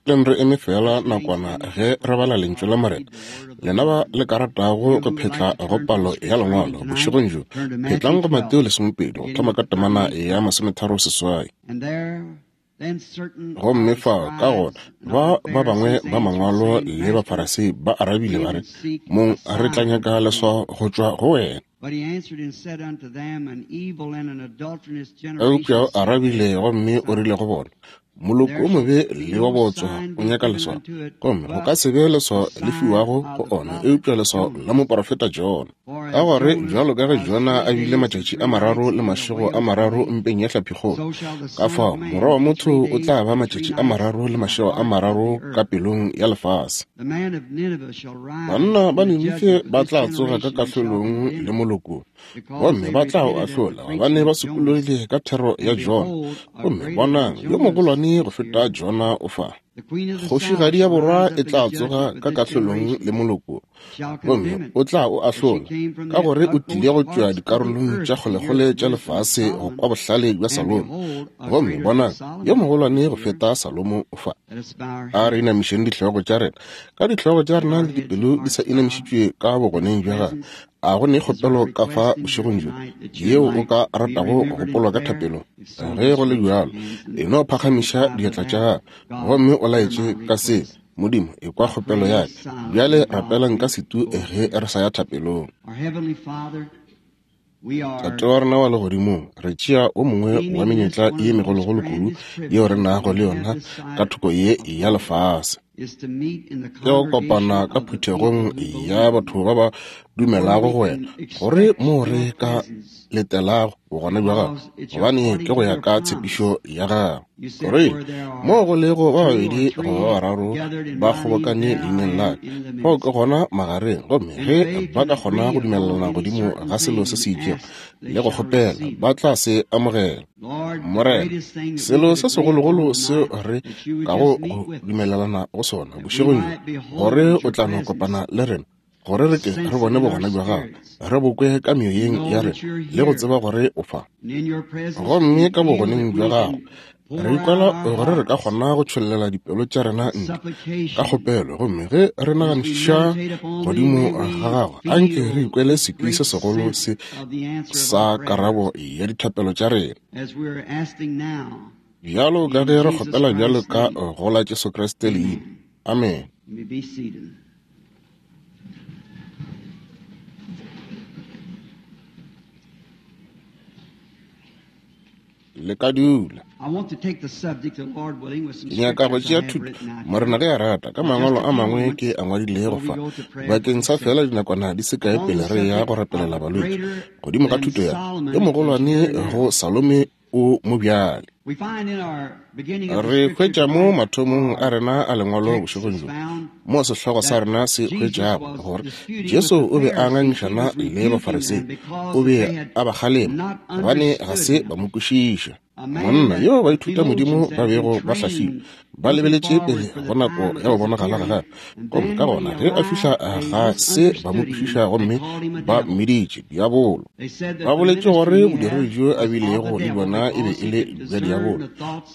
Leng re eme feela nakwana ge re bala Lentšu la Morena. Lena ba le ka ratago go phetla go palo ya Lengwalo bošegong bjo, phetlang go Mateo lesomepedi go thoma ka temana ya 36. Gomme fao ka gona ba ba bangwe ba mangwalo le Bafarasei ba arabile ba re, Mong, re tla nyaka leswao go tšwa go wena. Eupša o arabile gomme o rile go bona, Moloko o mobe le wa bootswa o nyaka leswao, gomme go ka se be leswao le fiwago go ona eupša leswao la moporofeta Jona. Ka gore bjalo ka ge Jona a bile matšatši a mararo le mašego a mararo mpeng ya hlaphikgolo, ka fao Morwa wa motho o tla ba matšatši a mararo le mašego a mararo ka pelong ya lefase. Banna ba Ninife ba tla tsoga ka kahlolong le moloko, gomme ba tla o ahlola, gobane ba sokologile ka thero ya Jona. Gomme bonang, yo mogolwane go feta Jona o fa. Kgošigadi ya borwa e tla tsoga ka kahlolong le moloko, gomme o tla o ahlola, ka gore o tlile go tšwa dikarolong tša kgolekgole tša lefase go kwa bohlale bja Salomo. Gomme bonang, yo mogolwane go feta Salomo o fa. A re inamišeng dihlogo tša rena, ka dihlogo tša rena le dipelo di sa inamišitšwe ka bogoneng bja gagwe. A go ne kgopelo ka fa bošegong bjo yeo o ka ratago go gopolwa ka thapelo? Ge go le bjalo, e no phagamiša diatla tša gago gomme o laetše ka se, Modimo, ekwa kgopelo ya ka. Bjale rapelang ka setu ge re sa ya thapelong. Tate wa rena wa legodimong, re tšea o mongwe wa menyetla ye megologolo kudu yeo re nago le yona ka thoko ye ya lefase, ke go kopana ka phuthegong ya batho ba ba dumelago go wena, gore moo re ka letelago bogona bja gago, gobane ke go ya ka tshepišo ya gago. Gore moo go lego ba babedi goba ba bararo ba kgobokane leineng la ka, fao ke gona magareng. Gomme ge ba ka kgona go dumelelana godimo ga selo se se itšego le go kgopela, ba tla se amogela. Morena, selo se segologolo seo re kago go dumelelana go sona bošegong bjo, gore o tla no kopana le rena, gore re ke re bone bogona bja gago, re bo kwe ka meoyeng ya rena le go tseba gore o fa. Gomme ka bogoneng bja gago re ikwela gore re ka kgona go tšhollela dipelo tša rena ntle ka kgopelo, gomme ge re naganišiša godimo ga gago, anke re ikwele sekwi se segolo se sa karabo ya dithapelo tša rena. Bjalo ka ge re kgopela bjalo ka go la Jesu Kriste leina. Amen. Le ka dula. Ke nyaka go tšea thuto, Morena ge a rata, ka mangwalo a mangwe ke a ngwadilego fa, bakeng sa feela dinakwana di se kae pele re ya go rapelela balwetši, godimo ga thuto ya yo mogolwane go Salome o mo bjale. Re hwetša mo mathomong a rena a lengwalo bošegong bjo, mo sehlogo sa rena se hwetšago gore Jesu o be a ngangišana le Bafarisei, o be a ba kgalema gobane ga se ba mo kwešiša. Monna yo baithutamodimo ba bego ba hlahlilwe ba lebeletše pele go nako ya go bonagala ga gagwe, gomme ka gona ge a fihla ga se ba mo kwešiša gomme ba mmiditše diabolo. Ba boletše gore bodiredi bjo a bilego le bjona e be e le bja diabolo,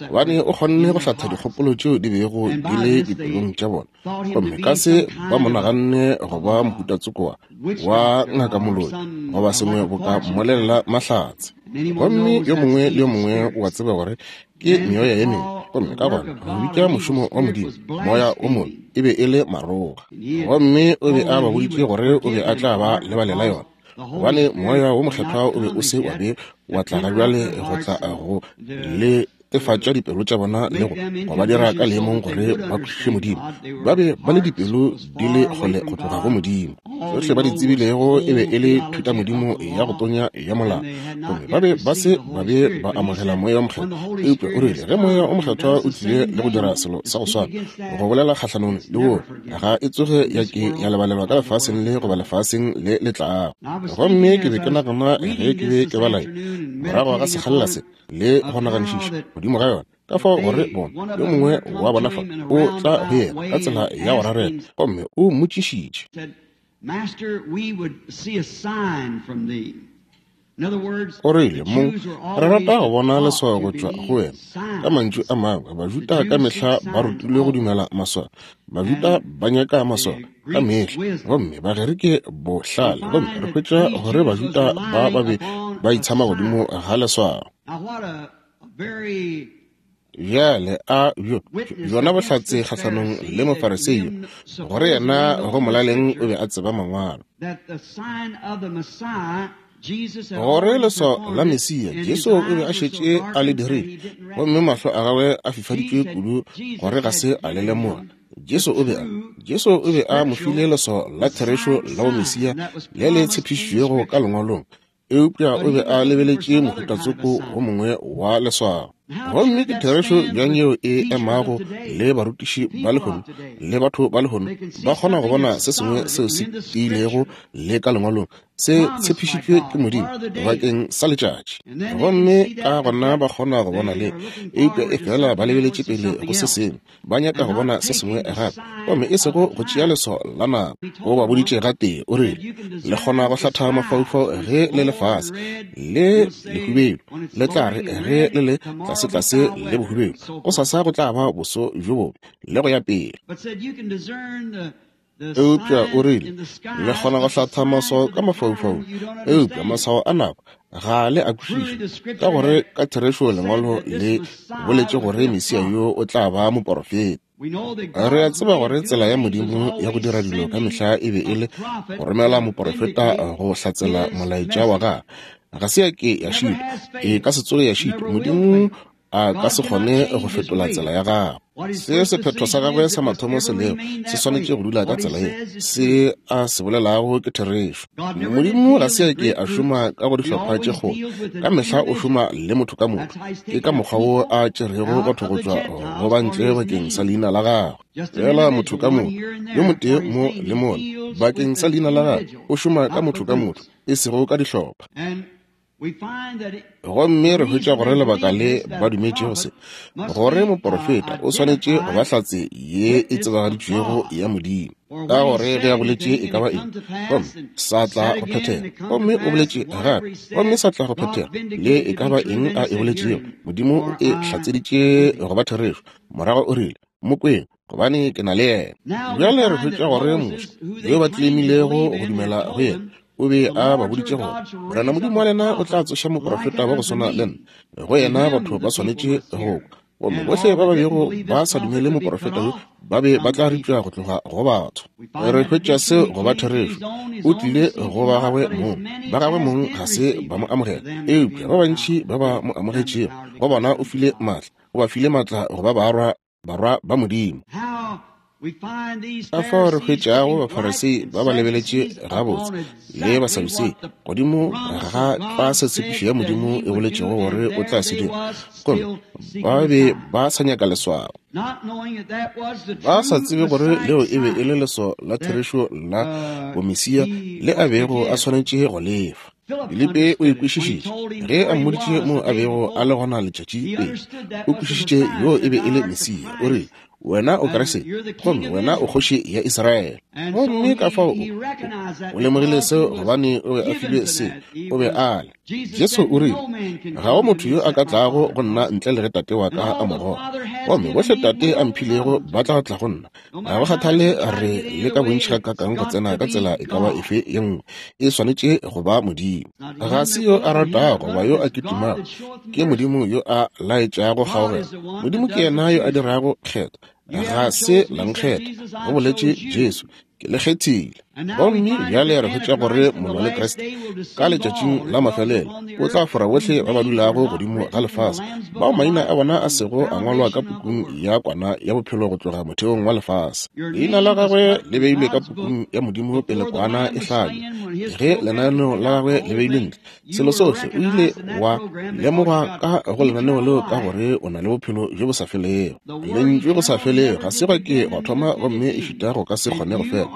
gobane o kgonne go hlatha dikgopolo tšeo di bego di le dipelong tša bona, gomme ka se ba mo naganne go ba mohutatsoko wa ngakamoloi goba sengwe boka mmolelela mahlatse. Gomme yo mongwe le yo mongwe o a tseba gore ke meoya ye mengwe, gomme ka gona go bitša mošomo wa Modimo moya o mobe e be e le maroga. Gomme o be a ba boditše gore o be a tla ba lebalela yona, gobane moya wo mokgethwa o be o se wa be wa tla ga bjale go tla go le netefatša dipelo tša bona le go ba dira ka leemong gore ba kwešiše Modimo. Ba be ba le dipelo di le kgole go tloga go Modimo. Tšohle ba di tsebilego e be e le thutamodimo ya go tonya ya molao, gomme ba be ba se ba be ba amogela Moya wo Mokgethwa. Eupša o rile ge Moya wo Mokgethwa o tlile le go dira selo sa go swana, go bolela kgahlanong le woo, ga e tsoge ya ke ya lebalelwa ka lefaseng le goba lefaseng le le tlago. Gomme ke be ke nagana ge ke be ke bala ye, morago ga sekgalela se, le go naganišiša godimo ga yona, ka fao gore bona yo mongwe wa bona fa o tla go yena ka tsela ya go rarela, gomme o mmotšišitše. O rile, Mong, re rata go bona leswao go tšwa go wena. Ka mantšu a mangwe, Bajuda ka mehla ba rutilwe go dumela maswao. Bajuda ba nyaka maswao ka mehla, gomme Bagerike bohlale. Gomme re hwetša gore Bajuda ba ba be ba itshama godimo ga leswao. Bjale a bjo bjona bohlatse kgahlanong le Mofarisei yo, gore yena go molaleng o be a tseba Mangwalo. Gore leswao la Mesia, Jesu o be a šetše a le dirile, gomme mahlo a gagwe a fifaditšwe kudu gore ga se a le lemoga. Jesu o be a, Jesu o be a mo file leswao la therešo la bomesia le le tshepišitšwego ka Lengwalong, eupša o be a lebeletše mohutatsoko wo mongwe wa leswao. Gomme ke therešo bjang yeo e emago le barutiši ba lehono le batho ba lehono, ba kgona go bona se sengwe seo se tiilego le ka Lengwalong, se tshepišitšwe ke Modimo bakeng sa letšatši. Gomme ka gona ba kgona go bona le, eupša efela ba lebeletše pele go se sengwe. Ba nyaka go bona se sengwe gape, gomme e sego go tšea leswao la nako. O ba boditše gatee, o rile, Le kgona go hlatha mafaufau ge le le fase le lehubedu, le tla re ge le le tlasetlase le bohubedu, gosasa go tla ba boso bjo bobe, le go ya pele. Eupša o rile, Le kgona go hlatha maswao ka mafaufau, eupša maswao a nako ga le a kwešiše, ka gore ka therešo Lengwalo le boletše gore Mesia yo o tla ba moporofeta. Re a tseba gore tsela ya Modimo ya go dira dilo ka mehla e be e le go romela moporofeta go hlatsela molaetša wa gagwe. Ga se ya ke ya šitwa, e ka se tsoge ya šitwa. Modimo a ka se kgone go fetola tsela ya gagwe. Se sephetho sa gagwe sa mathomo se lego, se swanetše go dula ka tsela ye. Se a se bolelago ke therešo. Modimo ga se a ke a šoma ka go dihlopha tše kgolo. Ka mehla o šoma le motho ka motho. Ke ka mokgwa wo a tšerego batho go tšwa go ba ntle bakeng sa leina la gagwe. Fela motho ka motho, yo motee mo le mola, bakeng sa leina la gagwe. O šoma ka motho ka motho, e sego ka dihlopha. Gomme re hwetša gore lebaka le ba dumetšego se, gore moporofeta o swanetše go ba hlatse ye e tsebagaditšwego ya Modimo, ka gore ge a boletše e ka ba eng, gomme sa tla go phethega, gomme o boletše gape, gomme sa tla go phethega, le e ka ba eng a e boletšego, Modimo o e hlatseditše go ba therešo. Morago o rile, Mo kweng, gobane ke na le yena. Bjale re hwetša gore Moshe, yo ba tleimilego go dumela go yena, o be a ba boditše gore Morena Modimo wa lena o tla tsoša moprofeta wa go swana le nna. Go yena batho ba swanetše go kwa. Gomme bohle ba ba bego ba sa dumele moprofeta yo ba be ba tla ripša go tloga go batho. Re hwetša seo go ba therešo. O tlile go ba gagwe mong, ba gagwe mong ga se ba mo amogela, eupša ba bantši ba ba mo amogetšego, go bona o file maatla, o ba file maatla go ba barwa barwa ba Modimo. Ka fao re hwetšago Bafarisei ba ba lebeletše gabotse le Basadusei godimo ga tlwa se tshepišo ya Modimo e boletšego gore o tla se dira, gomme ba be ba sa nyaka leswao, ba sa tsebe gore leo e be e le leswao la therešo la bomesia le a bego a swanetše go lefa. Filipe o e kwešišitše ge a mmoditše mo a bego a le gona letšatši pele. O kwešišitše yoo e be e le Mesia. O rile, Wena o Kriste, gomme wena o kgoši ya Israele. Gomme ka fao o lemogile seo gobane o be a filwe se, o be a le. Jesu o rile, Ga go motho yo a ka tlago go nna ntle le ge Tate wa ka a mo goga. Gomme bohle Tate a mphilego ba tla tla go nna. Ga go kgathale re le ka bontši gakaakang go tsena ka tsela e ka ba efe ye nngwe, e swanetše go ba Modimo. Ga se yo a ratago goba yo a kitimago, ke Modimo yo a laetšago kgaogelo. Modimo ke yena yo a dirago kgetho. Ga se la nkgetha, go boletše Jesu, ke le kgethile. Gomme bjale re hwetša gore molwa le Kriste ka letšatšing la mafelelo o tla fora bohle ba ba dulago godimo ga lefase, bao maina a bona a sego a ngwalwa ka pukung ya Kwana ya Bophelo go tloga motheong wa lefase. Leina la gagwe le beilwe ka pukung ya Modimo pele Kwana e hlabja. Ge lenaneo la gagwe le beilwe ntle, selo sohle o ile wa lemogwa ka go lenaneo leo ka gore o na le bophelo bjo bo sa felego. Lentšu go sa felego ga se gwa ke gwa thoma gomme e šita go ka se kgone go fela.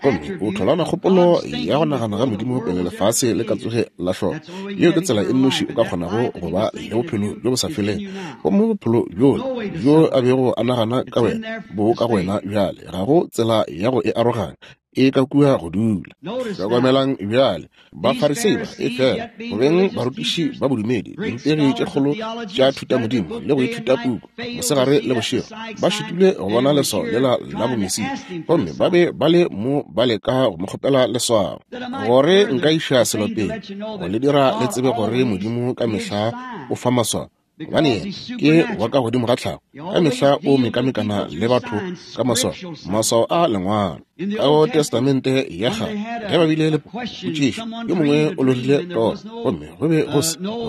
Gomme o tholana kgopolo ya go nagana ga Modimo pele lefase le ka tsoge la hlolwa. Yeo ke tsela e nnoši o ka kgonago go ba le bophelo bjo bo sa felego. Gomme bophelo bjola bjo a bego a nagana ka wena bo ka go wena bjale. Ga go tsela ya go e aroganya. e ka kua go dula. Hlokomelang bjale, Bafarisei ba, efela go beng barutiši ba bodumedi, dirutegi tše kgolo tša thutamodimo le go ithuta puku mosegare le bošego, ba šitilwe go bona leswao lela la bomesia, gomme ba be ba le mo ba leka go mo kgopela leswao. Gore nka iša selo pele, go le dira le tsebe gore Modimo ka mehla o fa maswao, gobane yena ke wa ka godimo ga tlhago, ka mehla o mekamekana le batho ka maswao, maswao a lengwalo. Ka go Testamente ya Kgale, ge ba bile le potšišo, yo mongwe o lorile toro, gomme go be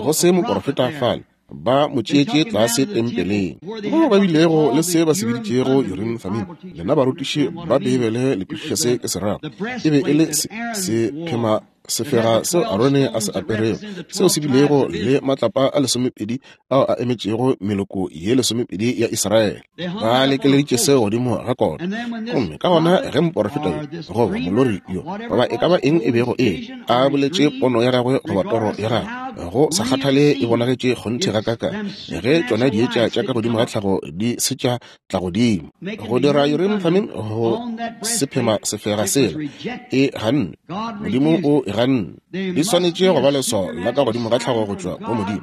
go se moporofeta fale, ba mo tšeetše tlase tempeleng, moo ba bilego le se ba se biditšego Urim Thummim. Lena barutiši ba Beibele le kwešiša se ke se rago. E be e le se, se phema sefega seo Arone a se aperego, seo se bilego le matlapa a lesomepedi ao a emetšego meloko ye lesomepedi ya Israele. Ba lekeleditše seo godimo ga kota. Gomme ka gona ge moporofeta yo, goba molori yo, goba e ka ba eng e bego e, a boletše pono ya gagwe goba toro ya gagwe, go sa kgathale e bonagetše kgonthe gakaakang, ge tšona dietša tša ka godimo ga tlhago di se tša tla godimo go dira Urim Thummim go sephema sefega sela, e ganne. Modimo o e ganne. Di swanetše go ba leswao la ka godimo ga tlhago go tšwa go Modimo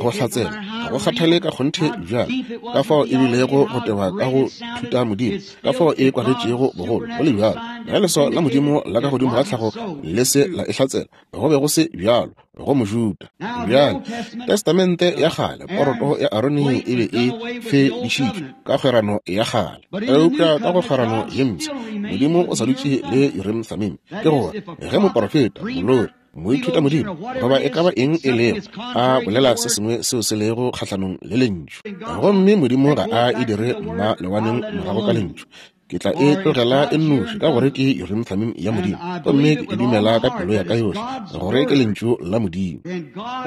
go hlatsela. Ga go kgathale ka kgonthe bjang ka fao e bilego go teba ka go thuta Modimo, ka fao e kwagetšego bogolo, go le bjalo ge leswao la Modimo la ka godimo ga tlhago le se la e hlatsela, go be go se bjalo go Mojuda. Bjale, Testamente ya Kgale, poroto ya Arone e be e fedišitšwe ka kgwerano ya kgale, eupša ka go kgwerano ye mpsha Modimo o sa dutše le Urim Thummim. Ke gore ge moporofeta, molori, moithuta modimo, goba e ka ba eng e lego, a bolela se sengwe seo se lego kgahlanong le Lentšu, gomme Modimo ga a e dire mma lewaneng morago ka Lentšu, Ke tla e tlogela e nnoši, ka gore ke Urim Thummim ya Modimo, gomme ke e dumela ka pelo ya ka yohle gore ke Lentšu la Modimo.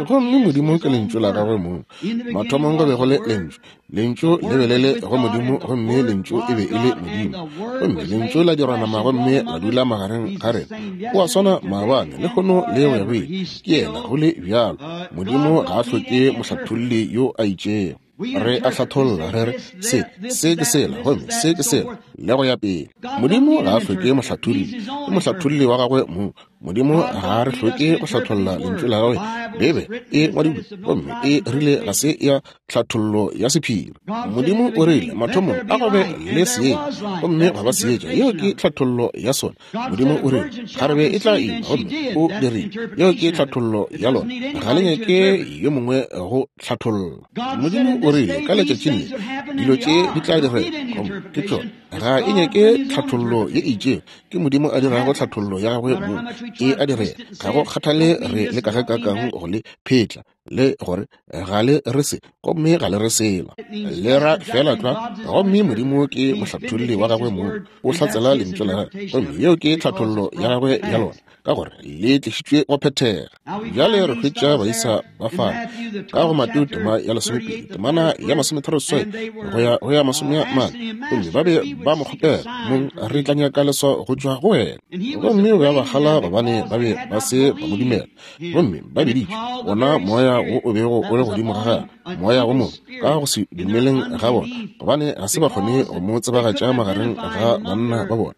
Gomme Modimo ke Lentšu la Gagwe mong. Mathomong go be go le Lentšu, Lentšu le be le le go Modimo, gomme Lentšu e be e le Modimo. Gomme Lentšu la dirwa nama gomme la dula magareng ga rena. O a swana maabane, lehono le go ya go ile. Ke yena go le bjalo. Modimo ga a hloke mohlatholli yo a itšego. Re a hlatholla, re re, Se, se ke sela, gomme se ke sela, le go ya pele. Modimo ga a hloke mohlatholli, ke mohlatholli wa gagwe mong. Modimo ga a re hloke go hlatholla Lentšu la gagwe. Beibe e ngwadilwe, gomme e rile ga se ya tlhathollo ya sephiri. Modimo o rile, mathomong a go be le seetša, gomme gwa ba seetša. Yeo ke tlhathollo ya sona. Modimo o rile, kgarebe e tla ima, gomme o dirile. Yeo ke tlhathollo ya lona. Ga le nyake yo mongwe go hlatholla. Modimo o rile ka letšatšing le dilo tše di tla direga, gomme ke tšona. Ga e nyake tlhathollo ye e itšego, ke Modimo a dirago tlhathollo ya gagwe mong, e a direga. Ga go kgathale re le ka ge kakang go le phetla le gore ga le re se, gomme ga le re sela, le ra fela tlwa. Gomme Modimo ke mohlatholli wa gagwe mong, o hlatsela lentšu la gagwe, gomme yeo ke tlhathollo ya gagwe ya lona, ka gore le tlišitšwe go phethega. Bjale re hwetša baisa ba fana ka go Mateo tema ya lesomepedi, temana ya masometharoseswai go ya go ya masomea-mane, gomme ba be ba mo kgopela, Mong, re tla nyaka leswao go tšwa go wena. Gomme o be a ba kgala gobane ba be ba se ba mo dumela, gomme ba biditše wona moya wo o bego o le godimo ga gagwe moya wo mobe ka go se dumeleng ga bona, gobane ga se ba kgone go mo tsebagatša magareng ga banna ba bona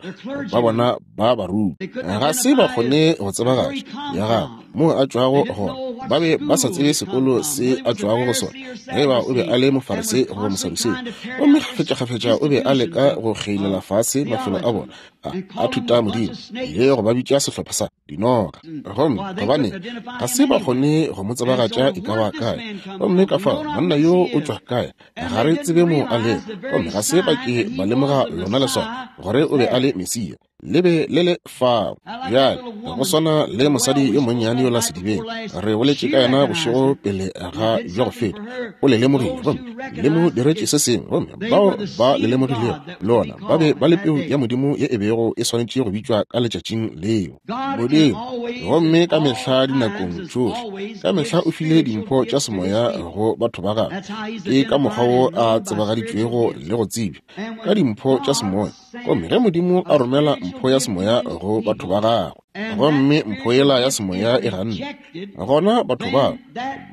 ba bona ba baruti. Ga se ba kgone go tsebagatša ya gagwe moo a tšwago gona. Ba be ba sa tsebe sekolo se a tšwago go sona, ge ba o be a le Mofarisei goba Mosadusei. Gomme kgafetšakgafetša o be a leka go kgeilela fase mafelo a bona a thuta modimo le go ba bitša sehlopha sa dinoga. Gomme gobane ga se ba kgone go mo tsebagatša e ka ba kae, gomme ka fao monna yo o tšwa kae, ga re tsebe mo a lego. Gomme ga se ba ke ba lemoga lona leswao gore o be a le Mesia, le be le le fao. Bjale go swana le mosadi yo monnyane yola sedibeng, re boletše ka yena bošego pele ga bja go feta, o le lemogile gomme le mo diretše se sengwe, gomme bao ba le lemogilego lona ba be ba le peu ya Modimo ye e bego e swanetše go bitšwa ka letšatšing leo. Modimo, gomme ka mehla dinakong tšohle, ka mehla o file dimpho tša semoya go batho ba gagwe. Ke ka mokgwa wo a tsebagaditšwego le go tsebja ka dimpho tša semoya. Gomme ge Modimo a romela mpho ya semoya go batho ba gagwe, gomme mpho yela ya semoya e ganne, gona batho bao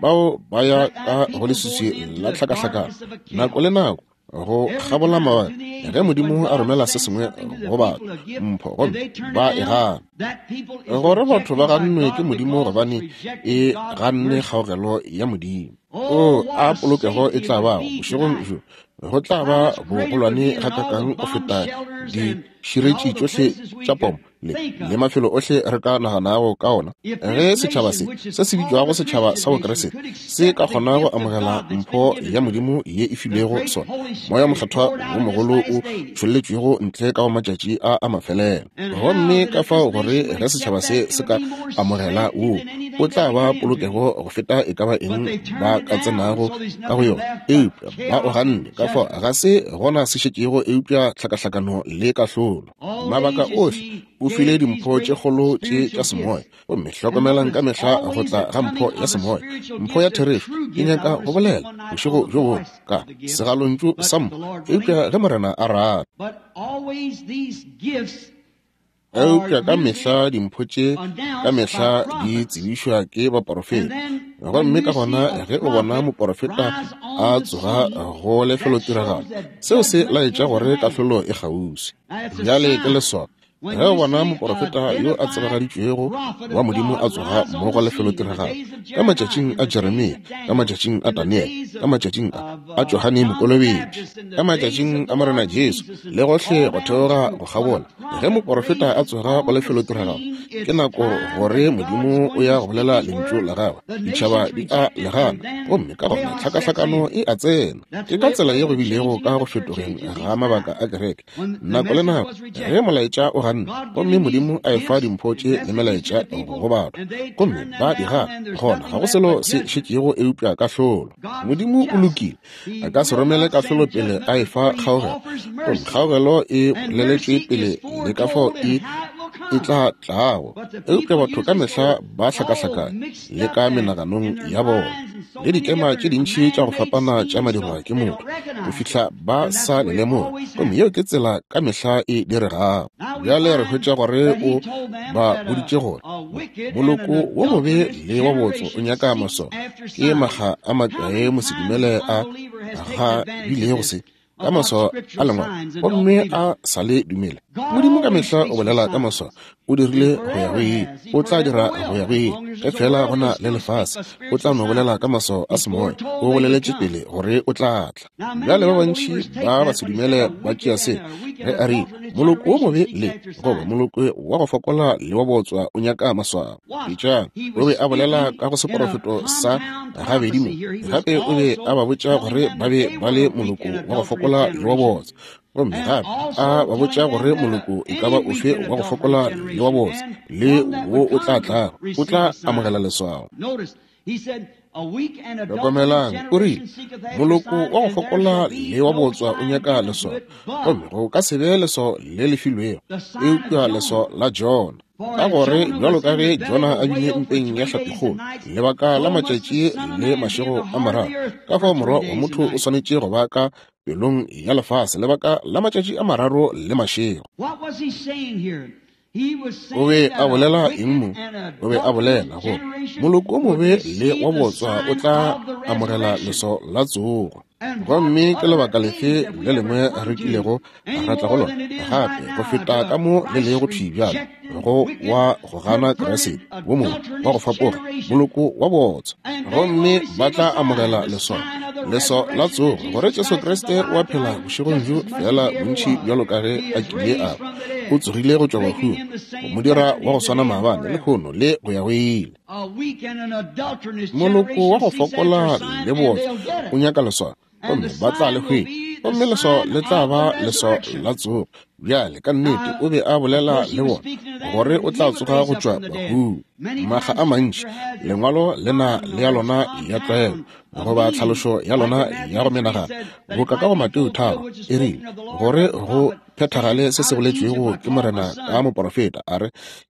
bao ba ya ka go leswiswi la tlhakahlakano nako le nako. Go kgabola mabaka, ge Modimo a romela se sengwe go batho, mpho, gomme ba e gana. Gore batho ba gannwe ke Modimo gobane e ganne kgaogelo ya Modimo. O a polokego e tla bago bošegong bjo, go tla ba bogolwane gakakang go feta diširetši tšohle tša pomo le, le mafelo ohle re ka naganago ka ona. Ge setšhaba se, se se bitšwago setšhaba sa Bokriste, se ka kgona go amogela mpho ya Modimo ye e filwego sona, Moya Mokgethwa wo mogolo o tšholletšwego ntle ka go matšatši a a mafelelo, gomme ka fao gore ge setšhaba se se ka amogela wo, o tla ba polokego go feta e ka ba eng ba ka tsenago ka go yona. Eupša ba o ganne, ka fao ga se gona se šetšego eupša tlhakahlakano le kahlolo. Mabaka ohle o file dimpho tše kgolo tše tša semoya, gomme hlokomelang ka mehla go tla ga mpho ya semoya, mpho ya therešo. Ke nyaka go bolela bošego bjo bongwe ka segalontšu sa mpho, eupša ge Morena a rata. Eupša ka mehla dimpho tše ka mehla di tsebišwa ke baporofeta. Gomme ka gona ge o bona moporofeta a tsoga go lefelotiragalo, seo se laetša gore kahlolo e kgauswi. Bjale ke leswao ge o bona moporofeta yo a tsebagaditšwego wa Modimo a tsoga mo go lefelotiragalo, ka matšatšing a Jeremia, ka matšatšing a Daniele, ka matšatšing a Johane Mokolobetši, ka matšatšing a Morena Jesu, le gohle go theoga go kgabola, ge moporofeta a tsoga go lefelotiragalo, ke nako gore Modimo o ya go bolela lentšu la gagwe. Ditšhaba di a le gana, gomme ka gona tlhakahlakano e a tsena. Ke ka tsela ye go bilego ka go fetogeng ga mabaka a kereke. Nako le nako ge molaetša o ganne, gomme Modimo a efa dimpho tše le melaetša go batho, gomme ba di gana, gona ga go selo se šetšego eupša kahlolo. Modimo o lokile, a ka se romele kahlolo pele a efa kgaogelo, gomme kgaogelo e boleletšwe pele le ka fao e e tla tlago. Eupša batho ka mehla ba hlakahlakanya le ka menaganong ya bona le dikema tše dintši tša go fapana tša madirwa ke motho go fihla ba sa le lemoga, gomme yeo ke tsela ka mehla e diregago. Bjale re hwetša gore o ba boditše gore moloko wo mobe le wa botso o nyaka maswao. Ke makga a makae mosedumele a ga bilego se ka maswao a lengwalo gomme a sa le dumele. Modimo ka mehla o bolela ka maswao. O dirile go ya go ile, o tla dira go ya go ile. Ge fela go na le lefase, o tla no bolela ka maswao a semoya. O boleletše pele gore o tla tla. Bjale ba bantši ba basedumele ba tšea se ge a rile moloko wo mobe le goba moloko wa go fokola le wa botswa o nyaka maswao. Etšang, o be a bolela ka go seporofeto sa gabedi mo. Gape o be a ba botša gore ba be ba le moloko wa go fokola le wa botswa, gomme gape a ba botša gore moloko e ka ba ofe wa go fokola le wa botswa le wo o tla tlago o tla amogela leswao. Hlokomelang, o rile, moloko wa go fokola le wa botswa o nyaka leswao, gomme go ka se be leswao le le filwego eupša leswao la Jona. Ka gore bjalo ka ge Jona a bile mpeng ya hlapikgolo lebaka la matšatši le mašego a mararo, ka fao Morwa wa motho o swanetše go ba ka pelong ya lefase lebaka la matšatši a mararo le mašego. O be a bolela eng mo? O be a bolela gore moloko o mobe le wa botswa o tla amogela leswao la tsogo. Gomme ke lebaka lefe le lengwe re kilego ra tla go lona gape go feta ka mo le lego thwi bjale, go wa go gana Kriste, wo mongwe wa go fapoga, moloko wa botswa. Gomme ba tla amogela leswao, leswao la tsogo, gore Jesu Kriste o a phela bošegong bjo, feela bontši bjalo ka ge a kile a ba. O tsogile go tšwa bahung, go mo dira wa go swana maabane, lehono, le go ya go ile. Moloko wa go fokola le botswa o nyaka leswao, gomme ba tla le hwetša, gomme leswao le tla ba leswao la tsogo. Bjale, ka nnete o be a bolela le bona gore o tla tsoga go tšwa bahung. Makga a mantši lengwalo le na le ya lona ya tlwaelo goba tlhalošo ya lona ya go menagana, boka ka go Mateo 3 e rile, gore go phethagale se se boletšwego ke Morena ka moporofeta, a re,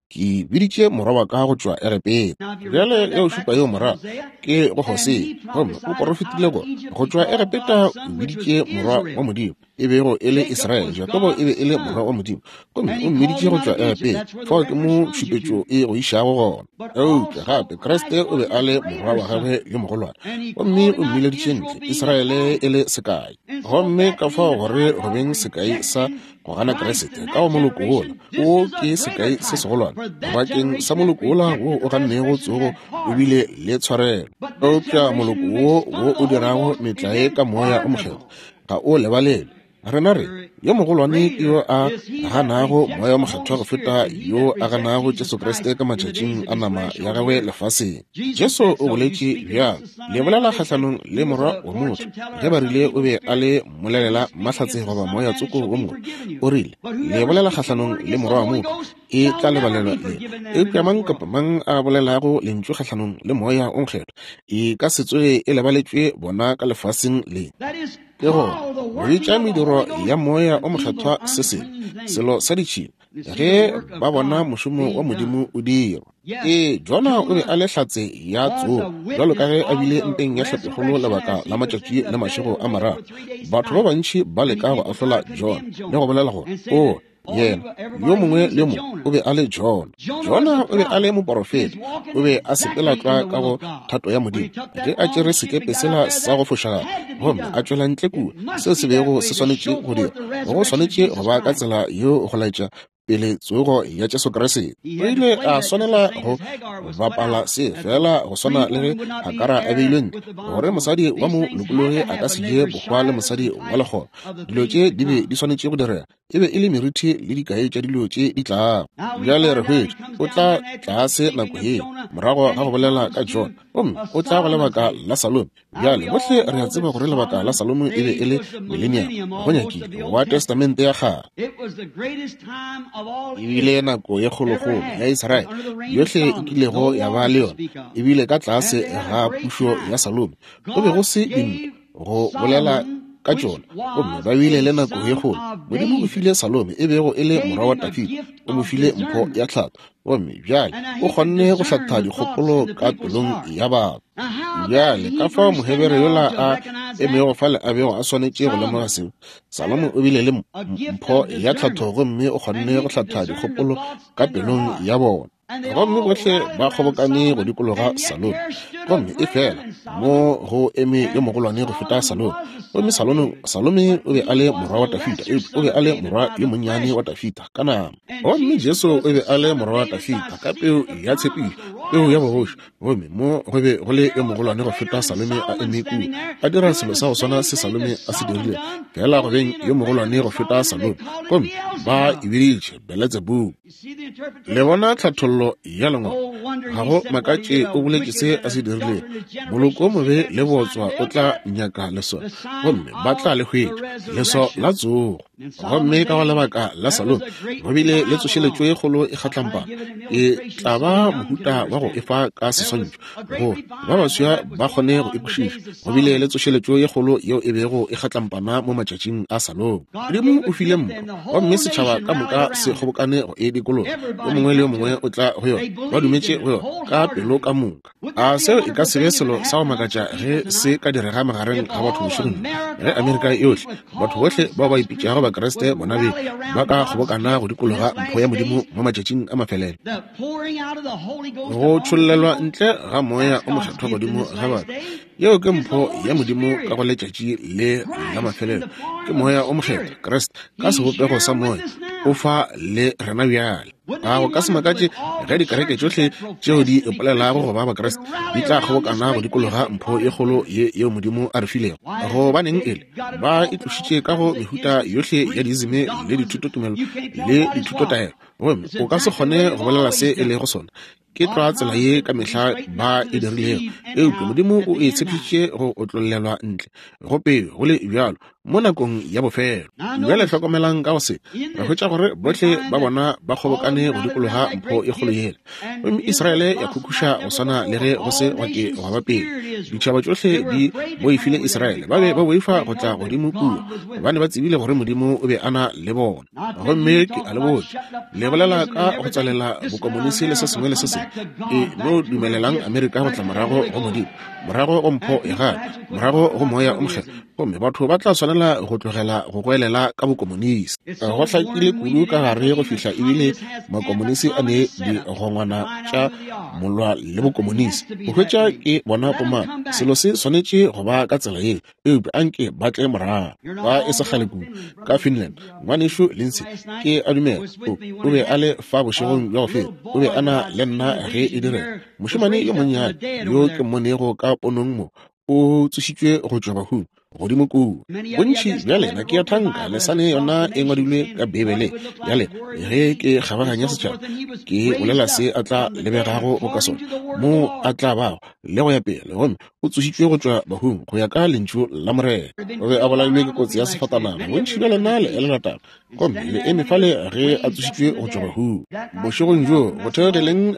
Ke biditše morwa wa ka go tšwa Egepeta. Bjale ge o šupa yeo morago, ke go Hosea, gomme o porofetile gore go tšwa Egepeta o biditše morwa wa Modimo, e bego e le Israele. Jakobo e be e le morwa wa Modimo, gomme o mmiditše go tšwa Egepeta. Fao ke mo tšhupetšo e go išago gona. Eupša gape Kriste o be a le morwa wa gagwe yo mogolwane, gomme o mmileditše ntle, Israele e le sekai. Gomme ka fao gore go beng sekai sa go gana Kriste ka go moloko wola, o ke sekai se segolwane bakeng sa moloko wola wo o gannego tsogo o bile le tshwarelo. Eupša moloko wo wo o dirago metlae ka Moya o Mokgethwa ga o lebalelwe. Rena re, yo mogolwane ke yo a ganago Moya o Mokgethwa go feta yo a ganago Jesu Kriste ka matšatšing a nama ya gagwe lefaseng. Jesu o boletše bjalo, le bolela kgahlanong le Morwa wa motho, ge ba rile o be a le mmolelela mahlatse goba moya tsoko wo mongwe. O rile, le bolela kgahlanong le Morwa wa motho, e tla lebalelwa yena. Eupša mang kapa mang a bolelago lentšu kgahlanong le Moya o Mokgethwa, e ka se tsoge e lebaletšwe bona ka lefaseng le. Ke gore, bitša mediro ya Moya o Mokgethwa se sengwe, selo sa ditšhila, ge ba bona mošomo wa Modimo o dirwa. Ee, Jona o be a le hlatse ya tsogo, bjalo ka ge a bile mpeng ya hlapikgolo lebaka la matšatši le mašego a mararo. Batho ba bantši ba leka go ahlola Jona le go bolela gore, O, yena, yo mongwe le yo mongwe o be a le Jona. Jona o be a le moporofeta, o be a sepela tlwa ka go thato ya Modimo. Ge a tšere sekepe sela sa go fošagala gomme a tšwela ntle kua, seo se bego se swanetše go dira, go swanetše go ba ka tsela yeo go laetša pele tsogo ya Jesu Kriste. O ile a swanela go bapala se fela go swana le ge Hagara a beilwe ntle, gore mosadi wa mo lokologi a ka se je bohwa le mosadi wa lekgoba. Dilo tše di be di swanetše go direga, e be e le merithi le dikai tša dilo tše di tlago. Bjale re hwetša o tla tlase nako yeo morago ga go bolela ka John, gomme o tla go lebaka la Salome. Bjale bohle re a tseba gore lebaka la Salomo e be e le millennium, go nyakile, wa Testamente ya Kgale. E bile nako ye kgolokgolo ya Israele yohle e kilego ya ba le yona, e bile ka tlase ga pušo ya Salomo. Go be go se dintwa go bolela ka tšona, gomme ba bile le nako ye kgolo. Modimo o file Salome, e bego e le morwa wa Dafida, o mo file mpho ya tlhatho, gomme bjale o kgonne go hlatha dikgopolo ka pelong ya batho. Bjale ka fao Mohebere yola a emego fale a bego a swanetše go lemoga seo. Salomo o bile le mpho ya tlhatho gomme o kgonne go hlatha dikgopolo ka pelong ya bona. Gomme bohle ba kgobokane go dikologa Salomo, gomme e fela mo go eme yo mogolwane go feta Salomo. Gomme Salome o be a le morwa wa Dafida, eupša o be a le morwa yo monnyane wa Dafida ka nama. Gomme Jesu o be a le morwa wa Dafida ka peu ya tshepišo, peu ya bogoši. Gomme mo go be go le yo mogolwane go feta Salome a eme kua, a dira selo sa go swana se Salome a se dirilego, fela go beng yo mogolwane go feta Salome. Gomme ba e biditše Beletsebubu. Le bona tlhathollo ya Lengwalo? Ga go makatše o boletše se a se dirilego. Moloko o mobe le bootswa o tla nyaka leswao, gomme ba tla le hwetša, leswao la tsogo. Gomme ka go lebaka la Salome go bile le tsošeletšo e kgolo e kgatlampana. E tla ba mohuta wa go efa ka seswantšho gore ba baswa ba kgone go e kwešiša. Go bile le tsošeletšo ye kgolo yeo e bego e kgatlampana mo matšatšing a Salomo. Modimo o file mpho, gomme setšhaba ka moka se kgobokane go e dikologa. Yo mongwe le yo mongwe o tla go yona, ba dumetše go yona ka pelo ka moka. A seo e ka se be selo sa go makatša ge se ka direga magareng ga batho bošegong bjo, ge Amerika yohle, batho bohle bao ba ipitšago Bakriste bonabeng, ba ka kgobokana go dikologa mpho ya Modimo mo matšatšing a mafelelo. Go tšhollelwa ntle ga Moya o Mokgethwa godimo ga batho, yeo ke mpho ya Modimo ka go letšatši le la mafelelo, ke Moya o Mokgethwa, Kriste ka sebopego sa Moya, o fa le rena bjale. A go ka se makatše ge dikereke tšohle tšeo di ipolelago go ba Bakriste di tla kgobokana go dikologa mpho ye kgolo ye yeo Modimo a re filego? Gobaneng e le ba itlošitše ka go mehuta yohle ya diizime le dithutotumelo le dithutotaelo, gomme o ka se kgone go bolela se e lego sona. Ke tlwa tsela ye ka mehla ba e dirilego, eupša Modimo o e tshepišitše go otlollelwa ntle go peo go le bjalo mo nakong ya bofelo. Bjale hlokomelang ka go se, re hwetša gore bohle ba bona ba kgobokane go dikologa mpho e kgolo yela, gomme Israele ya khukhuša go swana le ge go se gwa ke gwa ba pele. Ditšhaba tšohle di boifile Israele, ba be ba boifa go tla godimo kua, gobane ba tsebile gore Modimo o be a na le bona. Gomme ke a le botša, le bolela ka go tswalela bokomonisi le se sengwe le se sengwe, e no dumelelang Amerika go tla morago go Modimo, morago go mpho ya gagwe, morago go Moya o Mokgethwa, gomme batho ba tla swanela go tlogela go goelela ka bokomonisi. Go hlakile kudu ka gare go fihla ebile makomonisi a ne digongwana tša molwa le bokomonisi. Go hwetša ke bona bomang, selo se swanetše go ba ka tsela ye. Eupša anke ba tle morago. Ba e se kgale kudu ka Finland, Ngwanešu Lindsay, ke a dumela, o be a le fa bošegong bja go feta, o be a na le nna ge e direga. Mošemane yo monnyane yo ke mmonego ka ponong mo, o tsošitšwe go tšwa bahung, godimo kua. Bontši bja lena ke a thanka le sa ne yona e ngwadilwe ka Beibeleng ya lena. Ge ke kgabaganya setšhaba, ke bolela se a tla lebegago boka sona, mo a tla bago, le go ya pele. Gomme o tsošitšwe go tšwa bahung go ya ka lentšu la Morena. O be a bolailwe ke kotsi ya sefatanaga. Bontši bja lena le elelwa taba. Gomme le eme fale ge a tsošitšwe go tšwa bahung. Bošegong bjoo, go theogeleng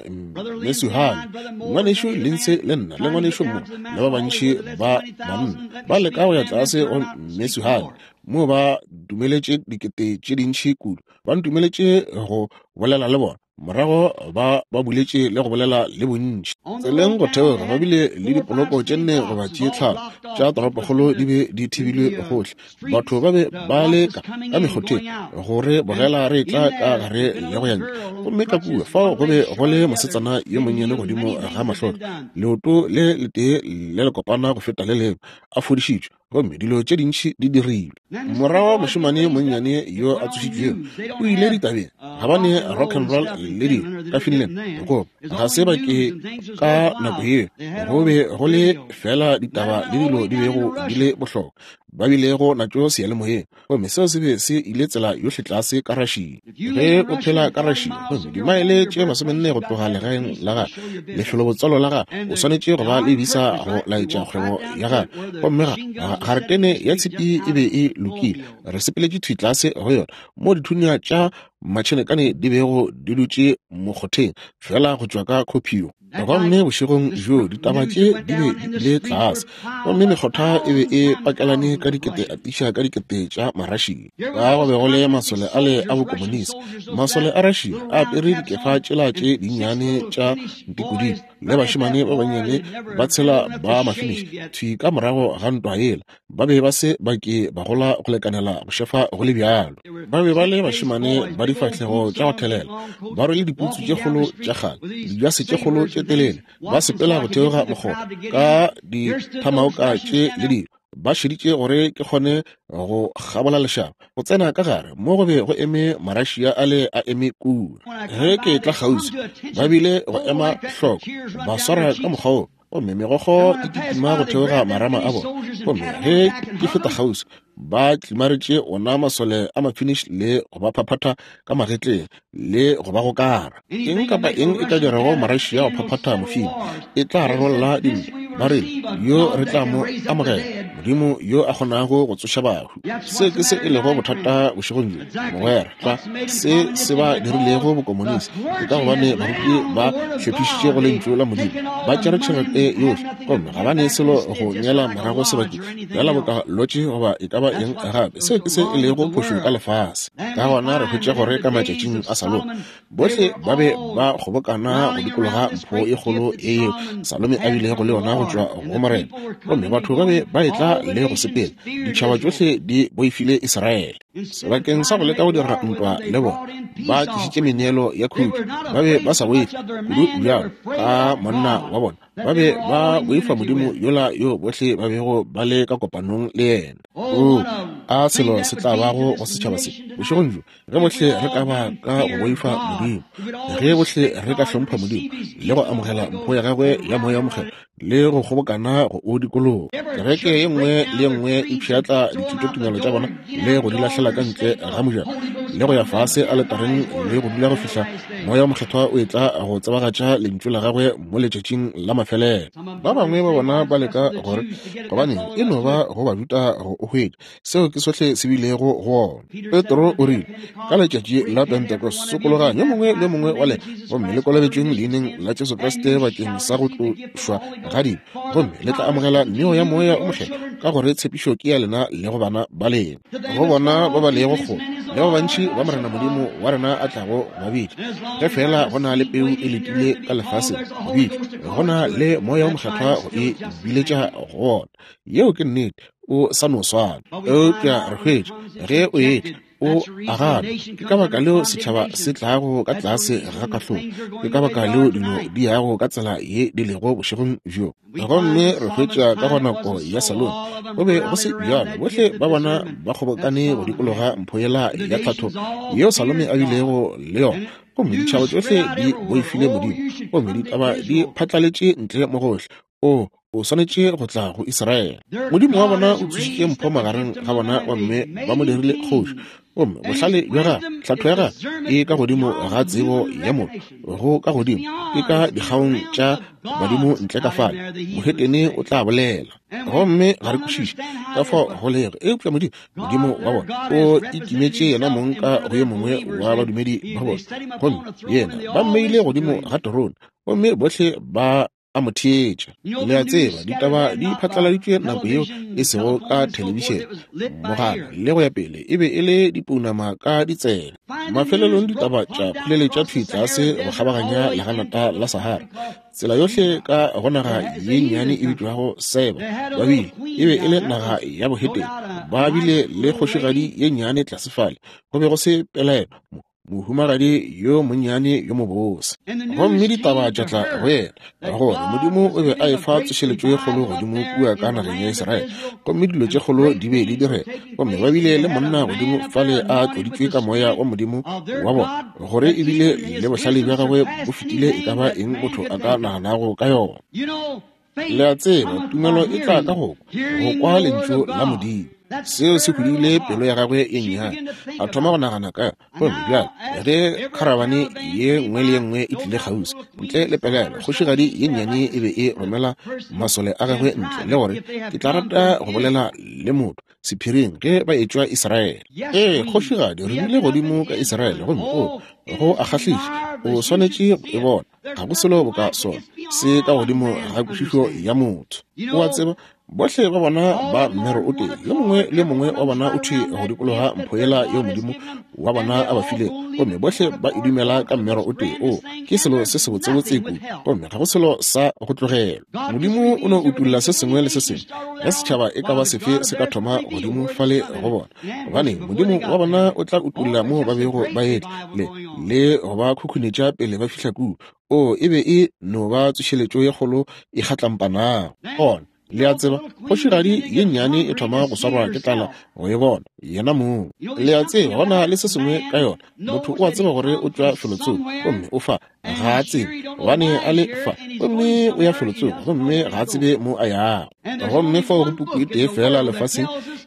Mesuhane, ngwanešu Lindsay le nna le ngwanešu Moore le ba bantši ba banna ba leka go ya tlase go Mesuhane, moo ba dumeletše dikete tše dintši kudu. Ba ntumeletše go bolela le bona. Morago ba ba buletše le go bolela le bontši. Tseleng go theoga ba bile le dipoloko tše nne goba tše tlhano tša toropokgolo di be di thibilwe gohle. Batho ba be ba le ka ka mekgotheng go re bogela re etla ka gare le go ya ntle. Gomme ka kua fao go be go le mosetsana yo monnyane godimo ga mahlotlo, leoto le letee le lekopana go feta le lengwe, a fodišitšwe. Gomme dilo tše dintši di dirilwe. Morago mošemane yo monnyane yo a tsošitšwego o ile ditabeng, gabane rock and roll le dilo ka Finland, goba ga se ba ke ka nako yeo go be go le fela ditaba le dilo di bego di le bohlokwa ba bilego natšo seyalemoyeng. Gomme seo se be se ile tsela yohle tlase ka Russia. Ge o phela ka Russia, gomme dimaele tše 40 go tloga legaeng la gago, lefelobotswalo la gago, o swanetše go ba le visa go laetša kgwebo ya gago. Gomme ga, garetene ya tshipi e be e lokile. Re sepeletše thwi tlase go yona, moo dithunya tša matšhenekane di bego di dutše mokgotheng, feela go tšwa ka Kuopio. Gomme bošegong bjoo ditaba tše di be di ile tlase, gomme mekgotha e be e pakelane ka dikete atiša ka dikete tša Marašia. Ka go be go le masole ale a bokomonisi, masole a Rašia a apere dikefa tšela tše dinnyane tša ntikodimo, le bašemane ba bannyane ba tshela ba Mafiniši thwi ka morago ga ntwa yela. Ba be ba se ba ke ba gola go lekanela go šefa go le bjalo. Ba be ba le bašemane ba difahlego tša go thelela, ba rwele diputsu tše kgolo tša kgale, dijase tše kgolo tše telele, ba sepela go theoga mokgotha ka dithamaoka tše le dilo. Ba šeditše gore ke kgone go kgabola lešaba, go tsena ka gare mo go be go eme Marašia ale a eme kua. Ge ke etla kgauswi, ba bile go ema hloko, ba swara ka mokgwa wo. Gomme megokgo e kitima go theoga marama a bona. Gomme ge ke feta kgauswi, ba tlimaretše ona masole a Mafinish le go ba phaphatha ka magetleng le go ba gokara. Eng kapa eng e ka dirago Marussia go phaphatha Mofini, e tla rarolla dintwa. Ba rile, Yo re tla mo amogela, Modimo yo a kgonago go tsoša bahu. Se ke se e lego bothata bošegong bjo, mogwera, tlwa se se ba dirilego bokomonisi. Ke ka gobane baruti ba hlephišitše go Lentšu la Modimo, ba tšere tšhelete yohle, gomme ga ba ne selo go neela morago sebakeng, bjala boka lotše goba e ka ba eng gape. Seo ke se e lego phošo ka lefase. Ka gona re hwetša gore ka matšatšing a Salomo, bohle ba be ba kgobokana go dikologa mpho e kgolo e yeo Salome a bilego le yona go tšwa go Morena, gomme batho ba be ba etla le go sepela. Ditšhaba tšohle di boifile Israele. Sebakeng sa go leka go dira ntwa le bona, ba tlišitše meneelo ya khutšo. Ba be ba sa boife kudu bjalo ka monna wa bona. Ba be ba boifa Modimo yola yo bohle ba bego ba le ka kopanong le yena. Oo, a selo se tla bago go setšhaba se bošegong bjo, ge bohle re ka ba ka go boifa Modimo, ge bohle re ka hlompha Modimo le go amogela mpho ya gagwe ya Moya wo Mokgethwa le go kgobokana go o dikologa. Kereke ye nngwe le ye nngwe e pšhatla dithutotumelo tša bona le go di lahlela ka ntle ga mojako. le go ya fase aletareng le go dula go fihla Moya wo Mokgethwa o etla go tsebagatša Lentšu la Gagwe mo letšatšing la mafelelo. Ba bangwe ba bona ba leka gore, Gobaneng, e no ba go Bajuda go o hwetša. Seo ke sohle se bilego go wona. Petro o rile, ka letšatši la Pentecost, sokologang yo mongwe le yo mongwe wa lena, gomme le kolobetšweng Leineng la Jesu Kriste bakeng sa go tlošwa ga dibe, gomme le tla amogela neo ya Moya o Mokgethwa, ka gore tshepišo ke ya lena le go bana ba lena, go bona ba ba lego kgole, le ba bantši ba Morena Modimo wa rena a tlago go ba bitša. Ge feela go na le peu e letile ka lefaseng go bitšwa, go na le Moya o Mokgethwa go e biletša go wona. Yeo ke nnete. O sa no swana. Eupša re hwetša, ge o etla, o a gana. Ke ka baka leo setšhaba se tlago ka tlase ga kahlolo. Ke ka baka leo dilo di yago ka tsela ye di lego bošegong bjo. Gomme re hwetša ka go nako ya Salome, go be go se bjalo. Bohle ba bona ba kgobokane go dikologa mpho yela ya tlhatho yeo Salome a bilego le yona. Gomme ditšhaba tšohle di boifile Modimo. Gomme ditaba di phatlaletše ntle mo gohle. O, o swanetše go tla go Israele. Modimo wa bona o tsošitše mpho magareng ga bona gomme ba mo dirile kgoši. Gomme bohlale bja gagwe, tlhatho ya gagwe e ka godimo ga tsebo ya motho, go ka godimo, e ka dikgaong tša badimo ntle ka fale. Mohetene o tla bolela. Gomme ga re kwešiše ka fao go lego, eupša Modimo, Modimo wa bona, o ikimetše yena mong ka go yo mongwe wa badumedi ba bona. Gomme yena ba mmeile godimo ga terone, gomme bohle ba a mo theetša. Le a tseba, ditaba di phatlaladitšwe nako yeo e sego ka thelebišene, mogala le go ya pele, e be e le dipounama ka ditsebe. Mafelelong ditaba tša phuleletša thwi tlase go kgabaganya leganata la Sahara, tsela yohle ka go naga ye nnyane e bitšwago Seba. Ba bile, e be e le naga ya bohetene. Ba bile le kgošigadi ye nnyane tlase fale, go be go se pelaelo mohumagadi yo monnyane yo mobose. Gomme ditaba tša tla go yena gore Modimo o be a efa tsošeletšo ye kgolo godimo kua ka nageng ya Israele, gomme dilo tše kgolo di be di direga, gomme ba bile le monna godimo fale a tloditšwe ka moya wa Modimo wa bona, gore ebile le bohlale bja gagwe bo fetile e ka ba eng motho a ka naganago ka yona. Le a tseba, tumelo e tla ka go kwa, go kwa Lentšu la Modimo. Seo se hudile pelo ya gagwe ye nnyane. A thoma go nagana ka yona. Gomme bjale, ge kharabane ye nngwe le ye nngwe e tlile kgauswi, ntle le pelaelo, kgošigadi ye nnyane e be e romela masole a gagwe ntle, le gore, Ke tla rata go bolela le motho sephiring ge ba etšwa Israele. Ee, kgošigadi, re bile godimo ka Israele, gomme o, go a kgahliša. O swanetše go e bona. Ga go selo boka sona, se ka godimo ga kwešišo ya motho. O a tseba, bohle ba bona ba mmero o tee, yo mongwe le yo mongwe wa bona o thwi go dikologa mpho yela yeo Modimo wa bona a ba filego, gomme bohle ba e dumela ka mmero o tee. O, ke selo se sebotsebotse kudu, gomme ga go selo sa go tlogelwa. Modimo o no utolla se sengwe le se sengwe ge setšhaba e ka ba sefe se ka thoma godimo fale go bona, gobane Modimo wa bona o tla utolla moo ba bego ba etla le, le go ba khukhunetša pele ba fihla kua. O, e be e no ba tsošeletšo ye kgolo e kgatlampanago. Gona, le a tseba, kgošigadi ye nnyane e thoma go swarwa ke tlala go e bona yena mong. Le a tseba, go na le se sengwe ka yona. Motho o a tseba gore o tšwa felotsoko, gomme o fa, ga a tsebe gobane a le fa, gomme o ya felotsoko, gomme ga a tsebe mo a yago. Gomme fao go puku e tee feela lefaseng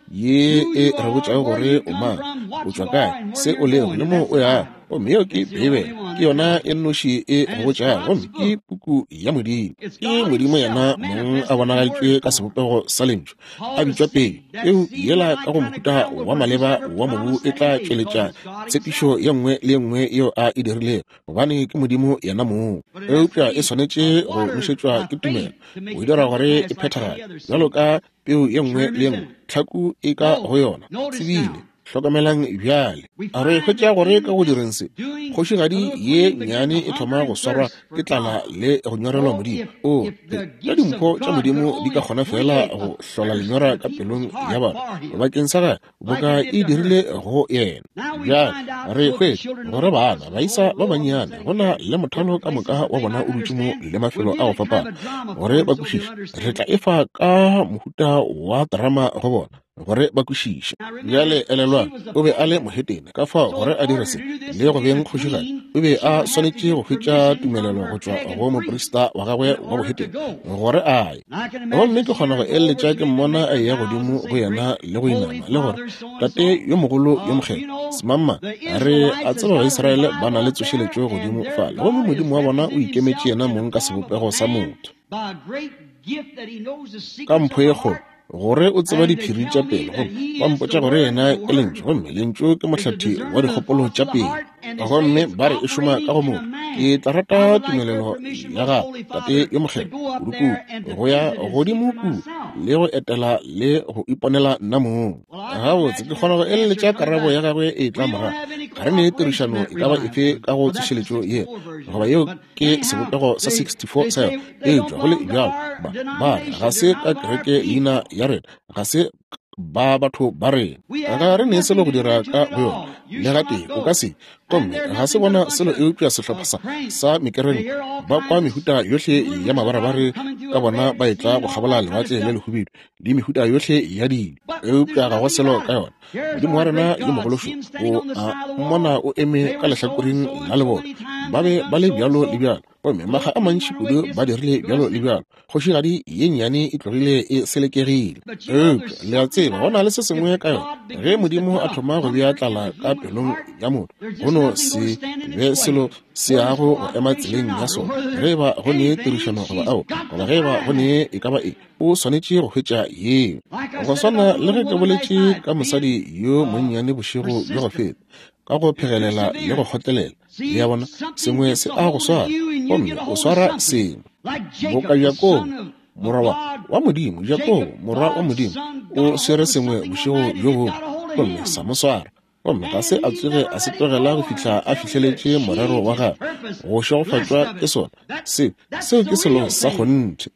ye e re botšago gore o mang, o tšwa kae, se o lego, le mo o yago. Gomme yeo ke Beibele, ke yona e nnoši e go botšago, gomme ke puku ya Modimo. Ke Modimo yena mong a bonagaditšwe ka sebopego sa Lentšu, a bitšwa peu. Peu yela ka go mohuta wa maleba wa mobu e tla tšweletša tshepišo ye nngwe le ye nngwe yeo a e dirilego, gobane ke Modimo yena mong. Eupša e swanetše go nošetšwa ke tumelo go dira gore e phethagale, bjalo ka peu ye nngwe le ye nngwe, tlhaku e ka go yona. Tsebile. Hlokamelang bjale, re hwetša gore ka go direng se, kgošigadi ye nnyane e thoma go swarwa ke tlala le go nyorelwa Modimo. O, ge dimpho tša Modimo di ka kgona feela go hlola lenyora ka pelong ya batho bakeng sa gagwe, boka e dirile go yena. Bjale re hwetša gore bana, baisa ba bannyane, go na le mothalo ka moka wa bona o dutše mo le mafelo a go fapana, gore ba kwešiše. Re tla efa ka mohuta wa terama go bona, gore ba kwešiše. Bjale elelwang, o be a le mohetene, ka fao gore a dire se le go beng kgošigadi, o be a swanetše go hwetša tumelelo go tšwa go moprista wa gagwe wa bohetene gore a ye. Gomme ke kgona go eleletša ke mmona a eya godimo go yena le go inama le gore, Tate yo mogolo yo mokgethwa, Semangmang, re a tseba Baisraele ba na le tsošeletšo godimo fale, gomme Modimo wa bona o ikemetše yena mong ka sebopego sa motho. Ka mpho ye kgolo, gore o tseba diphiri tša pelo, gomme ba mpotša gore yena ke Lentšu, gomme Lentšu ke mohlathi wa dikgopolo tša pelo, gomme ba re e šoma ka go motho. Ke tla rata tumelelo ya gago, Tate yo Mokgethwa, kudukudu, go ya godimo kua le go etela le go iponela nna mong. Gabotse, ke kgona go eleletša karabo ya gagwe e tla morago. Ga re ne tirišano e ka ba efe ka go tsošeletšo ye, goba yeo ke sebopego sa 64 sa yona. Eupša go le bjalo, ba, ba re ga se ka kereke leina ya rena, ga se ba batho ba rena. Ga re ne selo go dira ka go yona, le gatee, o ka se. Gomme ga se bona selo eupša sehlopha sa, sa mekerenko, ba kwa mehuta yohle ya mabarebare ka bona ba etla go kgabola Lewatle le Lehubedu, le mehuta yohle ya dilo, eupša ga go selo ka yona. Modimo wa rena yo mogolo šo, o a mmona o eme ka lehlakoreng la leboto. Ba be ba le bjalo le bjalo, gomme makga a mantši kudu ba dirile bjalo le bjalo. Kgošigadi ye nnyane e tlogile e selekegile. Eupša le a tseba, go na le se sengwe ka yona. Ge Modimo a thoma go bea tlala ka pelong ya motho, go no se be selo se yago go ema tseleng ya sona, ge e ba go ne tirišano goba ao, goba ge e ba go ne e ka ba eng, o swanetše go hwetša yeo. Go swana le ge ke boletše ka mosadi yo monnyane bošego bja go feta, ka go phegelela le go kgotlelela. Le a bona, sengwe se a go swara, gomme o swara sengwe. Boka Jakobo, morwa wa, wa Modimo, Jakobo, morwa wa Modimo, o swere sengwe bošego bjo bongwe, gomme sa mo swara. Gomme ga se a tsoge a se tlogela go fihla a fihleletše morero wa gagwe, go šegofatšwa ke sona. Se, seo ke selo sa kgonthe.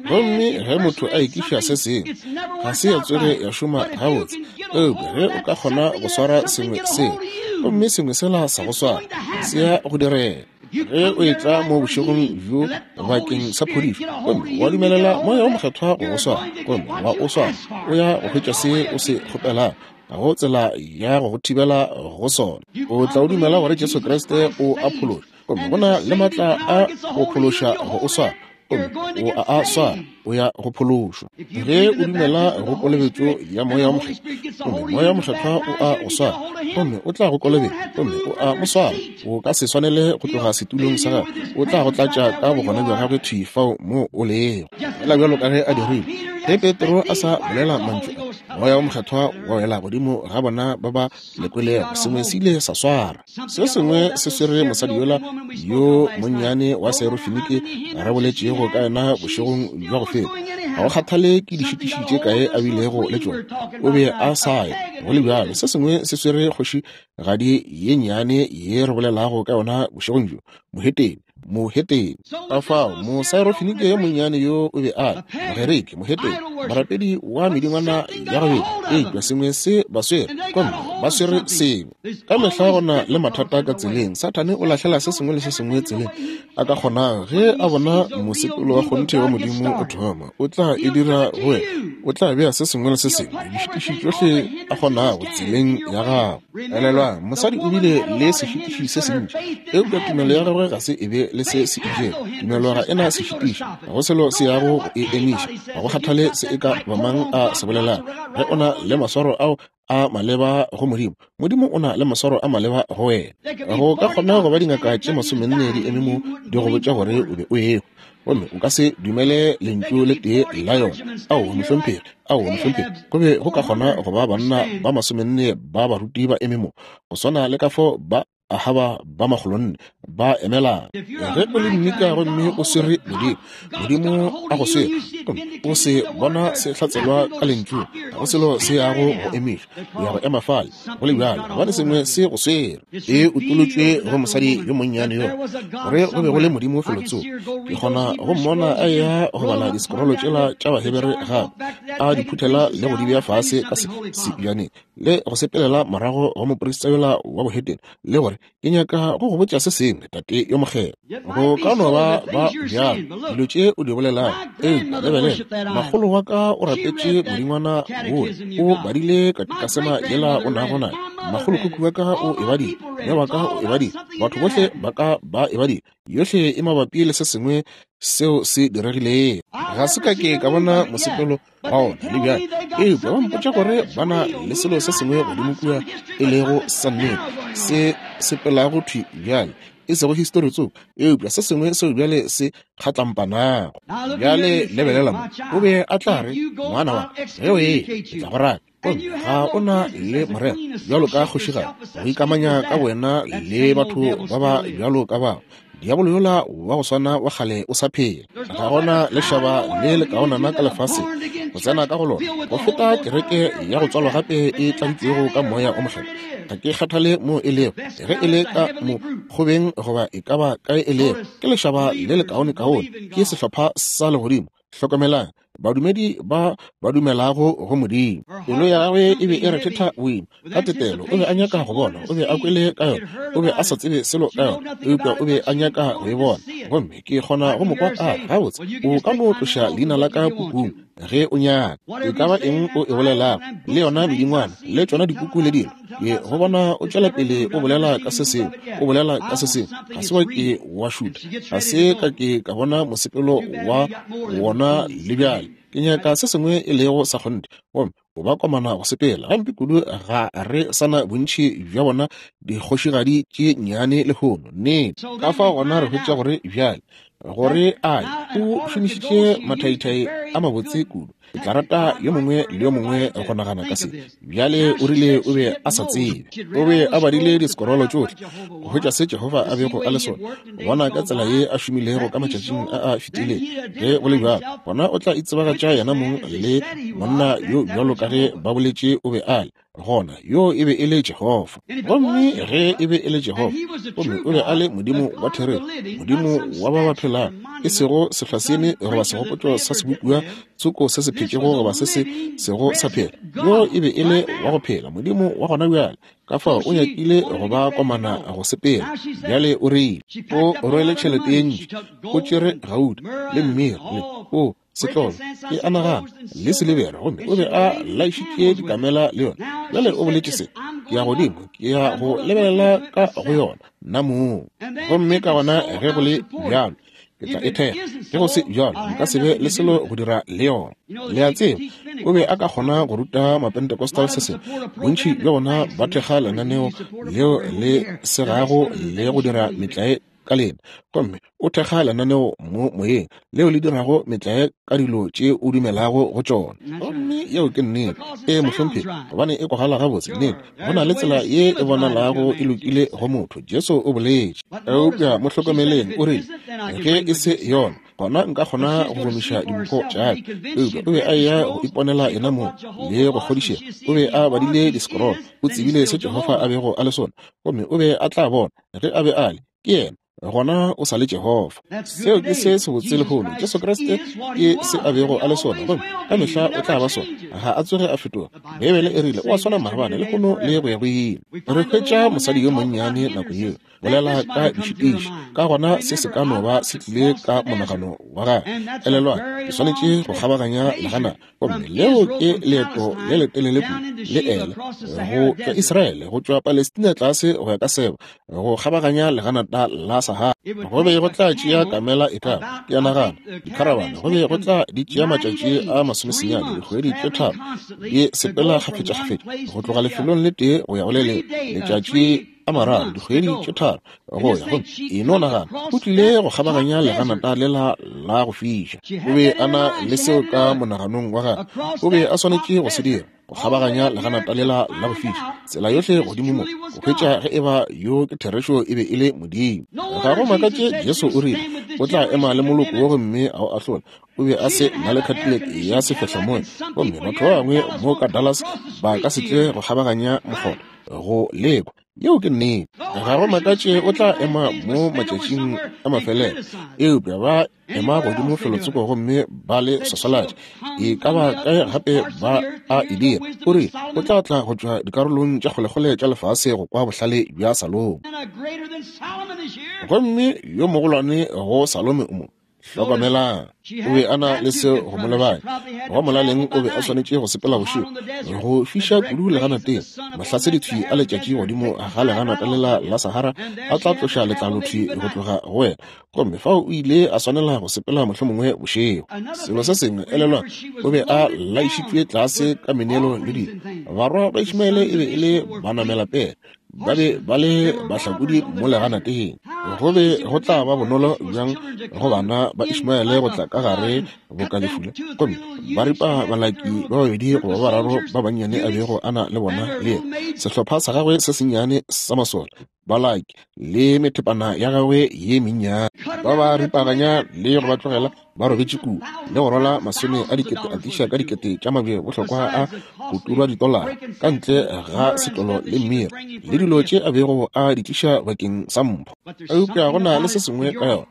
Gomme ge motho a ekiša se sengwe, ga se ya tsoge ya šoma gabotse. Eupša ge o ka kgona go swara sengwe seo, gomme sengwe sela sa go swara, se ya go direga. Ge o etla mo bošegong bjo bakeng sa phodišo, gomme wa dumelela Moya wo Mokgethwa go go swara, gomme wa o swara, o ya go hwetša se o se kgopelago. Ga go tsela ya go go thibela go sona. O tla o dumela gore Jesu Kriste o a phološa, gomme go na le maatla a go phološa go o swara, gomme o a a swara, o ya go phološwa. Ge o dumela go kolobetšo ya Moya wo Mokgethwa, gomme Moya wo Mokgethwa o a go swara, gomme o tla go kolobetša, gomme o a mo swara, o ka se swanele go tloga setulong sa gagwe, o tla go tlatša ka bogona bja gagwe thwi fao mo o lego, fela bjalo ka ge a dirile ge Petro a sa bolela mantšu a. Moya wo Mokgethwa wa wela godimo ga bona ba ba lekwelego. Sengwe se ile sa swara. Se sengwe se swere mosadi yola yo monnyane wa Serofinike re boletšego ka yena bošegong bja go feta. Ga go kgathale ke dišitiši tše kae a bilego le tšona, o be a sa ye go le bjalo. Se sengwe se swere kgošigadi ye nnyane ye re bolelago ka yona bošegong bjo, mohetene. Mohetene. Ka fao, Mosaerofinike yo monnyane yo o be a le, Mogerike, mohetene, morapedi wa medingwana ya go beta, eupša sengwe se ba swere, gomme ba swere sengwe. Ka mehla go na le mathata ka tseleng. Sathane o lahlela se sengwe le se sengwe tseleng a ka kgonago. Ge a bona mosepelo wa kgonthe wa Modimo o thoma, o tla e dira go wena. O tla bea se sengwe le se sengwe, dišitiši tšohle a kgonago, tseleng ya gago. Elelwang, mosadi o bile le sešitiši se sentši, eupša tumelo ya gagwe ga se e be le se se itšego. Tumelo ga e na sešitiši, ga go selo se yago go e emiša, ga go kgathale se e ka ba mang a se bolelago. Ge o na le maswaro ao a maleba go Modimo, Modimo o na le maswaro a maleba go wena. Go ka kgona go ba dingaka tše masomenne di eme mo di go botša gore o be o ehwa, gomme o ka se dumele lentšu le tee la yona. Aowa, mohlomphegi. Aowa, mohlomphegi. Go be go ka kgona go ba banna ba masomenne ba baruti ba eme mo, go swana le ka fo ba Ahaba ba makgolonne ba emela. Ge o le mnika gomme o swere Modimo, Modimo a go swere, gomme o se bona se hlatselwa ka lentšu, ga go selo se yago go emiša, o ya go ema fale go le bjalo, gobane sengwe se go swere. E utolotšwe go mosadi yo monnyane yo gore go be go le Modimo felotsoko. Ke kgona go mmona a eya go bala disekorolo tšela tša Bahebere gape, a di phuthela le go di bea fase ka sebjaneng, le go sepelela morago go moprista yola wa bohetene le gore, Ke nyaka go go botša se sengwe, tate yo mokgethwa. Go ka no ba ba bjalo dilo tše o di bolelago, eupša lebelela, makgolo wa ka o rapetše modingwana wola, o badile katikasema yela o nago nayo. Makgolokhukhu wa ka o e badile, mme wa ka o e badile, batho bohle ba ka ba e badile. Yohle e mabapi le se sengwe. seo se diregilego. Ga se ka ke ka bona mosepelo wa ona le bjale, eupša ba mpotša gore ba na le selo se sengwe godimo kua e lego sa nnete, se sepelago thwi bjale, e sego histori tsoko, eupša se sengwe seo bjale se kgatlampanago. Bjale lebelela mo, o be a tla re, Ngwana wa ka, ge o eya, ke tla go raka. Gomme ga o na le morero bjalo ka kgošigadi go ikamanya ka wena le batho ba ba bjalo ka bao. Diabolo yola wa go swana wa kgale o sa phela. Ga gona lešaba le lekaonana ka lefaseng go tsena ka go lona go feta kereke ya go tswalwa gape e tladitšwego ka Moya o Mokgethwa. Ga ke kgathale moo e lego, ge e le ka mokgobeng goba e ka ba kae e lego, ke lešaba le lekaonekaone, ke sehlopha sa legodimo. Hlokomelang, badumedi ba ba dumelago go Modimo. Pelo ya gagwe e be e rethetha boima ka tetelo. O be a nyaka go bona, o be a kwele ka yona, o be a sa tsebe selo ka yona, eupša o be a nyaka go e bona. Gomme ke kgona go mo kwa a re, Gabotse, o ka no tloša leina la ka pukung ge o nyaka. E ka ba eng o e bolelago, le yona medingwana, le tšona dipuku le dilo, ke go bona o tšwela pele o bolela ka se sengwe, o bolela ka se sengwe. Ga se wa ke wa šutha, ga se ka ke ka bona mosepelo wa wona le bjale. Ke nyaka se sengwe e lego sa kgonthe, gomme o ba komana go sepela gampe kudu. Ga re sa na bontši bja bona dikgošigadi tše nnyane lehono. Nnete. Ka fao gona re hwetša gore bjale gore a o šomišitše mathaithai a mabotse kudu. Ke tla rata yo mongwe le yo mongwe go nagana ka se. Bjale o rile o be a sa tsebe. O be a badile disekorolo tšohle go hwetša se Jehofa a bego a le sona, go bona ka tsela ye a šomilego ka matšatšing a a fetilego. Ge go le bjalo, gona o tla itsebagatša yena mong le monna yo bjalo ka ge ba boletše o be a le. Gona yo e be e le Jehofa. Gomme ge e be e le Jehofa, gomme o be a le Modimo wa therešo, Modimo wa ba ba phelago, e sego sehlwaseeme goba segopotšo sa sebopiwa tsoko se se phetšego goba se se sego sa phela. Yo e be e le wa go phela, Modimo wa gona bjale. Ka fao o nyakile go ba komana go sepela. Bjale o rile, o rwele tšhelete ye ntši, o tšere gauta le mmira le o setlolo, ke a nagana, le silibera, gomme o be a laišitše dikamela le yona. Bjale o boletše se, Ke ya godimo, ke ya go lebelela ka go yona, nna mong. Gomme ka gona ge go le bjalo, ke tla e thekga. Ge go se bjalo, nka se be le selo go dira le yona. Le a tseba, o be a ka kgona go ruta Mapentecostal se sengwe. Bontši bja bona ba thekga lenaneo leo le segago le go dira metlae ka lena, gomme o thekga lenaneo mo moyeng leo le dirago metlae ka dilo tše o dumelago go tšona. Gomme yeo ke nnete. Ee, mohlomphegi, gobane e kwagala gabotse. Nnete, go na le tsela ye e bonalago e lokile go motho, Jesu o boletše. Eupša mo hlokomeleng, o rile, Ge e se yona, gona nka kgona go gomiša dimpho tša ka. Eupša o be a eya go iponela yena mong le go kgodišega. O be a badile disekorolo, o tsebile se Jehofa a bego a le sona, gomme o be a tla bona ge a be a le ke yena, gona o sa le Jehofa. Seo ke se sebotse lehono. Jesu Kriste ke se a bego a le sona, gomme ka mehla o tla ba sona. Ga a tsoge a fetoga. Beibele e rile o a swana maabane, lehono le go ya go ile. Re hwetša mosadi yo monnyane nako yeo bolela ka dišitiši, ka gona se se ka no ba se tlile ka monagano wa gagwe. Elelwang, ke swanetše go kgabaganya legana, gomme leo ke leeto le letelele kudu le ele go tšwa Israele, go tšwa Palestina tlase go ya ka Seba, go kgabaganya leganata la Sahara. Go be go tla tšea kamela e ka, ke a nagana, dikharabane, go be go tla di tšea matšatši a masomesenyane, dikgwedi tše tharo, di sepela kgafetšakgafetša go tloga lefelong le tee go ya go le lengwe, letšatši a mararo, dikgwedi tše tharo go ya go e no nagana. O tlile go kgabaganya leganata lela la go fiša. O be a na le seo ka monaganong wa gagwe, o be a swanetše go se dira, go kgabaganya leganata lela la go fiša, tsela yohle godimo mo, go hwetša ge eba yo ke therešo e be e le Modimo. Ga go makatše Jesu o rile o tla ema le moloko wo gomme a o ahlola. O be a se na le Cadillac ya sefehlamoya, gomme batho ba bangwe mo ka Dallas ba ka se tle go kgabaganya mokgotha go lekwa. Yeo ke nnete. Ga go makatše o tla ema mo matšatšing a mafelelo, eupša ba ema godimo felotsoko gomme ba le swaswalatša. E ka ba kae gape ba a e dira. O rile o tla tla go tšwa dikarolong tša kgolekgole tša lefase go kwa bohlale bja Salomo. Gomme yo mogolwane go Salome o mo. Hlokomelang, o be a na le seo go mo lebanya. Go molaleng o be a swanetše go sepela bošego, go fiša kudu leganateng. Mahlasedi-thwi a letšatši godimo ga leganata lela la Sahara a tla tloša letlalo-thwi go tloga go wena. Gomme fao o ile a swanela go sepela mohlomongwe bošego. Selo se sengwe, elelwang, o be a laišitšwe tlase ka meneelo le dilo. Barwa ba Ishmaele e be e le banamelapele. Ba be ba le bahlakodi mo leganateng. Go be go tla ba bonolo bjang go bana ba Ishmaele go tla ka gare boka lefula, gomme ba ripa balaki ba babedi goba ba bararo ba bannyane a bego a na le bona le yena, sehlopha sa gagwe se sennyane sa masole, balaki le methepana ya gagwe ye mennyane, ba ba ripaganya le go ba tlogela ba robetše kua, le go rwala masome a dikete atiša ka dikete tša mabje bohlokwa a go turwa ditolara ka ntle ga setlolo le mmira le dilo tše a bego a di tliša bakeng sa mpho. Eupša go na le se sengwe ka yona,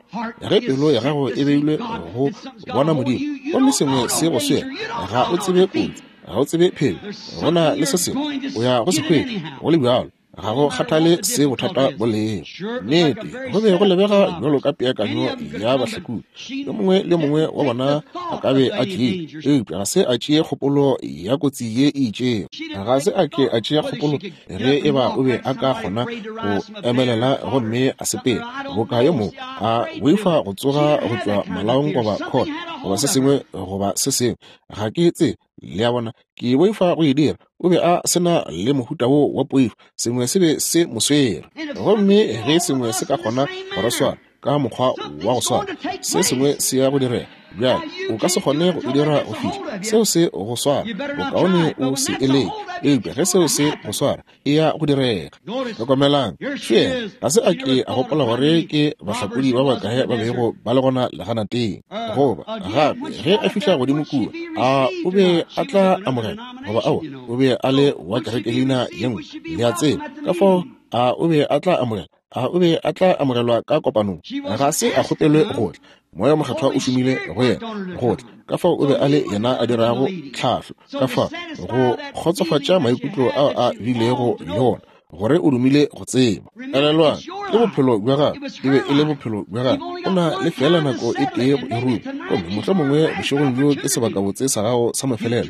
ge pelo ya gago e beilwe go bona Modimo, gomme sengwe se go swere, ga o tsebe kotsi, ga o tsebe phelo, go na le se sengwe o ya go se hwetša go le bjalo. Ga go kgathale se bothata bo lego. Nnete, go be go lebega bjalo ka peakanyo ya bahlakodi. Yo mongwe le yo mongwe wa bona a ka be a tlile, eupša ga se a tšee kgopolo ya kotsi ye e itšego. Ga se a ke a tšea kgopolo ge e ba o be a ka kgona go emelela gomme a sepela, boka yo mongwe a boifa go tsoga go tšwa malaong goba khona goba se sengwe goba se sengwe. Ga ke tsebe. Le a bona, ke boifa go e dira. O be a se na le mohuta wo wa poifo. Sengwe se be se mo swere. Gomme ge sengwe se ka kgona go re swara ka mokgwa wa go swana, se sengwe se ya go direga. Bjale, o ka se kgone go e dira go fihla seo se go swara. Bokaone o se e leke. Eupša ge seo se go swara, e ya go direga. Hlokomelang, še ga se a ke a gopola gore ke bahlakodi ba bakae ba bego ba le gona leganateng. Goba gape ge a fihla godimo kua, a o be a tla amogela goba aowa, o be a le wa kerekelina ye nngwe, le a tseba. Ka fao a o be a tla amogela, a o be a tla amogelwa ka kopanong? Ga se a kgopelwe go tla. Moya Mokgethwa o šomile go yena go tla. Ka fao o be a le yena a dirago tlhahlo, ka fao go kgotsofatša maikutlo ao a bilego le ona, gore o dumile go tseba. Elelwang, ke bophelo bja gagwe, e be e le bophelo bja gagwe. O na le feela nako e tee go e ruma, gomme mohlomongwe bošegong bjo ke sebakabotse sa gago sa mafelelo.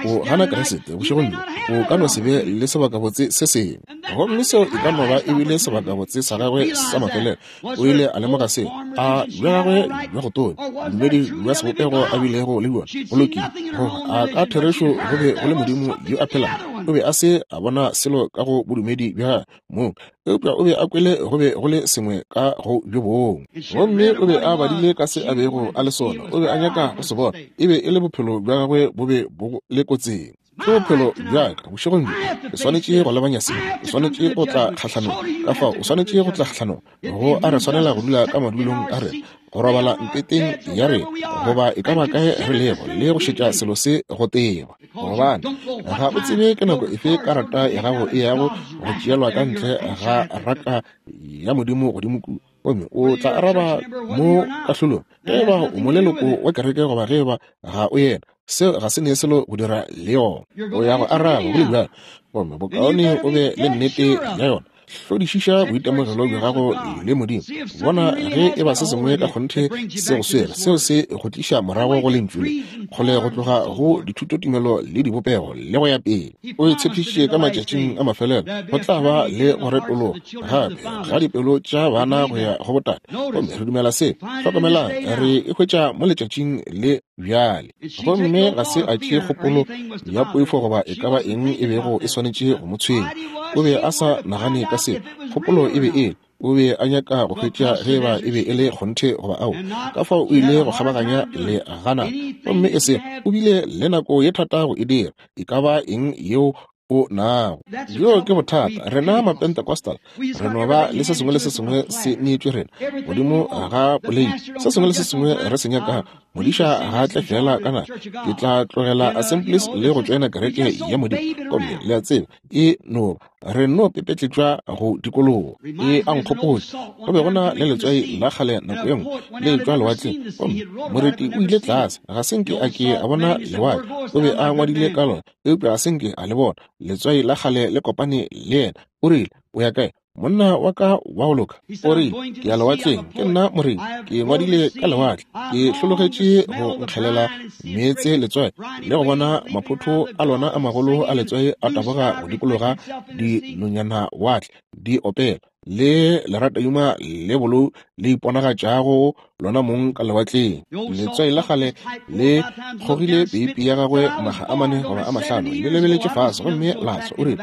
O gana Kriste bošegong bjo, o ka no se be le sebakabotse se sengwe. Gomme seo e ka no ba e bile sebakabotse sa gagwe sa mafelelo. O ile a lemoga seo a bja gagwe bja go tonya, bodumedi bja sebopego a bilego le bjona go lokile, goba a ka therešo go be go le Modimo yo a phelago. O be a se a bona selo ka go bodumedi bja gagwe mong, eupša o be a kwele go be go le sengwe ka go bjo bongwe. Gomme o be a badile ka se a bego a le sona, o be a nyaka go se bona. E be e le bophelo bja gagwe bo be bo le kotsing. Ke bophelo bja ka bošegong bjo. Ke swanetše go lebanya se. Ke swanetše go tla kgahlanong. Ka fao o swanetše go tla kgahlanong. Go a re swanela go dula ka madulong a rena, go robala mpeteng ya rena, goba e ka ba kae re lego, le go šetša selo se go teba. Gobane ga o tsebe ke nako efe karata ya gago e yago go tšeelwa ka ntle ga raka ya Modimo godimo kua. Gomme o tla araba mo kahlolong ge e ba o moleloko wa kereke goba ge e ba ga o yena. Seo ga se ne selo go dira le yona. O ya go araba go le bjalo. Gomme bokaone o be le nnete ya yona. Hlodišiša boitemogelo bja gago le Modimo. Bona ge e ba se sengwe ka kgonthe se go swere, seo se go tliša morago go Lentšu le, kgole go tloga go dithutotumelo le dibopego le go ya pele. O e tshepišitše ka matšatšing a mafelelo go tla ba le go retologa gape ga dipelo tša bana go ya go botate. Gomme re dumela se. Hlokomelang, re e hwetša mo letšatšing le bjale. Gomme ga se a tšee kgopolo ya poifo goba e ka ba eng e bego e swanetše go mo tshwenya. O be a sa nagane ka seo. Kgopolo e be e le, o be a nyaka go hwetša ge eba e be e le kgonthe goba aowa. Ka fao o ile go kgabaganya le gana. Gomme e se, o bile le nako ye thata go e dira, e ka ba eng yeo o nago. Bjoo ke bothata. Rena Mapentecostal re no ba le se sengwe le se sengwe se neetšwe rena godimo ga poleiti, se sengwe le se sengwe re se nyakago. Modiša ga a tle feela ka naga, ke tla tlogela Assemblies le go tšoena kereke ya Modimo. Gomme le a tseba, e no ba re no pepetletšwa go dikologa. E a nkgopotša, go be go na le letswai la kgale nako ye nngwe le etšwa lewatleng, gomme moreti o ile tlase, ga se nke a ke a bona lewatle, o be a ngwadile ka lona, eupša ga se nke a le bona. Letswai la kgale le kopane le yena. O rile, O ya kae? Monna wa ka wa go loka o rile, Ke ya lewatleng, ke nna morei, ke ngwadile ka lewatle, ke hlologetše go nkgelela meetse letswai le go bona maphotho a lona a magolo a letswai a taboga go dikologa dinonyana watle di opela, le leratadima le bolou le iponagatšago lona mong ka lewatleng. Letswai la kgale le kgogile peipi ya gagwe makga a mane goba a mahlano, le lebeletše fase gomme la tswa. O rile,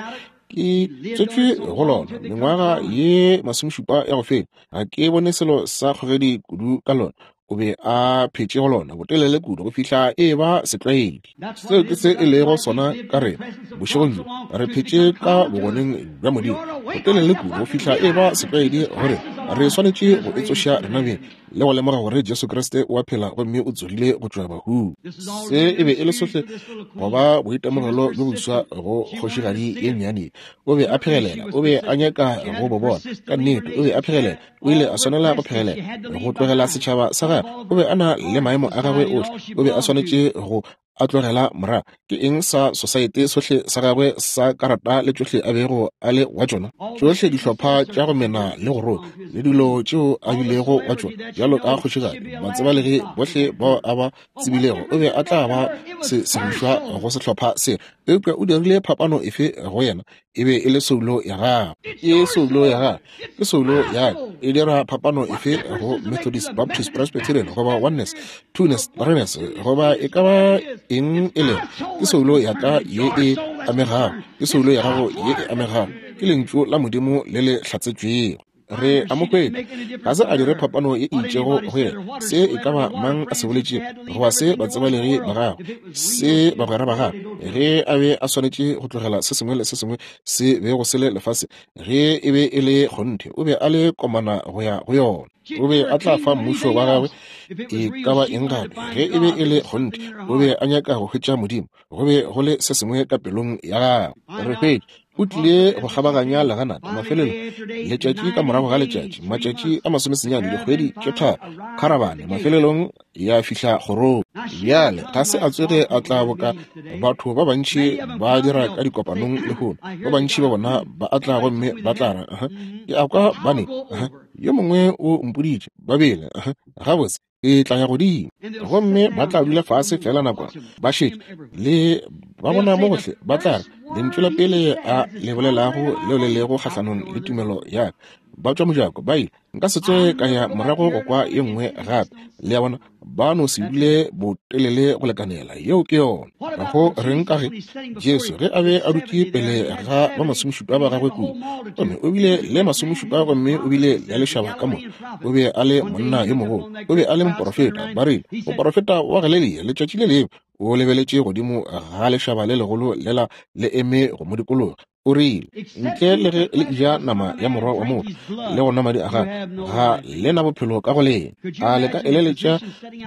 Ke tswetšwe go lona mengwaga ye masomešupa ya go feta, ga ke bone selo sa kgogedi kudu ka lona. O be a phetše go lona botelele kudu go fihla e ba setlwaedi. Seo ke se e lego sona ka rena bošegong bjo. Re phetše ka bogoneng bja Modimo botelele kudu go fihla e ba setlwaedi gore re swanetše go itsoša rena beng le go lemoga gore Jesu Kriste o a phela gomme o tsogile go tšwa bahung. Se e be e le sohle go ba boitemogelo bjo boswa go kgošigadi ye nnyane. O be a phegelela, o be a nyaka go bo bona. Ka nnete, o be a phegelela. O ile a swanela go phegelela go tlogela setšhaba sa gagwe. O be a na le maemo a gagwe ohle. O be a swanetše go a tlogela morago. Ke eng sa sosaete sohle sa gagwe sa karata le tšohle a bego a le wa tšona, tšohle dihlopha tša go mena le go roka le dilo tšeo a bilego wa tšona bjalo ka kgošigadi, batsebalegi bohle bao a ba tsebilego, o be a tla ba se sebušwa go sehlopha se. Eupša o dirile phapano efe go yena? E be e le soulo ya gagwe. Ke soulo ya gagwe. Ke soulo ya ka. E dira phapano efe go Methodist, Baptist, Presbyterian, goba Oneness, Twoness, Threeness, goba e ka ba eng e lego? Ke soulo ya ka ye e amegago. Ke soulo ya gago ye e amegago. Ke Lentšu la Modimo le le hlatsetšwego. Re a mo hwetša. Ga se a dire phapano ye e itšego go yena, se e ka ba mang a se boletšego, goba se batsebalegi ba gagwe, se bagwera ba gagwe, ge a be a swanetše go tlogela se sengwe le se sengwe se bego se le lefase, ge e be e le kgonthe, o be a le komana go ya go yona. O be a tla fa mmušo wa gagwe e ka ba eng gape, ge e be e le kgonthe, o be a nyaka go hwetša Modimo. Go be go le se sengwe ka pelong ya gagwe. Re hwetša o tlile go kgabaganya leganata mafelelo, letšatši ka morago ga letšatši, matšatši a masomesenyane, dikgwedi tše tharo, kharabane mafelelong ya fihla kgorong. Bjale ga se a tsoge a tla boka batho ba bantši ba dira ka dikopanong lehono. Ba bantši ba bona ba a tla gomme ba tla re, Ke a kwa ba ne, yo mongwe o mpoditše, ba bele, gabotse, e tla ya godimo. Gomme ba tla dula fase feela nakwana, ba šetše le ba bona mo gohle, ba tla re, Lentšu la pele a le bolelago leo le lego kgahlanong le tumelo ya ka, ba tšwa mojako, ba ile. Nka se tsoge ka ya morago go kwa ye nngwe gape. Le a bona, ba no se dule botelele go lekanela. Yeo ke yona. Go reng ka ge Jesu ge a be a dutše pele ga ba masomešupa ba gagwe kua, gomme o bile le masomešupa gomme o bile le lešaba ka moka, o be a le monna yo mogolo, o be a le moporofeta. Ba rile, Moporofeta wa Galelia, letšatši le lengwe o lebeletše godimo ga lešaba le legolo lela le eme go mo dikologa, o rile, Ntle le ge le eja nama ya Morwa wa motho le go nwa madi a gagwe, ga le na bophelo ka go lena. A le ka eleletša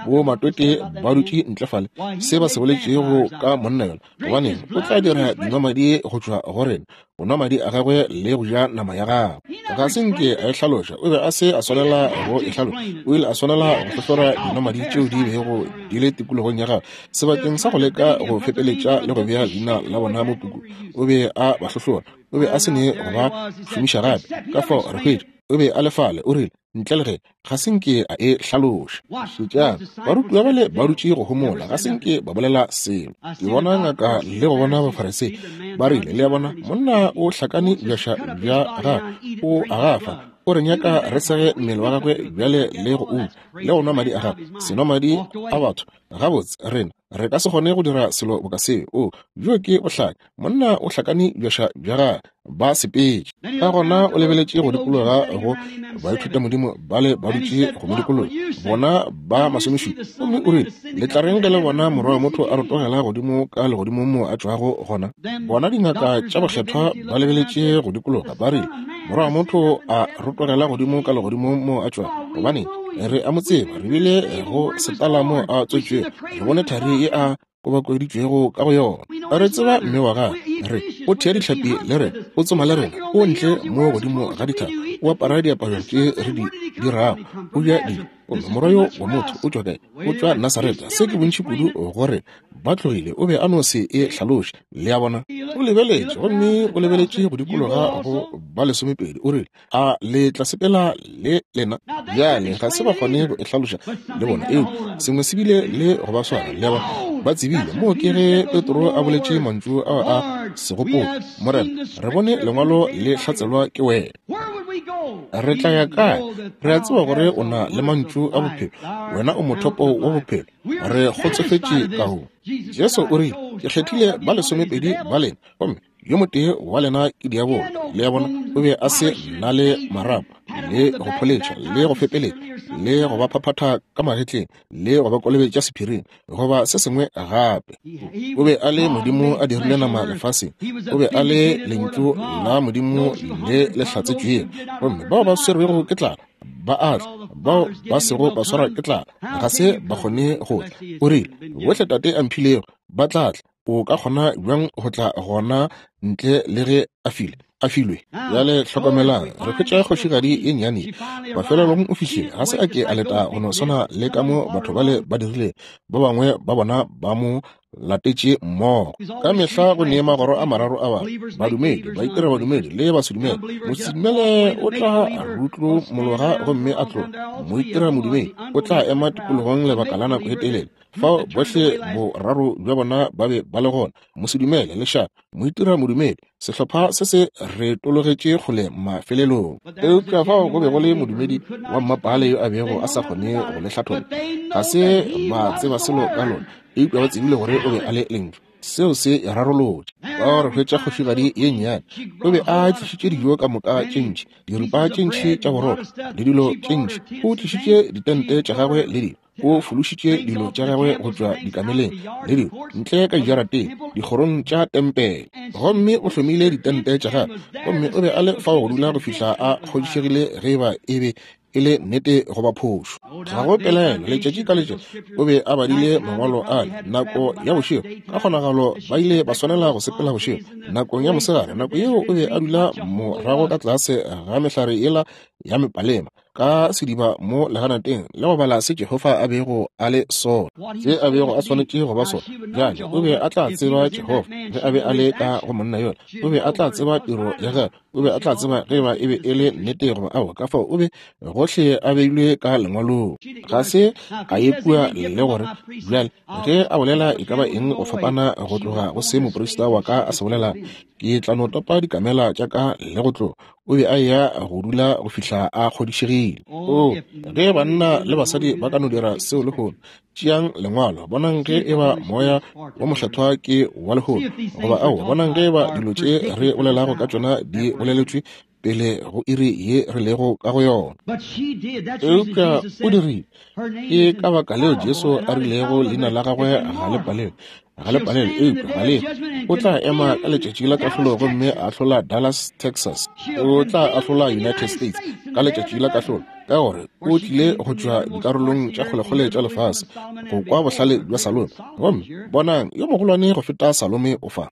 bomatwetwe ba dutše ntle fale se ba se boletšego ka monna yola? Gobaneng, o tla dira dinwamadi go tšwa go rena, go nwa madi a gagwe le go ja nama ya gagwe. Ga se nke a e hlaloša, o be a se a swanela go e hlaloša. O ile a swanela go hlohlora dinwamadi tšeo di bego di le tikologong ya gagwe, sebakeng sa go leka go fepeletša le go bea leina la bona mo pukung. O be a ba hlohlora, o be a se ne go ba šomiša gape. Ka fao re hwetša, o be a le fale, o rile, ntle le ge ga se nke a e hlaloša. Šetšang, barutiwa bale ba dutše go homola, ga se nke ba bolela selo. Ke bona ngaka le go bona Bafarisei ba rile, le a bona, monna o hlakane bjaša bja gagwe, o a gafa, o re nyaka re sege mmele wa gagwe bjale le go uma le go nwa madi a gagwe, senwamadi a batho. Gabotse, rena re ka se kgone go dira selo boka seo. O, bjo ke bohlanya. Monna o hlakane bjaša bja gagwe. Ba sepetše. Ka gona o lebeletše go dikologa go baithutamodimo bale ba dutše go mo dikologa, bona ba masomešupa, gomme o rile, Le tla reng ge le bona Morwa wa motho a rotogela godimo ka legodimong moo a tšwago gona? Bona dingaka tša bokgethwa ba lebeletše go dikologa, ba rile, Morwa wa motho a rotogela godimo ka legodimong moo a tšwago. Gobaneng, re a mo tseba, re bile go setala moo a tswetšwego, re bone thari ye a. kobakoeditšwego ka go yona. Re tseba mme wa gagwe. Re, o thea dihlapi le rena, o tsoma le rena, o ntle mo godimo ga dithaba, o apara diaparo tše re di dirago, o ja dijo. Gomme morwa yo wa motho o tšwa kae? O tšwa Nasaretha. Se ke bontši kudu gore ba tlogile. O be a no se e hlaloše. Le a bona? O lebeletše, gomme o lebeletše go dikologa go ba lesomepedi. O rile, A le tla sepela le lena? Bjale ga se ba kgone go e hlaloša le bona, eupša sengwe se bile le go ba swara. Le a bona? Ba tsebile. Moo ke ge Petro a boletše mantšu ao a segopotšo, Morena, re bone Lengwalo le hlatselwa ke wena. Re tla ya kae? Re a tseba gore o na le mantšu a bophelo. Wena o mothopo wa bophelo. Re kgotsofetše ka go. Jesu o rile, Ke kgethile ba lesomepedi ba lena, gomme yo motee wa lena ke diabolo. Le a bona, o be a se na le marapo, le go pholetša, le go fepeletša, le go ba phaphatha ka magetleng, le go ba kolobetša sephiring, goba se sengwe gape. O be a le Modimo a dirile nama lefaseng. O be a le Lentšu la Modimo le le hlatsetšwego. Gomme bao ba swerwego ke tlala ba a tla, bao ba sego ba swarwa ke tlala ga se ba kgone go tla. O rile, Bohle Tate a mphilego ba tla tla. O ka kgona bjang go tla gona ntle le ge a file a filwe? Bjale hlokomelang, re hwetša kgošigadi ye nnyane ye. Mafelelong o fihlile, ga se a ke a leta go no swana le ka mo batho bale ba dirile, ba bangwe ba bona ba mo latetše mmogo. Ka mehla go ne magoro a mararo a batho, badumedi, baitirabadumedi le basedumele. Mosedumele o tla rutlomologa gomme a tloga. Moitiramodumedi o tla ema tikologong lebaka la nako e telele. Fao bohle boraro bja bona ba be ba le gona, mosedumele, lešaba, moitira modumedi, sehlopha se se retologetše kgole mafelelong. Eupša fao go be go le modumedi wa mmapaale yo a bego a sa kgone go le hlatholla. Ga se ba tseba selo ka lona, eupša ba tsebile gore o be a le Lentšu. Seo se e rarolotše. Fao re hwetša kgošigadi ye nnyane. O be a tlišitše dijo ka moka tše ntši, diripa tše ntši tša borotho le dilo tše ntši. O tlišitše ditente tša gagwe le dilo. O fološitše dilo tša gagwe go tšwa dikameleng le dilo ntle ka dijarateng, dikgorong tša tempele. Gomme o hlomile ditente tša gagwe, gomme o be a le fao go dula go fihla a kgodišegile ge e ba e be e le nnete goba phošo. Ga go pelaelo, letšatši ka letšatši o be a badile mangwalo ale. Nako ya bošego, ka kgonagalo ba ile ba swanela go sepela bošego. Nakong ya mosegare, nako yeo o be a dula morago ka tlase ga mehlare yela ya mepalema, ka sediba mo leganateng le go bala se Jehofa a bego a le sona, se a bego a swanetše go ba sona. Bjale o be a tla tseba Jehofa ge a be a le ka go monna yola. O be a tla tseba tiro ya gagwe. O be a tla tseba ge eba e be e le nnete goba aowa. Ka fao o be gohle a beilwe ka lengwalong. Ga se a ye kua le gore bjale ge a bolela e ka ba eng go fapana go tloga go se moprista wa ka a se bolela, ke tla no topa dikamela tša ka le go tloga. O be a eya go dula go fihla a kgodišegile. Oo, ge banna le basadi ba ka no dira seo lehono! Tšeang Lengwalo, bonang ge e ba Moya wo Mokgethwa ke wa lehono goba aowa, bonang ge e ba dilo tše re bolelago ka tšona di boleletšwe pele go iri ye re lego ka go yona. Eupša o dirile. Ke ka baka leo Jesu a rilego leina la gagwe ga le palelwe. Ga le palelwe, eupša ga le. O tla ema ka letšatši la kahlolo gomme a ahlola Dallas, Texas. O tla ahlola United States ka letšatši la kahlolo, ka gore o tlile go tšwa dikarolong tša kgolekgole tša lefase go kwa bohlale bja Salome. Gomme bonang, yo mogolwane go feta Salome o fa.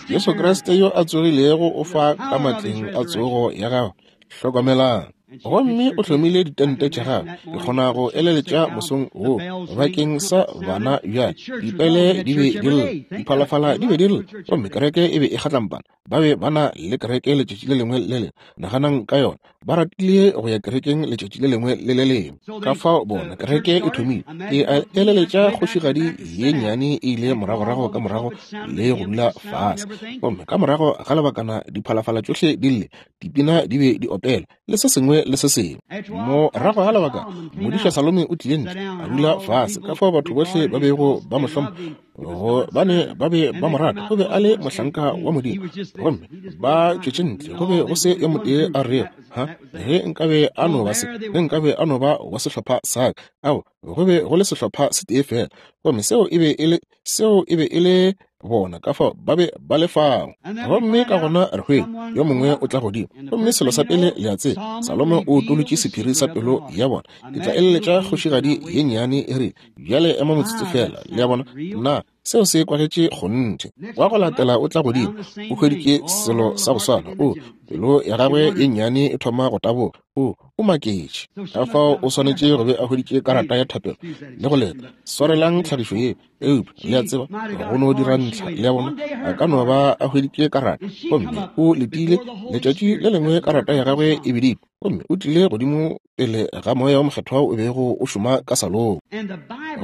Jesu Kriste yo a tsogilego o fa ka matleng a tsogo ya gagwe. Hlokomelang. Gomme o hlomile ditente tša gagwe, ke kgona go eleletša mosong wo, bakeng sa bana bjale. Dipele di be di lla, diphalafala di be di lla, gomme kereke e be e kgatlampana. Ba be ba na le kereke letšatši le lengwe le le lengwe. Naganang ka yona. Ba ratile go ya kerekeng letšatši le lengwe le le lengwe. Ka fao bona kereke e thomile. Ke a eleletša kgošigadi ye nnyane e ile moragorago ka morago le go dula fase. Gomme ka morago ga lebakana diphalafala tšohle di lle, dipina di be di opela, le se sengwe le se sengwe. Morago ga lebaka, modiša Salome o tlile ntle, a dula fase. Ka fao batho bohle ba bego ba mo hlompha, gobane ba be ba mo rata. O be a le mohlanka wa Modimo. Gomme ba tšwetše ntle, go be go se yo motee a rego, Ha, ge nkabe a no ba se, ge nkabe a no ba wa sehlopha sa ka. Ao, go be go le sehlopha se tee feela, gomme seo e be e le, seo e be e le Bona ka fao ba be ba le fao. Gomme ka gona re hwetša yo mongwe o tla godimo, gomme selo sa pele le a tseba, Salomo o utolotše sephiri sa pelo ya bona. Ke tla eleletša kgošigadi ye nnyane e rile, Bjale ema motsotso feela. Le a bona? Na seo se kwagetše kgonthe? Wa go latela o tla godimo, o hweditše selo sa go swana. O, pelo ya gagwe ye nnyane e thoma go taboga. O, o maketše. Ka fao o swanetše go be a hweditše karata ya thapelo le go leta. Swarelang tlhagišo ye, eupša le a tseba, go no dira ntlha. Le a bona, a ka no ba a hweditše karata gomme o letile. Letšatši le lengwe karata ya gagwe e biditšwe, gomme o tlile godimo pele ga Moya wo Mokgethwa o bego o šoma ka Salomo.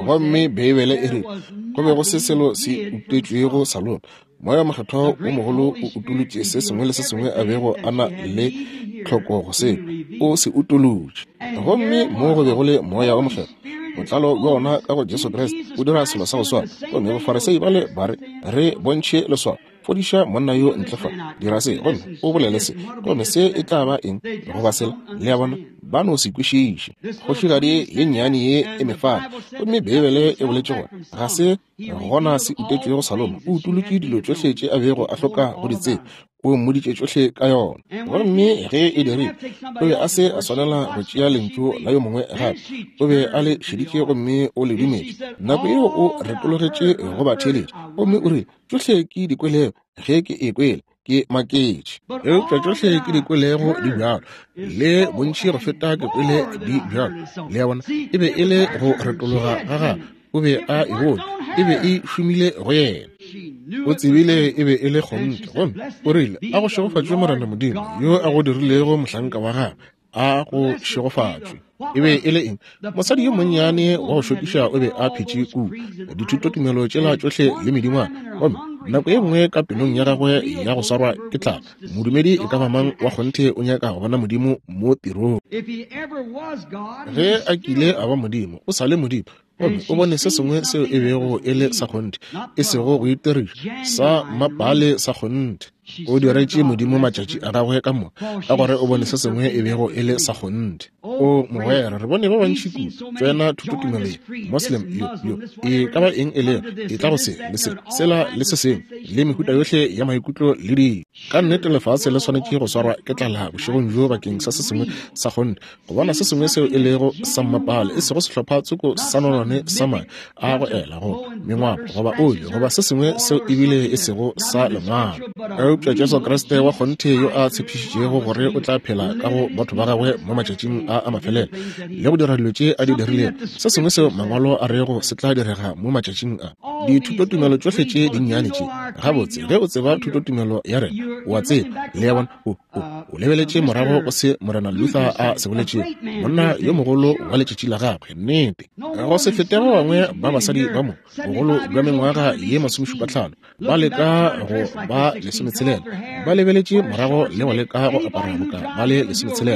Gomme Beibele e re go be go se selo se utetšwego Salomo. Moya Mokgethwa wo mogolo o utolotše se sengwe le se sengwe a bego a na le tlhoko go se, o se utolotše. Gomme mo go be go le Moya wo Mokgethwa, botlalo bja ona ka go Jesu Kriste, o dira selo sa go swana. Gomme Bafarisei bale ba re, Re bontšhe leswao. Fodiša monna yo ntle fa, dira se, gomme o bolele se, gomme se e tla ba eng goba sela. Le a bona, ba no se kwešiše. Kgošigadi ye nnyane ye e mefana, gomme Beibele e boletše gore ga se gona se utetšwego Salomo. O utolotše dilo tšohle tše a bego a hloka go di tseba, o mmoditše tšohle ka yona. Gomme ge e dirile, o be a se a swanela go tšea lentšu la yo mongwe gape. O be a le šeditše gomme o le dumetše. Nako yeo o retologetše go ba theeletša, gomme o rile, Tšohle ke di kwelego, ge ke e kwele, ke maketše. Eupša tšohle ke di kwelego di bjalo, le bontši go feta ke kwele di bjalo. Le a bona, e be e le go retologa ga gagwe. O be a e bone, e be e šomile go yena. O tsebile e be e le kgonthe, gomme o rile, A go šegofatšwe Morena Modimo, yo a go dirilego mohlanka wa gagwe. A go šegofatšwe. E be e le eng? Mosadi yo monnyane wa go šokiša o be a phetše kua, dithutotumelo tšela tšohle le medingwana, gomme nako ye nngwe ka pelong ya gagwe ya go swarwa ke tlala, modumedi e ka ba mang wa kgonthe o nyaka go bona Modimo mo tirong. Ge a kile a ba Modimo, o sa le Modimo. Gomme o bone se sengwe seo e bego e le sa kgonthe, e sego go itiriša, sa mmapaale sa kgonthe. O diretše Modimo matšatši a gagwe ka moka, ka gore o bone se sengwe e bego e le sa kgonthe. O mogwera, re bone ba bantši kudu tsena thutotumelo ye, Moslem yo, yo, e ka ba eng e lego, e tla go se, le se, sela, le se sengwe, le mehuta yohle ya maikutlo le dilo. Ka nnete lefase le swanetše go swarwa ke tlala bošegong bjo bakeng sa se sengwe sa kgonthe, go bona se sengwe seo e lego sa mmapale, e sego sehlopha tsoko sa nonwane sa mae a go ela go mengwapo goba oli goba se sengwe seo ebile e sego sa lengwalo, eupša Jesu Kriste wa kgonthe yo a tshepišitšego gore o tla phela ka go batho ba gagwe mo matšatšing a a mafelelo le go dira dilo tše a di dirilego, se sengwe seo Mangwalo a rego se tla direga mo matšatšing a. Dithutotumelo tšohle tše dinnyane tše, gabotse, ge o tseba thutotumelo ya rena, o a tseba, le a bona, o, o, o lebeletše morago go se Morena Luther a se boletšego, monna yo mogolo wa letšatši la gagwe. Nnete. Go se fete ba bangwe ba basadi ba mo, bogolo bja mengwaga ye masomešupatlhano, ba leka go ba lesometshela, ba lebeletše morago le go leka go apara boka ba le lesometshela,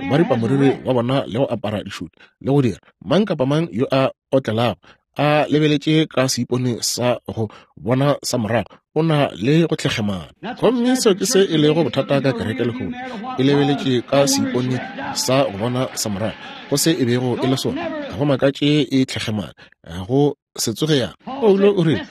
ba ripa moriri wa bona le go apara dišuti le go dira mang kapa mang yo a otlelago a lebeletše ka seipone sa go bona sa morago, o na le go tlhekgemana. Gomme seo ke se e lego bothata ka kereke lehono, e lebeletše ka seipone sa go bona sa morago go se e bego e le sona. Ga go makatše e tlhekgemana, go se tsoge yang. Paulo o rile,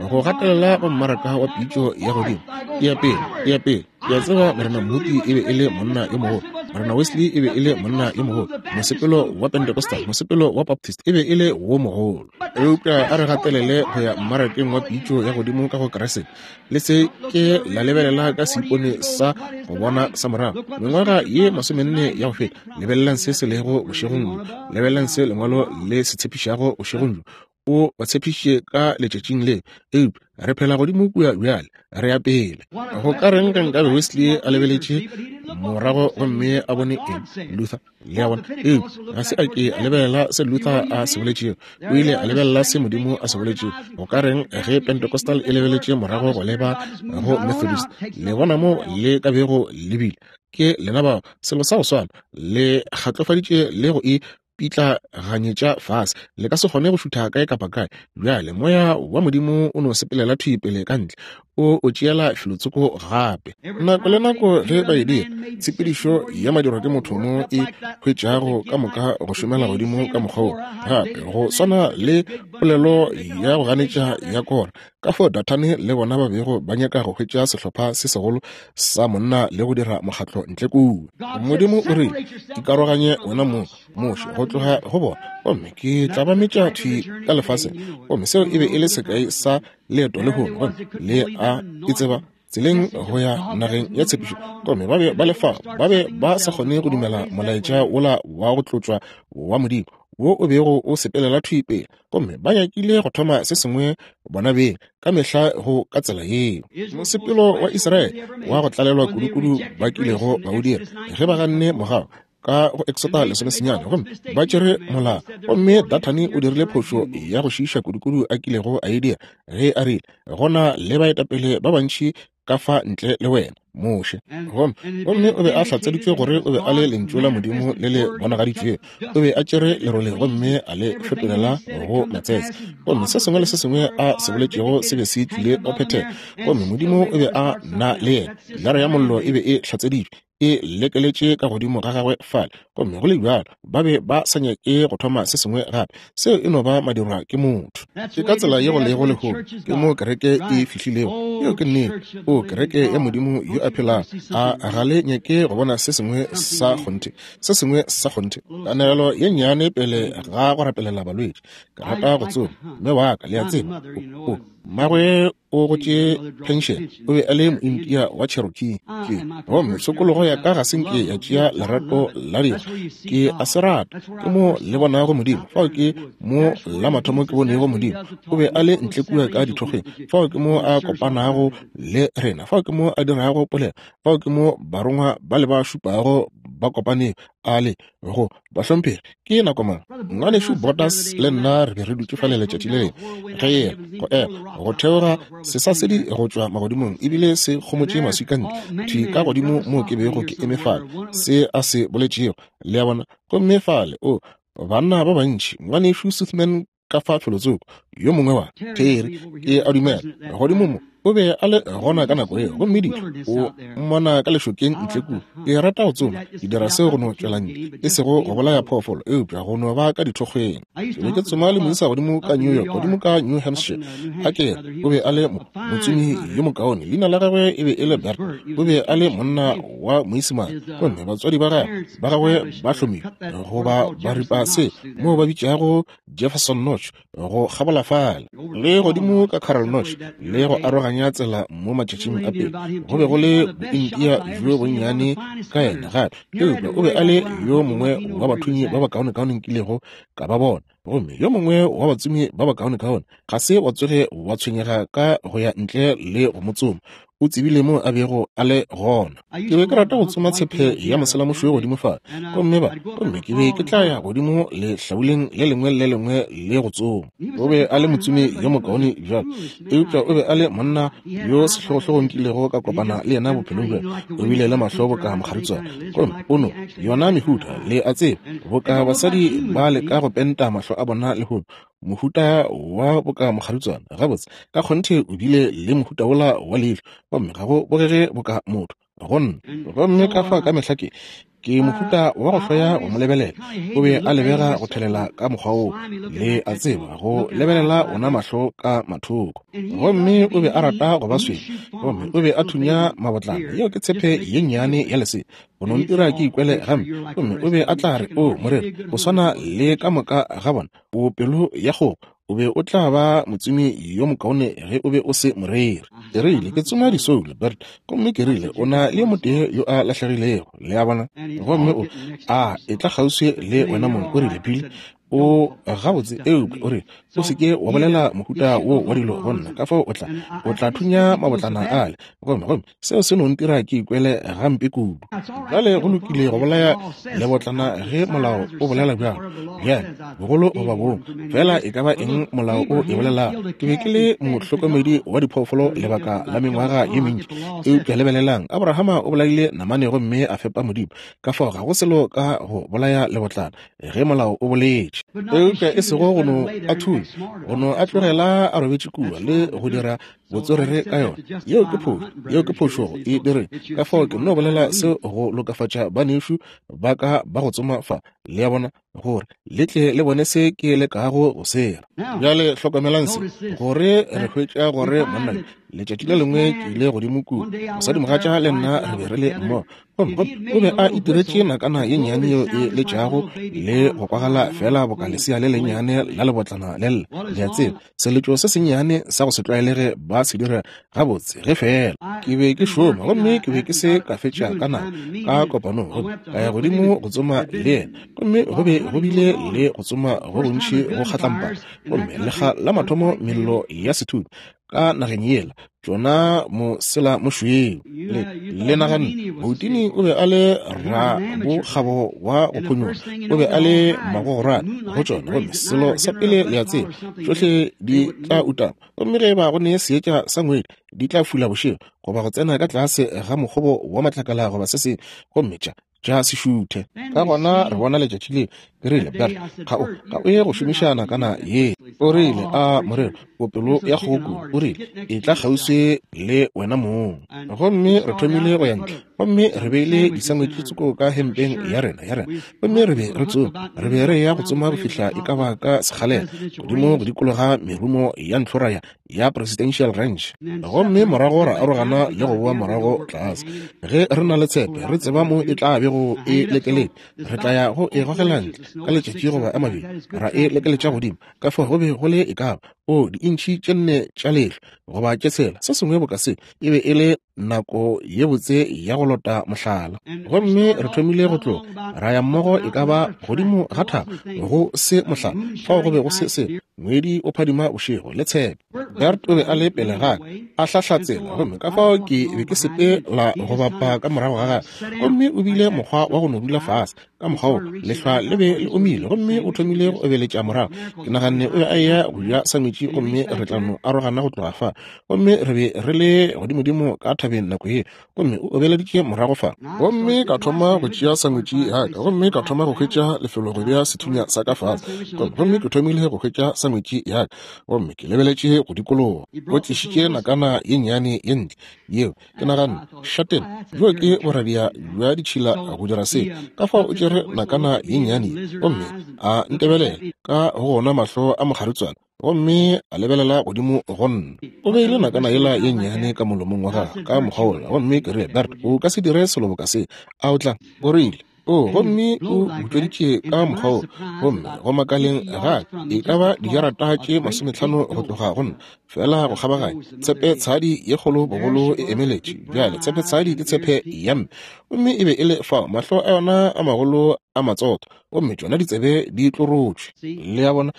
go gatelela go mmaraka wa pitšo ya godimo, e ya pele, e ya pele. Ke a tseba Morena Moody e be e le monna yo mogolo, Morena Wesley e be e le monna yo mogolo, mosepelo wa Pentecostal, mosepelo wa Baptist e be e le wo mogolo. Eupša a re gatelele go ya mmarakeng wa pitšo ya godimo ka go Kriste. Le se ke la lebelela ka seipone sa go bona sa morago. Mengwaga ye masomenne ya go feta, lebelelang se se lego bošegong bjo, lebelelang se Lengwalo le se tshepišago bošegong bjo. O ba tshepišitše ka letšatšing le, eupša re phela godimo kua bjale, re ya pele. Go ka reng ge nkabe Wesley a lebeletše morago gomme a bone eng? Luther, le a bona? Eupša ga se a ke a lebelela se Luther a se boletšego, o ile a lebelela se Modimo a se boletšego. Go ka reng ge Pentecostal e lebeletše morago go leba go Methodist? Le bona mo le ka bego le bile? Ke lena bao, selo sa go swana, le kgatlofaditše le go e pitlaganyetša fase, le ka se kgone go šutha kae kapa kae. Bjale Moya wa Modimo o no sepelela thwi pele ka ntle, o o tšeela felotsoko gape. Nako le nako ge ba e dira, tshepedišo ya madirwa ke motho mo e hwetšago ka moka go šomela godimo ka mokgwa wo gape, go swana le polelo ya go ganetša ya Kora. Ka fao Dathane le bona ba bego ba nyaka go hwetša sehlopha se segolo sa monna le go dira mokgatlo ntle kua. Modimo o rile, Ikaroganye wena mong, Moshe, go tloga go bona, gomme ke tla ba metša thwi ka lefaseng. Gomme seo e be e le sekai sa leeto lehono, gomme le a e tseba, tseleng go ya nageng ya tshepišo. Gomme ba be ba le fao, ba be ba sa kgone go dumela molaetša wola wa go tlotšwa wa Modimo wo o bego o sepelela thwi pele, gomme ba nyakile go thoma se sengwe bona beng. Ka mehla go ka tsela yeo. Mosepelo wa Israele wa go tlalelwa kudukudu ba kilego ba o dira, ge ba ganne mogau ka go Exota 19, gomme ba tšere molao. Gomme Dathane o dirile phošo ya go šiiša kudukudu a kilego a e dira, ge a rile, Go na le baetapele ba bantši ka fa ntle le wena, Moshe. Gomme, gomme o be a hlatseditšwe gore o be a le Lentšu la Modimo le le bonagaditšwego. O be a tšere lerole gomme a le fetolela go matsetse. Gomme se sengwe le se sengwe a se boletšego se be se tlile go phethega. Gomme Modimo o be a na le yena. Pilara ya Mollo e be e hlatseditšwe, e lekeletše ka godimo ga gagwe fale. Gomme go le bjalo ba be ba sa nyake go thoma se sengwe gape. Seo e no ba madirwa ke motho. Ke ka tsela ye go lego lehono. Ke mo kereke e fihlilego. Yeo ke nnete. O kereke ya Modimo yo a phelago. A ga le nyake go bona se sengwe sa kgonthe? Se sengwe sa kgonthe. Kanegelo ye nnyane pele ga go rapelela balwetši. Ke rata go tsoma. Mme wa ka, le a tseba, o, o, mmagwe o gotše phenšene, o be a le Mointia wa Cherokee. Ke, gomme tshokologo ya ka ga se nke ya tšea lerato la dikgwa. Ke a se rata. Ke mo le bonago Modimo. Fao ke mo la mathomo ke bonego Modimo. O be a le ntle kua ka dithokgweng. Fao ke mo a kopanago le rena. Fao ke mo a dirago polelo. Fao ke mo barongwa ba le ba šupago ba kopanego. A le go bahlomphegi, ke nako mang? Ngwanešu Borders le nna re be re dutše fale letšatši le lengwe, ge yena, go ema, go theoga sesasedi go tšwa magodimong, ebile se kgomotše maswika ntle, thwi ka godimo moo ke bego ke eme fale, se a se boletšego, le a bona. Gomme fale, o, banna ba bantši, Ngwanešu Sothmann ka fa felotsoko, yo mongwe wa Terry, ke a dumela, godimo mo, o be a le gona ka nako yeo. Gomme di o mmona ka lešokeng ntle kua. Ke rata go tsoma, ke dira seo go no tšwela ntle, e sego go bolaya phoofolo, eupša go no ba ka dithokgweng. Ke be ke tsoma le moisa godimo ka New York, godimo ka New Hampshire, a ke re, o be a le mo, motsomi yo mokaone. Leina la gagwe e be e le Bert. O be a le monna wa Moisimane, gomme batswadi ba gagwe, ba gagwe ba hlomile goba ba ripa se moo ba bitšago Jefferson Notch go kgabola fale le godimo ka Carroll Notch le go aroganya tsela mo matšatšing a pele. Go be go le bointia bjo bonnyane ka yena gape, eupša o be a le yo mongwe wa bathunyi ba bakaonekaone nkilego ka ba bona, gomme yo mongwe wa batsomi ba bakaonekaone. Ga se wa tsoge wa tshwenyega ka go ya ntle le go mo tsoma. O tsebile mo a bego a le gona. Ke be ke rata go tsoma tshepe ya moselamošweu godimo fale, gomme ba, gomme ke be ke tla ya godimo lehlabuleng le lengwe le le lengwe le go tsoma. O be a le motsomi yo mokaone bjalo, eupša o be a le monna yo sehlogohlogo nkilego ka kopana le yena bophelong bja. O bile le mahlo boka mokgaritswana, gomme o no, yona mehuta, le a tseba, boka basadi ba leka go penta mahlo a bona lehono, mohuta wa boka mokgaritswana. Gabotse, ka kgonthe o bile le mohuta wola wa leihlo, gomme ga go bogege boka motho go nna. Gomme ka fa ka mehla ke, ke mohuta wa go hloya go mo lebelela. O be a lebega go thelela ka mokgwa woo, le a tseba, go lebelela ona mahlo ka mathoko. Gomme o be a rata go ba swele, gomme o be a thunya mabotlana. Yeo ke tshepe ye nnyane ya lesea, go no ntira ke ikwele gampe. Gomme o be a tla re, O moreri, o swana le ka moka ga bona. O pelo ya kgogo, o be o tla ba motsomi yo mokaone ge o be o se moreri. Ke rile, Ke tsoma disoulo, Bert. Gomme ke rile, O na le yo motee yo a lahlegilego, le a bona. Gomme o, a etla kgauswi le wena mong. O rile, Billy, o gabotse, eupša o rile, o se ke wa bolela mohuta wo wa dilo go nna, ka fao o tla, o tla thunya mabotlana ale. Gomme, gomme seo se no ntira ke ikwele gampe kudu. Bjale go lokile go bolaya lebotlana ge molao o bolela bjalo. Bjale, bogolo goba bong, fela e ka ba eng molao o e bolelago. Ke be ke le mohlokomedi wa diphoofolo lebaka la mengwaga ye mentši. Eupša lebelelang, Abrahama o bolaile namane gomme a fepa Modimo. Ka fao ga go selo ka go bolaya lebotlana ge molao o boletše. ntši. Eupša e sego go no a thunya, go no a tlogela a robetše kua le go dira botswerere ka yona. Yeo ke phošo, yeo ke phošo go e direng. Ka fao ke no bolela seo go lokafatša banešu ba ka ba go tsoma fa, le a bona, gore le tle le bone se ke lekago go se ra. Bjale hlokomelang se, gore re hwetša gore monna yo, letšatši le lengwe ke ile godimo kua, mosadimogatša le nna re be re le mmogo, gomme o be a itiretše nakana ye nnyane yeo e letšago le go kwagala feela boka lesea le lennyane la lebotlana le lla, le a tseba, seletšo se sennyane sa go se tlwaelege ba se dira gabotse ge feela ke be ke šoma gomme ke be ke se ka fetša ka nako ka kopanong gomme ka ya godimo go tsoma le yena gomme go be go bile le go tsoma go gontši go kgatlampana gomme lekga la mathomo mello ya sethunya ka nageng yela tšona mosela mošweu. Le, le naganne Houdini o be a le rabokgabo wa go phonyoga, o be a le magogorane go tšona, gomme selo sa pele le a tseba, tšohle di tla utama, gomme ge eba go ne seetša sa ngwedi, di tla fula bošego, goba go tsena ka tlase ga mokgobo wa matlakala goba se sengwe, gomme tša, tša se šuthe. Ka gona re bona letšatši leo, ke rile, Bert, ga o, ga o ye go šomiša nakana ye. O rile, A morero, o pelo ya kgogo kudu. O rile, Etla kgauswi le wena mong. Gomme re thomile go ya ntle, gomme re beile disangwetši tsoko ka hempeng ya rena, ya rena, gomme re be re tsoma. Re be re eya go tsoma go fihla e ka ba ka sekgalela, godimo go dikologa merumo ya ntlhora ya, ya Presidential Ranch. Gomme morago ra arogana le go boa morago tlase. Ge re na le tshepe, re tseba mo e tla bego e lekeletše, re tla ya go e gogela ntle ka letšatši goba a mabedi, ra e lekeletša godimo. Ka fao go be go le e ka ba, o, diintšhi tše nne tša lehlwa, goba tše tshela, se sengwe boka se. E be e le nako ye botse ya go lota mohlala. Gomme re thomile go tloga, ra ya mmogo e ka ba godimo ga thaba, go se mohlala, fao go be go se selo, ngwedi o phadima bošego, le tshepe. Bert o be a le pele ga ka, a hlahla tsela, gomme ka fao ke be ke sepela go bapa ka morago ga gagwe. Gomme o bile mokgwa wa go no dula fase, ka mokgwa wo, lehlwa le be le omile, gomme o thomile go obeletša morago. Ke naganne o be a eya go ja sangwetši, gomme re tla no arogana go tloga fa. Gomme re be re le godimodimo ka thabeng nako ye, gomme o obeleditše morago fa. Gomme ka thoma go tšea sangwetši ya ka, gomme ka thoma go hwetša lefelo go bea sethunya sa ka fase. Gomme ke thomile go hwetša sangwetši ya ka, gomme ke lebeletše go dikologa. O tlišitše nakana ye nnyane ye ntle yeo, ke naganne, Šatena, bjo ke boradia bja ditšhila go dira se. Ka fao o tšere nakana ye nnyane ye, gomme a ntebelela ka go ona mahlo a mokgaritswana, gomme a lebelela godimo go nna. O beile nakana yela ye nnyane ka molomong wa gagwe ka mokgwa wola, gomme ke rile, Bert, o ka se dire selo boka se, a o tla? O rile, O, gomme o butšweditše ka mokgwa wo, gomme go makaleng ga ka, e ka ba dijarata tše masometlhano go tloga go nna, feela go kgabaganya, tshepe tshadi ye kgolo bogolo e emeletše. Bjale, tshepe tshadi ke tshepe ya mme, gomme e be e le fao, mahlo a yona a magolo a matsotho, gomme tšona ditsebe di tlorotšwe. Le a bona?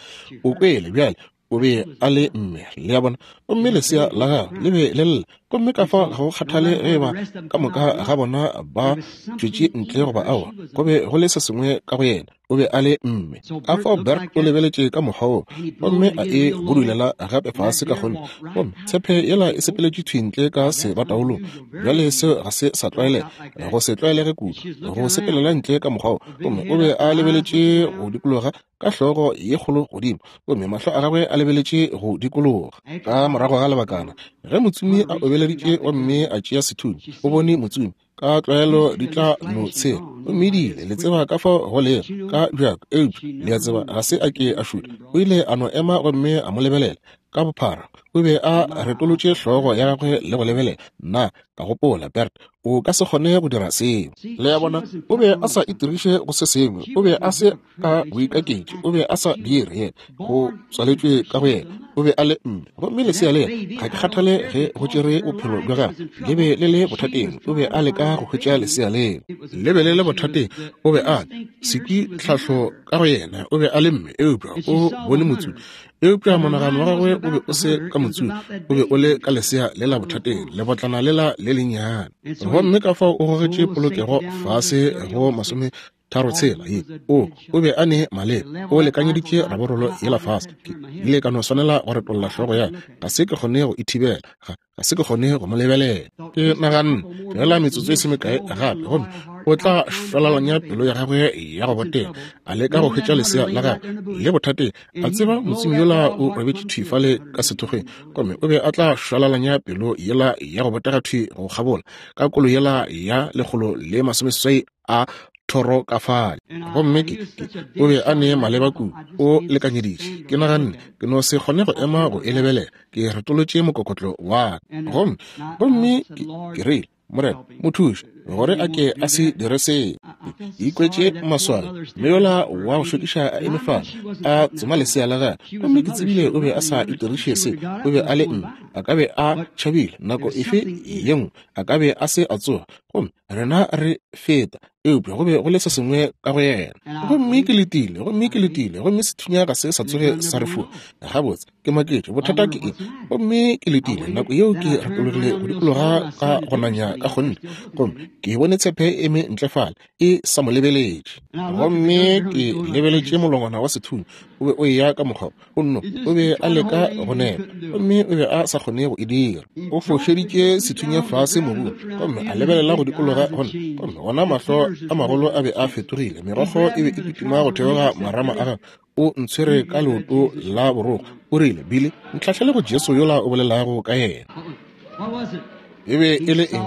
O kwele bjale, o be a le mme, le a bona? Gomme lesea la gagwe le be le lla. Gomme ka fao ga go kgathale ge eba ka moka ga bona ba tšwetše ntle goba aowa, go be go le se sengwe ka go yena, o be a le mme. Ka fao Bert o lebeletše ka mokgwa woo, gomme a e budulela gape fase ka kgonthe, gomme tshepe yela e sepeletše thwi ntle ka sebataolong. Bjale seo ga se sa tlwaelega, go se tlwaelege kudu, go sepelela ntle ka mokgwa wo. Gomme o be a lebeletše go dikologa ka hlogo ye kgolo godimo, gomme mahlo a gagwe a lebeletše go dikologa. Ka morago ga lebakana, ge motsomi a obeleditše gomme a tšea sethunya, o bone motsomi. Ka tlwaelo di tla no tshela, gomme di ile, le tseba ka fao go lego ka bjako, eupša le a tseba ga se a ke a šutha. O ile a no ema gomme a mo lebelela ka bophara. O be a retolotše hlogo ya gagwe le go lebelela. Nna ka gopola, Bert, o ka se kgone go dira seo. Le a bona, o be a sa itiriše go se sengwe. O be a se ka boikaketši. O be a sa dire yena. Go tswaletšwe ka go yena. O be a le mme. Gomme lesea le yena, ga ke kgathale ge go tšere bophelo bja gagwe, le be le le bothateng. O be a leka go hwetša lesea leo. Le be le le bothateng. O be a sekwi tlhahlo ka go yena. O be a le mme, eupša o bone motsomi. Eupša monagano wa gagwe o be o se ka motsomi, o be o le ka lesea le la bothateng, lebotlana lela le lennyane. Gomme ka fao o gogetše polokego fase go masome. 3, 6 ye. O, o be a ne maleba. O lekanyeditše raborolo yela fase. Ke ile ka no swanela go retolla hlogo ya ka. Ga se ke kgone go e thibela. Ga, ga se ke kgone go mo lebelela. Ke naganne, feela metsotso e se mekae gape, gomme o tla šwalalanya pelo ya gagwe ya go botega, a leka go hwetša lesea la gagwe le bothateng. A tseba motsumi yola o robetše thwi fale ka sethokgweng, gomme o be a tla šwalalanya pelo yela ya go botega thwi go kgabola ka kolo yela ya 180 a thoro ka fale. Gomme ke, ke, o be a ne maleba kudu, o lekanyeditše. Ke naganne, ke no se kgone go ema go e lebelela. Ke retolotše mokokotlo wa ka. Gomme, gomme ke, ke rile, Morena, mo thuše gore a ke a se dire seo. Ke ikwetše maswabi. Mme yola wa go šokiša a eme fale, a tsoma lesea la gagwe. Gomme ke tsebile o be a sa itiriše se. O be a le mme. A ka be a tšhabile nako efe ye nngwe. A ka be a se a tsoga. Gomme rena re feta, eupša go be go le se sengwe ka go yena. Gomme ke letile, gomme ke letile, gomme sethunya ga se sa tsoge sa re fua. Gabotse, ke maketše, bothata ke eng? Gomme ke letile, nako yeo ke retologile go dikologa ka go nanya ka kgonthe, gomme ke bone tshepe e eme ntle fale, e sa mo lebeletše. Gomme ke lebeletše molongwana wa sethunya, o be o eya ka mokgwa o nno, o be a leka go nepa, gomme o be a sa kgone go e dira. O fošeditše sethunya fase mobung, gomme a lebelela go dikologa go nna, gomme gona mahlo a magolo a be a fetogile, megokgo e be e kitima go theoga marama a gagwe. O ntshwere ka leoto la borokgo, o rile, Billy, ntlhahlele go Jesu yola o bolelago ka yena. E be e le eng?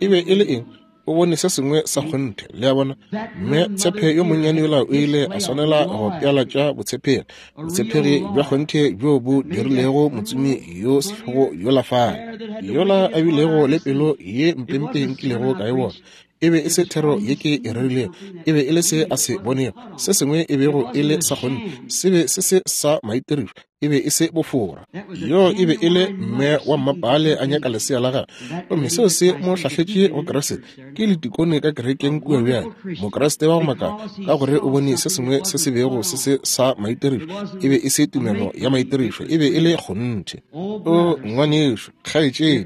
E be e le eng? O bone se sengwe sa kgonthe, le a bona. Mme tshepe yo monnyane yola o ile a swanela go pealatša botshepegi, botshepegi bja kgonthe bjo bo dirilego motsumi yo sehlogo yola fale, yola a bilego le pelo ye mpempe nkilego ka e bona. E be e se thero ye ke e rerilego, e be e le se a se bonego, se sengwe e bego e le sa kgonthe, se be se se sa maitirišo, e be e se bofora. Yo e be e le mme wa mmapaale a nyaka lesea la gagwe, gomme seo se mo hlahletše go Kriste. Ke letikone ka kerekeng kua bjale, Mokriste wa go makala, ka gore o bone se sengwe se se bego se se sa maitirišo. E be e se tumelo ya maitirišo, e be e le kgonthe. O ngwanešu, kgaetšedi,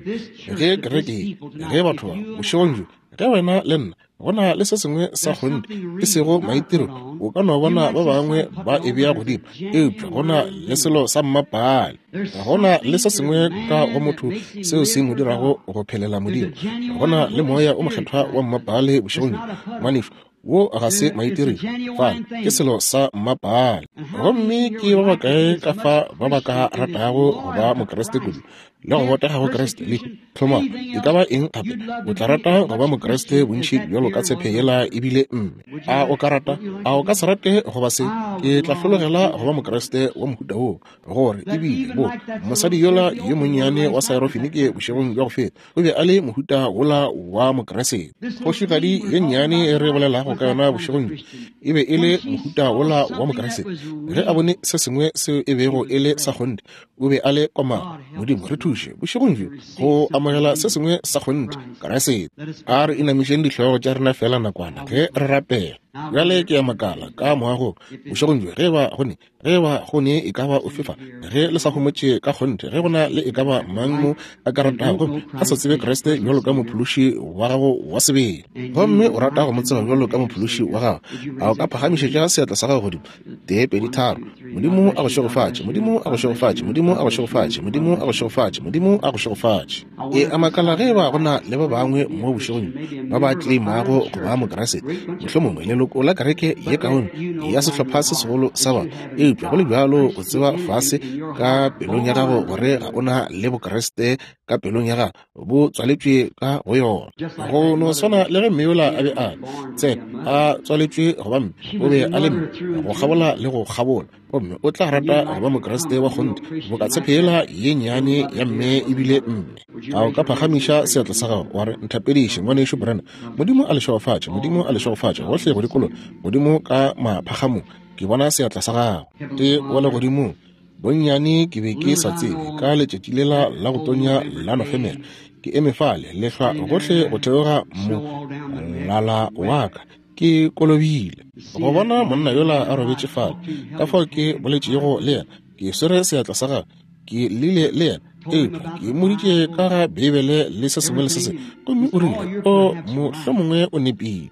ge kereke ye, ge batho ba, bošegong bjo, ge wena le nna go na le se sengwe sa kgonthe e sego maitiro, o ka no bona ba bangwe ba e bea godimo, eupša go na le selo sa mmapaale, go na le se sengwe ka go motho seo se mo dirago go phelela Modimo. Go na le Moya o Mokgethwa wa mmapaale bošegong bjo, ngwanešu, wo ga se maitirišo, fale ke selo sa mmapaale. Gomme ke ba bakae ka fa ba ba ka ratago go ba Mokriste kudu le go botega go Kriste le tlhomamo e ka ba eng gape? O tla rata go ba Mokriste bontši bjalo ka tshepe yela ebile mme. A o ka rata? A o ka se rate go ba se? Ke tla hlologela go ba Mokriste wa mohuta woo, gore ebile bo mosadi yola yo monnyane wa Syrophenike bošegong bja go feta o be a le mohuta wola wa Mokriste. Kgošigadi ye nnyane e re bolelago ka yona bošegong bjo e be e le mohuta wola wa Mokriste. Ge a bone se sengwe seo e bego e le sa kgonthe, o be a le komana. Modimo re thuše bošegong bjo go amogela se sengwe sa kgonthe, Kriste. A re inamišeng dihlogo tša rena feela nakwana ge re rapela. Bjale ke a makala ka moagong bošegong bjo ge ba go ne, ge ba go ne e ka ba ofe fa, ge le sa homotše ka kgonthe, ge go na le e ka ba mang mo a ka ratago gomme a sa tsebe Kriste bjalo ka mophološi wa gago wa sebele, gomme o rata go mo tseba bjalo ka mophološi wa gago, a o ka phagamišetša seatla sa gago godimo? 1, 2, 3. Modimo a go šegofatše. Modimo a go šegofatše. Modimo a go šegofatše. Modimo a go šegofatše. Modimo a go šegofatše. E a makala ge eba go na le ba bangwe mo bošegong ba ba tleimago go ba Mokriste, mohlomongwe leloko la kereke ye kaone ya sehlopha se segolo sa batho, eupša go le bjalo o tseba fase ka pelong ya gago gore ga o na le Bokriste ka pelong ya gago, bo tswaletšwe ka go yona. Go no swana le ge mme yola a be a tsena a tswaletšwe go ba mme, o be a le mme go kgabola le go kgabola, gomme o tla rata go ba Mokriste wa kgonthe boka tshephela ye nnyane ya mme ebile mme. A o ka phagamiša seatla sa gago wa re, Nthapediše, Ngwanešu Branham. Modimo a le šegofatše. Modimo a le šegofatše gohle go dikologa godimo ka maphagamong. Ke bona seatla sa gago. Tate wa Legodimong, Bonnyane ke be ke sa tsebe ka letšatši lela la go tonya la Nofemere, ke eme fale, lehlwa gohle go theoga molala wa ka, ke kolobile. Go bona monna yola a robetše fale, ka fao ke boletšego le yena, ke swere seatla sa gagwe, ke llile le yena. Eupša ke mmoditše ka ga Beibele le se sengwe le se sengwe, gomme o rile, O, mohlomongwe o nepile.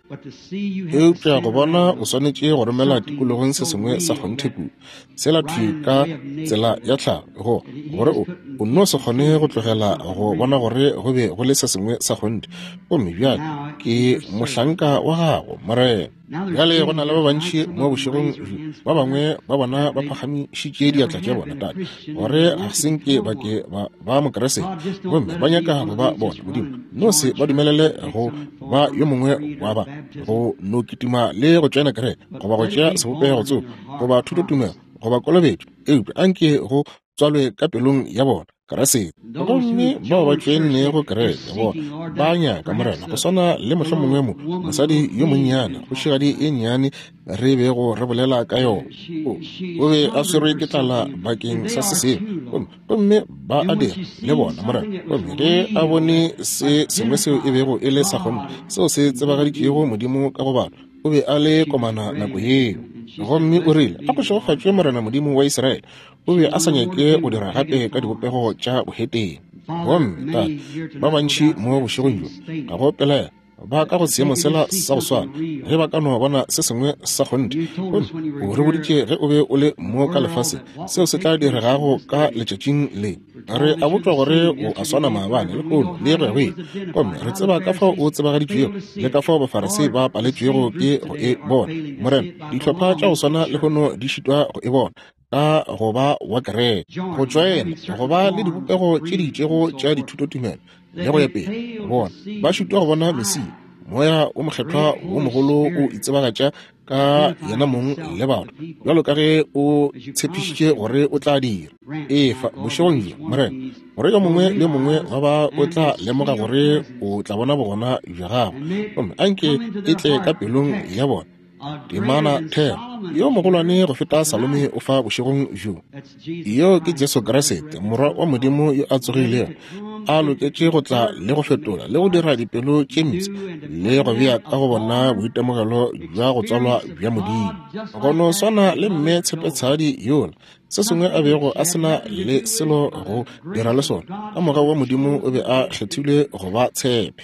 Eupša go bona o swanetše go romela tikologong se sengwe sa kgonthe kudu, sela thwi ka tsela ya tlhago, go, gore o, o nno se kgone go tlogela go bona gore go be go le se sengwe sa kgonthe. Gomme bjale ke mohlanka wa Gago, Morena. Bjale go na le ba bantši mo bošegong bjo, ba bangwe ba bona ba phagamišitše diatla tša bona, Tate, gore ga se nke ba ke ba ba Mokriste, gomme ba nyaka go ba bona. Modimo, no se ba dumelele go ba yo mongwe wa ba, go no kitima le go tšoena kereke, goba go tšea sebopego tsoko, goba thutotumelo, goba kolobetšo, eupša anke go tswalwe ka pelong ya bona Kriste. Gomme bao ba tšoennego kereke bona ba nyaka Morena, go swana le mohlomongwe mo mosadi yo monnyane, kgošigadi e nnyane re bego re bolela ka yona. O, o be a swerwe ke tlala bakeng sa se sengwe, gomme, gomme ba a dira le bona, Morena. Gomme ge a bone se sengwe seo e bego e le sa kgonthe, seo se tsebagaditšego Modimo ka go batho, o be a le komana nako yeo. Gomme o rile, A go šegofatšwe Morena Modimo wa Israele. O be a sa nyake go dira gape ka dibopego tša bohetene. Gomme, Tate, ba bantši mo bošegong bjo, ga go pelaelo, ba ka go seemo sela sa go swana, ge ba ka no bona se sengwe sa kgonthe. Gomme o re boditše ge o be o le mo ka lefaseng, seo se tla diregago ka letšatšing le. Re a botšwa gore o a swana maabane, lehono, le go ya go ile. Gomme re tseba ka fao o tsebagaditšwego le ka fao Bafarisei ba paletšwego ke go e bona. Morena, dihlopha tša go swana lehono di šitwa go e bona, ka go ba wa kereke, go tšoena, go ba le dibopego tše di itšego tša dithutotumelo le go ya pele. Bona ba šitwa go bona Mesia, Moya wo Mokgethwa wo mogolo o itsebagatša ka yena mong le batho, bjalo ka ge o tshepišitše gore o tla dira. Efa bošegong bjo, Morena, gore yo mongwe le yo mongwe wa ba o tla lemoga gore o tla bona bogona bja gago, gomme anke e tle ka pelong ya bona. Temana thero yo mogolwane go feta Salome o fa bošegong bjo. Yo ke Jesu Kriste, Morwa wa Modimo yo a tsogilego, a loketše go tla le go fetola le go dira dipelo tše mpsha le go bea ka go bona boitemogelo bja go tswalwa bja Modimo. Go no swana le mme tshepetshadi yola, se sengwe a bego a se na le selo go dira le sona, ka mogau wa Modimo o be a kgethilwe go ba tshepe.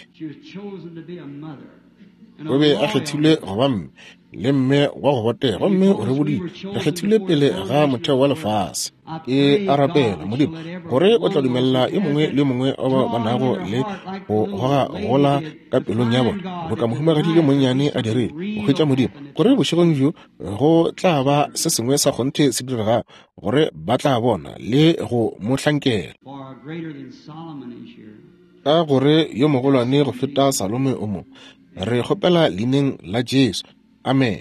O be a kgethilwe go ba mme, le mme wa go botega, gomme o re boditše re kgethilwe pele ga motheo wa lefase. Ke a rapela, Modimo, gore o tla dumelela yo mongwe le yo mongwe wa bao ba nago le go goga gola ka pelong ya bona, boka mohumagadi yo monnyane a dirile, go hwetša Modimo, gore bošegong bjo go tla ba se sengwe sa kgonthe se diregago, gore ba tla bona le go mo hlankela. Ka gore yo mogolwane go feta Salome o mo. Re kgopela leineng la Jesu. Amen.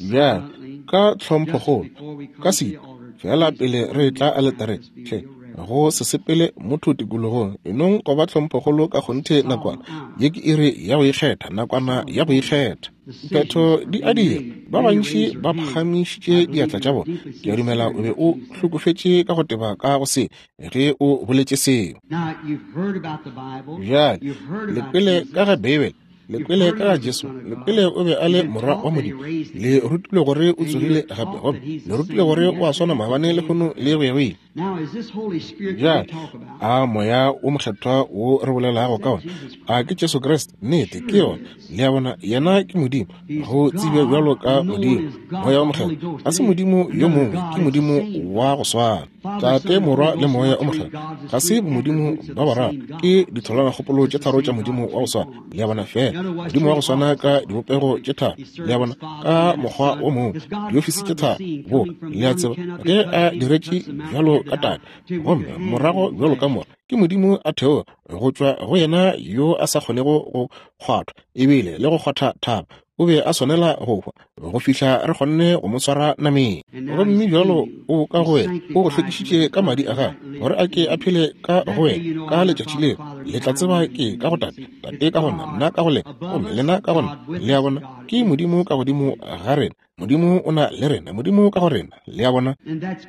Bjale, ka tlhomphokgolo, ka setu, feela pele re etla aletareng, hle, go se sepele motho tikologong, enong go ba tlhomphokgolo ka kgonthe nakwana. Ye ke iri ya go ikgetha, nakwana ya go ikgetha. Diphetho di a dira. Ba bantši ba phagamišitše diatla tša bona. Ke a dumela o be o hlokofetše ka go teba ka go se ge o boletše seo. Bjale, le kwele ka ga Beibele, le kwele ka ga Jesu, le kwele o be a le Morwa wa Modimo, le rutilwe gore o tsogile gape, gomme le rutilwe gore o a swana maabane, lehono, le go ya go ile. Bjale, a Moya wo Mokgethwa wo re bolelago ka ona, a ke Jesu Kriste? Nnete, ke yona. Le a bona, Yena ke Modimo, go tsebja bjalo ka Modimo. Moya wo Mokgethwa ga se Modimo yo mongwe, ke Modimo wa go swana. Tate, Morwa le Moya o Mokgethwa ga se bomodimo ba bararo, ke ditholwanakgopolo tše tharo tša Modimo wa go swana. Le a bona, feela Modimo wa go swana ka dibopego tše tharo, le a bona, ka mokgwa wo mongwe, diofisi tše tharo. Bo, le a tseba, ge a diretše bjalo ka Tate, gomme morago bjalo ka Morwa, ke Modimo a theoga go tšwa go yena yo a sa kgonego go kgwathwa ebile le go kgwatha thaba. O be a swanela go hwa go fihla re kgonne go mo swara nameng. Gomme bjalo o ka go wena, o go hlwekišitše ka madi a gagwe, gore a ke a phele ka go wena ka letšatši leo. Le tla tseba ke ka go Tate, Tate ka go nna, nna ka go lena, gomme lena ka go nna. Le a bona, ke Modimo ka godimo ga rena. Modimo o na le rena, Modimo ka go rena. Le a bona?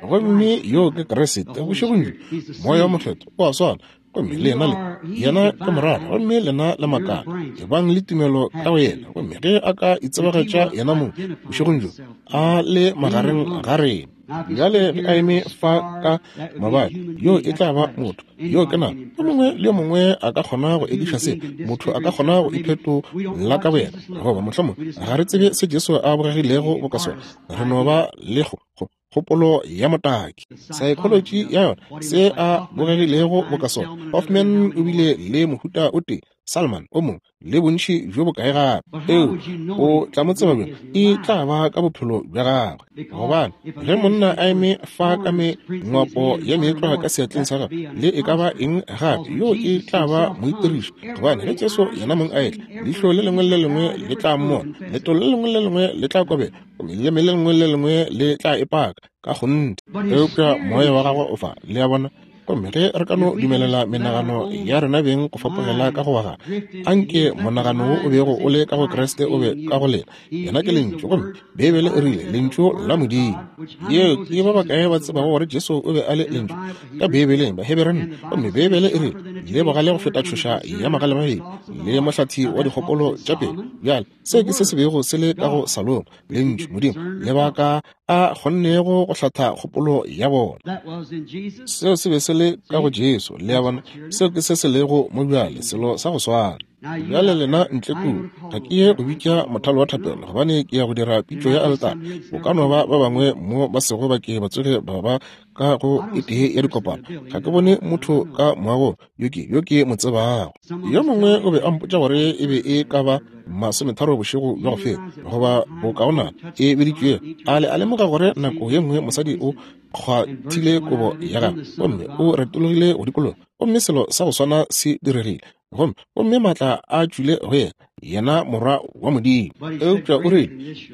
Gomme yoo ke Kriste, bošegong bjo, Moya wo Mokgethwa o a swana. Gomme le yena le yena ke morara, gomme lena le makala. Ebang le tumelo ka go yena, gomme ge a ka itsebagatša yena mong bošegong bjo, a le magareng ga rena. Bjale ge a eme fa ka mabadi, yo e tla ba motho. Yo ke nama. Yo mongwe le yo mongwe a ka kgona go ekiša se. Motho a ka kgona go iphetola ka boyena. Goba mohlomongwe ga re tsebe se Jesu a bogegilego boka sona. Re no ba le go, go, kgopolo ya motaki, saekholotši ya yona, se a bogegilego boka sona. Hoffman o bile le mohuta o tee, Salman o mongwe, le bontši bjo bokae gape. Eo o tla mo tseba bjang? E tla ba ka bophelo bja gagwe. Gobane ge monna a eme fa ka mengwapo ya meetlwa ka seatleng sa gagwe, le e ka ba eng gape, yo e tla ba moitiriši. Gobane ge Jesu yena mong a etla, leihlo le lengwe le le lengwe le tla mmona, letolo le lengwe le le lengwe le tla kobela, gomme leleme le lengwe le le lengwe le tla e paka ka kgonthe. Eupša moya wa gagwe o fa, le a bona. Gomme ge re ka no dumelela menagano ya rena beng go fapogela ka go wa gagwe, anke monagano wo o bego o le ka go Kriste o be ka go lena. Yena ke Lentšu, gomme Beibele e rile, Lentšu la Modimo. Yeo ke ba bakae ba tsebago gore Jesu o be a le Lentšu? Ka Beibeleng, Bahebereng, gomme Beibele e rile, Le bogale go feta tšhoša ya magalemabedi, le mohlathi wa dikgopolo tša pelo. Bjale, se ke se se bego se le ka go Salomo, Lentšu, Modimo, lebaka a kgonnego go hlatha kgopolo ya bona. Seo se be se le ka go Jesu, le a bona. Seo ke se se lego mo bjale, selo sa go swana. Bjale lena ntle kua, ga ke ye go bitša mothalo wa thapelo, gobane ke ya go dira pitšo ya aletara. Go ka no ba ba bangwe mo ba sego ba ke ba tsoge ba ba ka go e tee ya dikopano. Ga ke bone motho ka moagong yo ke yo ke mo tsebago. Yo mongwe o be a mpotša gore e be e ka ba masometharo bošego bja go feta, goba bokaonana e biditšwego. A le a lemoga gore nako ye nngwe mosadi o kgwathile kobo ya gagwe gomme o retologile go dikologa, gomme selo sa go swana se diregile, gomme gomme maatla a tšwile go yena, yena Morwa wa Modimo. Eupša o rile,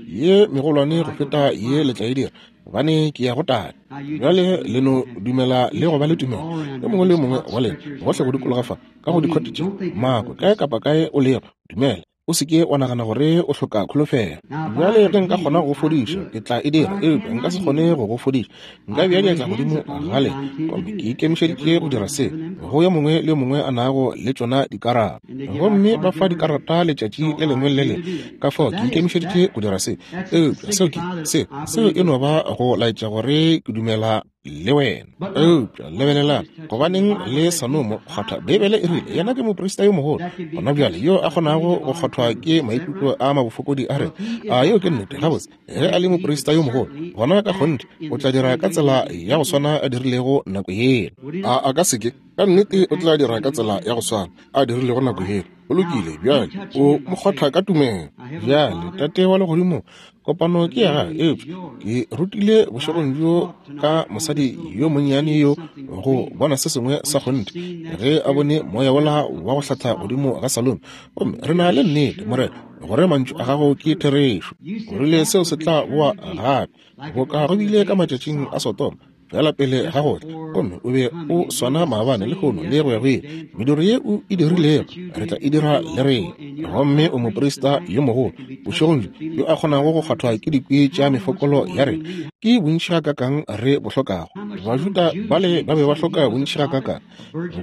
Ye megolwane go feta ye le tla e dira, gobane ke ya go Tate. Bjale le no dumela le go ba le tumelo, yo mongwe le yo mongwe wa lena, gohle go dikologa fa, ka go dikhote tše, mako, kae kapa kae o lego, dumela. O se ke wa nagana gore o hloka kholofelo. Bjale ge nka kgona go go fodiša, ke tla e dira, eupša nka se kgone go go fodiša. Nka bea diatla godimo ga lena, gomme ke ikemišeditše go dira se go yo mongwe le yo mongwe a nago le tšona dikarata. Gomme ba fa dikarata letšatši le lengwe le le lengwe, ka fao ke ikemišeditše go dira se. Eupša seo ke, se, seo e no ba go laetša gore ke dumela le wena. Eupša lebelelang, gobaneng le sa no mo kgwatha? Beibele e rile yena ke moprista yo mogolo gona bjale yo a kgonago go kgwathwa ke maikutlo a mabofokodi a rena. A yeo ke nnete? Gabotse, ge a le moprista yo mogolo, gona ka kgonthe o tla dira ka tsela ya go swana a dirilego nako yela. A a ka se ke? Ka nnete o tla dira ka tsela ya go swana a dirilego nako yela. Go lokile, bjale o mo kgwatha ka tumelo. Bjale, Tate wa Legodimong, kopano ke ya gago, eupša ke rutile bošegong bjo ka mosadi yo monnyane yo go bona se sengwe sa kgonthe ge a bone moya wola wa go hlatha godimo ga Salome. Gomme re na le nnete, Morena, gore mantšu a gago ke therešo. O rile seo se tla boa gape, boka go bile ka matšatšing a Sodoma, feela pele ga go tla, gomme o be o swana maabane, lehono, le go ya go ile. Mediro ye o e dirilego, re tla e dira le rena. Gomme o moprista yo mogolo, bošegong bjo, yo a kgonago go kgwathwa ke dikwi tša mefokolo ya rena. Ke bontši gakakang re bo hlokago! Bajuda bale ba be ba hloka bontši gakakang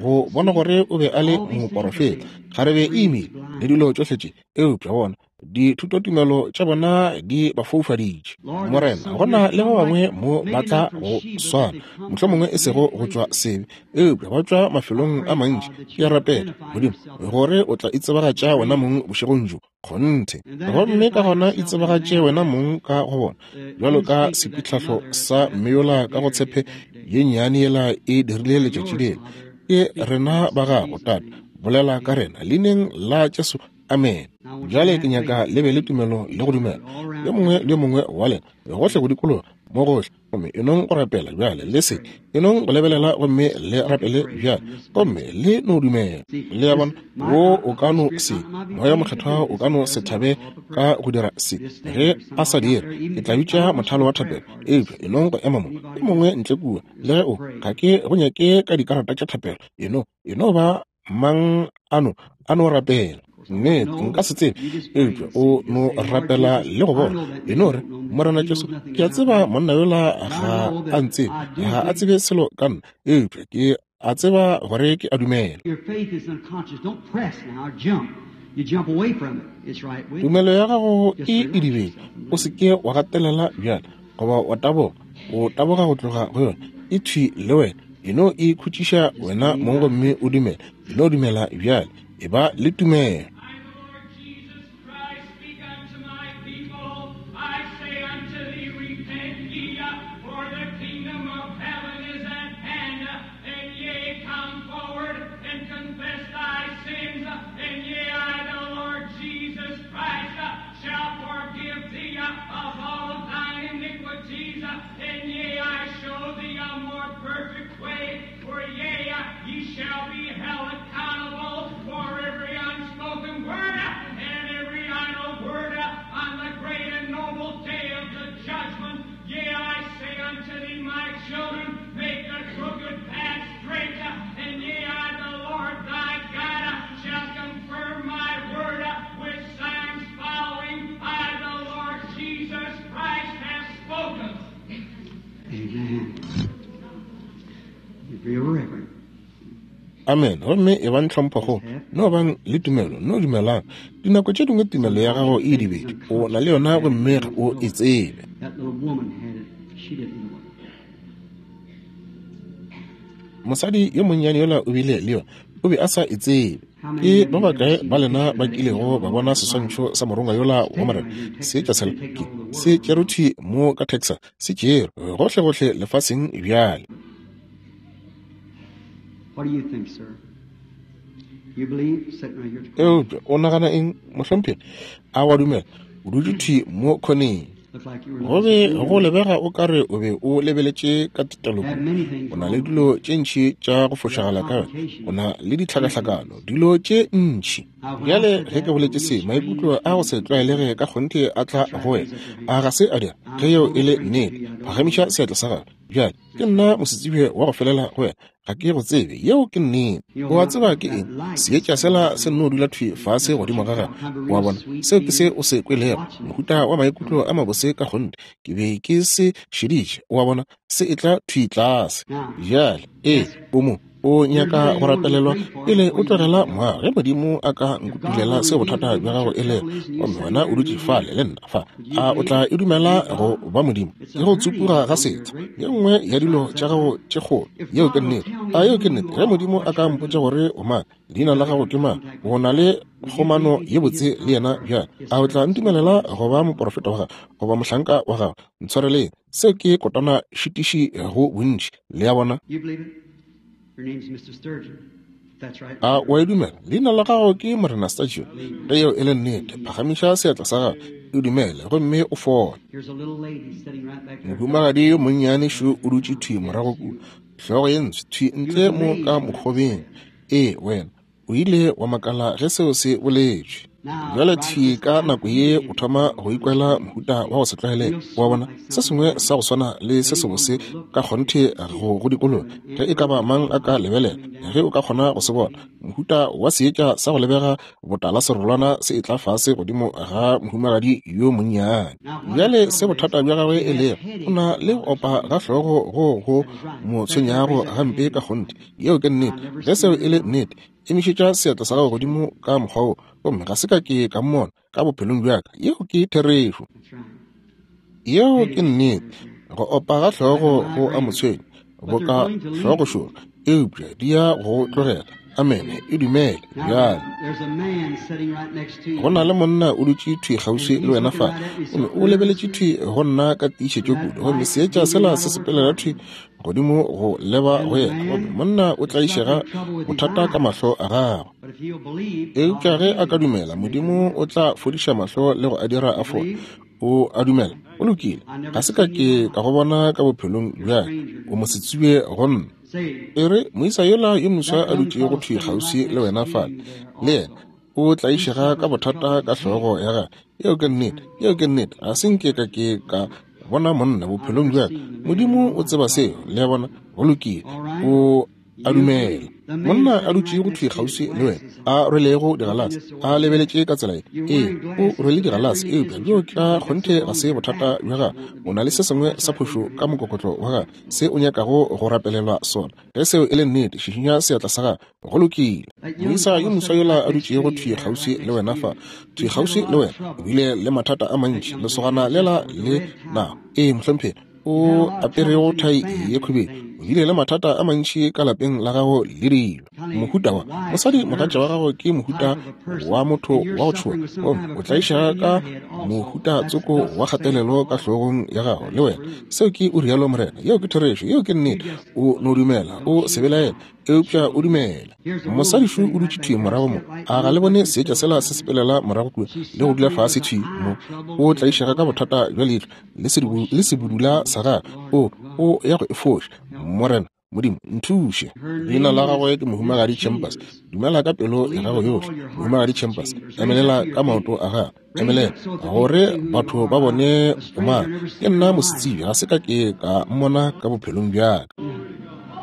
go bona gore o be a le moporofeta, kgarebe e imile, le dilo tšohle tše, eupša bona Dithutotumelo tša bona di ba foufaditše. Morena, go na le ba bangwe mo ba tla go swana, mohlomongwe e sego go tšwa sebe, eupša ba tšwa mafelong a mantši. Ke a rapela, Modimo, gore o tla itsebagatša wena mong bošegong bjo. Kgonthe. Gomme ka gona itsebagatše wena mong ka go bona, bjalo ka sepitlhahlo sa mme yola ka go tshepe ye nnyane yela e dirile letšatši lela. Ke rena ba gago, Tate. Bolela ka rena, Leineng la Jesu. Amene. Bjale ke nyaka le be le tumelo le go dumela, yo mongwe le yo mongwe wa lena, gohle go dikologa, mo gohle. Gomme e nong go rapela bjale, le se e nong go lebelela gomme le rapele bjale, gomme le no dumela. Le a bona, wo o ka no se, Moya Mokgethwa o ka no se thabe ka go dira se. Ge a sa dire, ke tla bitša mothalo wa thapelo. Eupša e nong go ema mo, yo mongwe ntle kua, le ge o, ga ke go nyake ka dikarata tša thapelo, e no, e no ba Mang a no, a no rapela. Nnete, nka se tsebe, eupša o no rapela le go bona. E no re, Morena Jesu, ke a tseba monna yola ga a ntsebe, ga a tsebe selo ka nna, eupša ke a tseba gore ke a dumela. Tumelo ya gago e edibetše. O se ke wa gatelela bjale, goba wa taboga. O taboga go tloga go yona. E thwi le wena. E no e khutšiša wena mong gomme o dumele. E no dumela bjale. E ba le tumelo. Amen. Gomme e bang tlhomphokgolo, no bang le tumelo, no dumelang. Dinako tše dingwe tumelo ya gago e dibedi, o na le yona gomme ga o e tsebe. Mosadi yo monnyane yola o bile le yona, o be a sa e tsebe. Ke ba bakae ba lena ba kilego ba bona seswantšho sa morongwa yola wa Morena? Seetša sela ke se tšerwe mo ka Texas, se tšerwe gohlegohle lefaseng bjale. Eupša o nagana eng, mohlomphegi? A wa dumela? O dutše thwi mo khoneng. Go be go lebega o ka re o be o lebeletše ka tetelo kudu. O na le dilo tše ntši tša go fošagala ka wena. O na le ditlhakahlakano, dilo tše ntši. Bjale ge ke boletše se, maikutlo a go se tlwaelege ka kgonthe a tla go wena. A ga se a dira? Ge yeo e le nnete, phagamiša seatla sa gago. Bjale, ke nna mosetsebje wa go felela go wena. Ga ke go tsebe. Yeo ke nnete. O a tseba ke eng? Seetša sela se nno dula thwi fase godimo ga gago. O a bona? Seo ke se o se kwelego, mohuta wa maikutlo a mabose ka kgonthe. Ke be ke se šeditše. O a bona? Se etla thwi tlase. Bjale, ee, o mo. O nyaka go rapelelwa pele o tlogela moago. Ge Modimo a ka nkutulela seo bothata bja gago e lego, gomme wena o dutše fale le nna fa, a o tla e dumela go ba Modimo? Ke go tsupuga ga setho, ye nngwe ya dilo tša gago tše kgolo. Yeo ke nnete. A yeo ke nnete? Ge Modimo a ka mpotša gore o mang, leina la gago ke mang, o na le kgomano ye botse le yena bjale, a o tla ntumelela go ba moporofeta wa gago goba mohlanka wa gago? Ntshwareleng, seo ke kotana šitiši go bontši. Le a bona? A o a e dumela? Leina la gago ke Morena Sturgeon. Ge yeo e le nnete, phagamiša seatla sa gago, e dumele, gomme o fole. Mohumagadi yo monnyane šo o dutše thwi morago kua, hlogo ye ntsho, thwi ntle mo ka mokgobeng. Ee, wena. O ile wa makala ge seo se boletšwe. Bjale thwi ka nako ye o thoma go ikwela mohuta wa go se tlwaelege. Wa bona, se sengwe sa go swana le se sebose ka kgonthe go go dikologa. Ge e ka ba mang a ka lebelela, ge o ka kgona go se bona, mohuta wa seetša sa go lebega botala serolwana se etla fase godimo ga mohumagadi yo monnyane. Bjale se bothata bja gagwe e lego, o na le go opa ga hlogo go go mo tshwenyago gampe ka kgonthe. Yeo ke nnete. Ge seo e le nnete, emišetša seatla sa gago godimo ka mokgwa wo, gomme ga se ka ke ka mmona ka bophelong bja ka. Yeo ke therešo. Yeo ke nnete. Go opa ga hlogo go a mo tshwenya, boka hlogošoro, eupša di ya go tlogela. Amene. E dumele bjale. Go na le monna o dutše thwi kgauswi le wena fa, gomme o lebeletše thwi go nna ka tiišetšo kudu, gomme seetša sela se sepelela thwi godimo go leba go yena, gomme monna o tlaišega bothata ka mahlo a gagwe. Eupša ge a ka dumela, Modimo o tla fodiša mahlo le go a dira a fole. O a dumela? Go lokile. Ga se ka ke ka go bona ka bophelong bja o mo se tsube go nna. E re, moisa yola yo moswa a dutšego thwi kgauswi le wena fale, le yena o tlaišega ka bothata ka hlogo ya gagwe. Yeo ke nnete. Yeo ke nnete. Ga se nke ka ke ka bona monna bophelong bja ka. Modimo o tseba seo. Le a bona? Go lokile. O a dumela. Monna a dutšego thwi kgauswi le wena, a rwelego digalase, a lebeletše ka tsela ye. Ee, o rwele digalase, eupša bjoo ka kgonthe ga se bothata bja gago. O na le se sengwe sa phošo ka mokokotlo wa gago, se o nyakago go rapelelwa sona. Ge seo e le nnete, šišinya seatla sa gago. Go lokile. Moisa yo moswa yola a dutšego thwi kgauswi le wena fa, thwi kgauswi le wena, o bile le mathata a mantši, lesogana lela le nago. Ee, mohlomphegi. o aperego thai ye khubedu, o bile le mathata a mantši ka lapeng la gago le dilo. Mohuta wa mosadi mogatša wa gago ke mohuta wa motho wa go tšhoga, gomme o tlaišega ka mohuta tsoko wa kgatelelo ka hlogong ya gago le wena. Seo ke o rialo morena. Yeo ke therešo, yeo ke nnete. O no dumela, o se belaele, eupša o dumela. Mosadi šo o dutše thwi morago mo. A ga le bone seetša sela se sepelela morago kua le go dula fase thwi mo? O tlaišega ka bothata bja leihlo le sebudula sa gagwe. O, o ya go e foša. Morena Modimo, nthuše. Leina la gagwe ke Mohumagadi Chambers. Dumela ka pelo ya gago yohle, Mohumagadi Chambers. Emelela ka maoto a gago. Emelela, gore batho ba bone o mang. Ke nna mosetsebje, ga se ka ke ka mmona ka bophelong bja ka.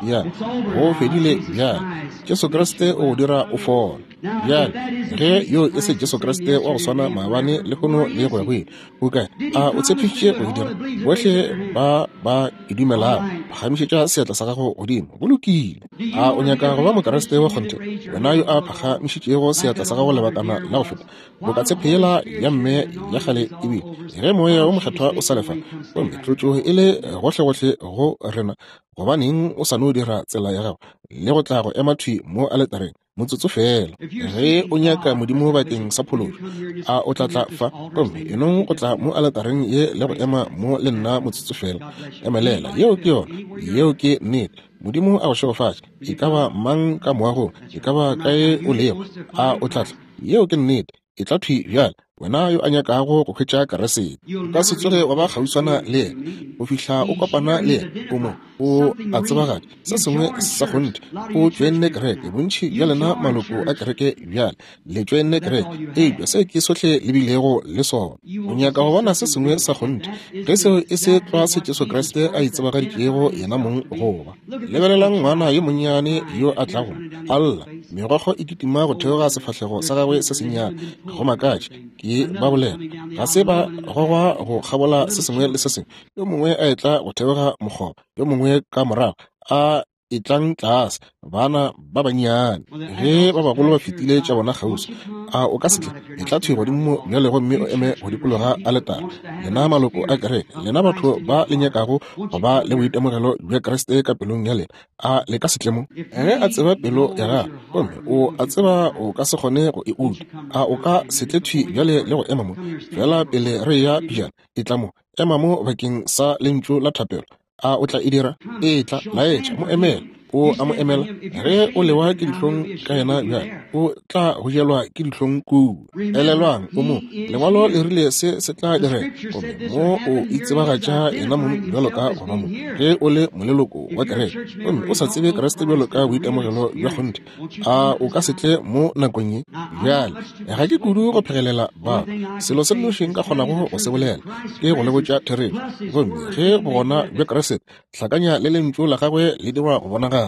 Ya, go fedile bjale. Jesu Kriste o go dira o fole. Bjale, ge yo e se Jesu Kriste wa go swana maabane, lehono le go ya go ile, o kae? A o tshepišitše go e dira? Bohle ba ba e dumelago, phagamišetša seatla sa gago godimo. Go lokile. A o nyaka go ba Mokriste wa kgonthe? Wena yo a phagamišitšego seatla sa gago lebakana la go feta, boka tshepe yela ya mme ya kgale e bile, ge Moya wo Mokgethwa o sa le fa, gomme tlotšo e le gohlegohle go rena, gobaneng o sa no dira tsela ya gago le go tla go ema thwi mo aletareng motsotso feela? Ge o nyaka Modimo bakeng sa phološo, a o tla tla fa gomme enong go tla mo aletareng ye le go ema mo le nna motsotso feela? Emelela. Yeo ke yona. Yeo ke nnete. Modimo a go šegofatše. E ka ba mang ka moagong, e ka ba kae o lego, a o tla tla? Yeo ke nnete. E tla thwi bjale, wena yo a nyakago go hwetša Keresete. O ka se tsoge wa ba kgauswana le yena go fihla o kopana le yena. O mo, o a tsebagatša se sengwe sa kgonthe. O tšoenne kereke, bontši bja lena maloko a kereke bjale le tšoenne kereke, eupša se ke sohle le bilego le sona. O nyaka go bona se sengwe sa kgonthe, ge seo e se tlwa se Jesu Kriste a itsebagaditšego yena mong go ba. Lebelelang ngwana yo monnyane yo a tlago a lla, megokgo e kitima go theoga sefahlego sa gagwe se sennyane. Go makatše, ke ba bolela, ga se ba gogwa go kgabola se sengwe le se sengwe, yo mongwe a etla go theoga mokgoba, yo mongwe ka morago a etlang tlase, bana ba bannyane. Ge ba bagolo ba fetile tša bona kgauswi, a o ka se tle? Etla thwi godimo bjale gomme o eme go dikologa aletara. Lena maloko a kereke, lena batho ba le nyakago go ba le boitemogelo bja Kriste ka pelong ya lena, a le ka se tle mo? Ge a tseba pelo ya gago, gomme o a tseba o ka se kgone go e uta, a o ka se tle thwi bjale le go ema mo? Feela pele re eya pejana, etla mo, ema mo bakeng sa lentšu la thapelo. A o tla e dira? Etla, laetša, mo emele. O a mo emela. Ge o lewa ke dihlong ka yena bjale, o tla go jelwa ke dihlong kua. Elelwang, o mo, Lengwalo le rile se se tla direga, gomme mo o itsebagatša yena mong bjalo ka go ba mo. Ge o le moleloko wa kereke gomme o sa tsebe Kriste bjalo ka boitemogelo bja kgonthe, a o ka se tle mo nakong ye? Bjale, ga ke kudu go phegelela batho. Selo se nnoši nka kgonago go se bolela ke go le botša therešo. Gomme ge bogona bja Kriste hlakanya le lentšu la gagwe le dirwa go bonagala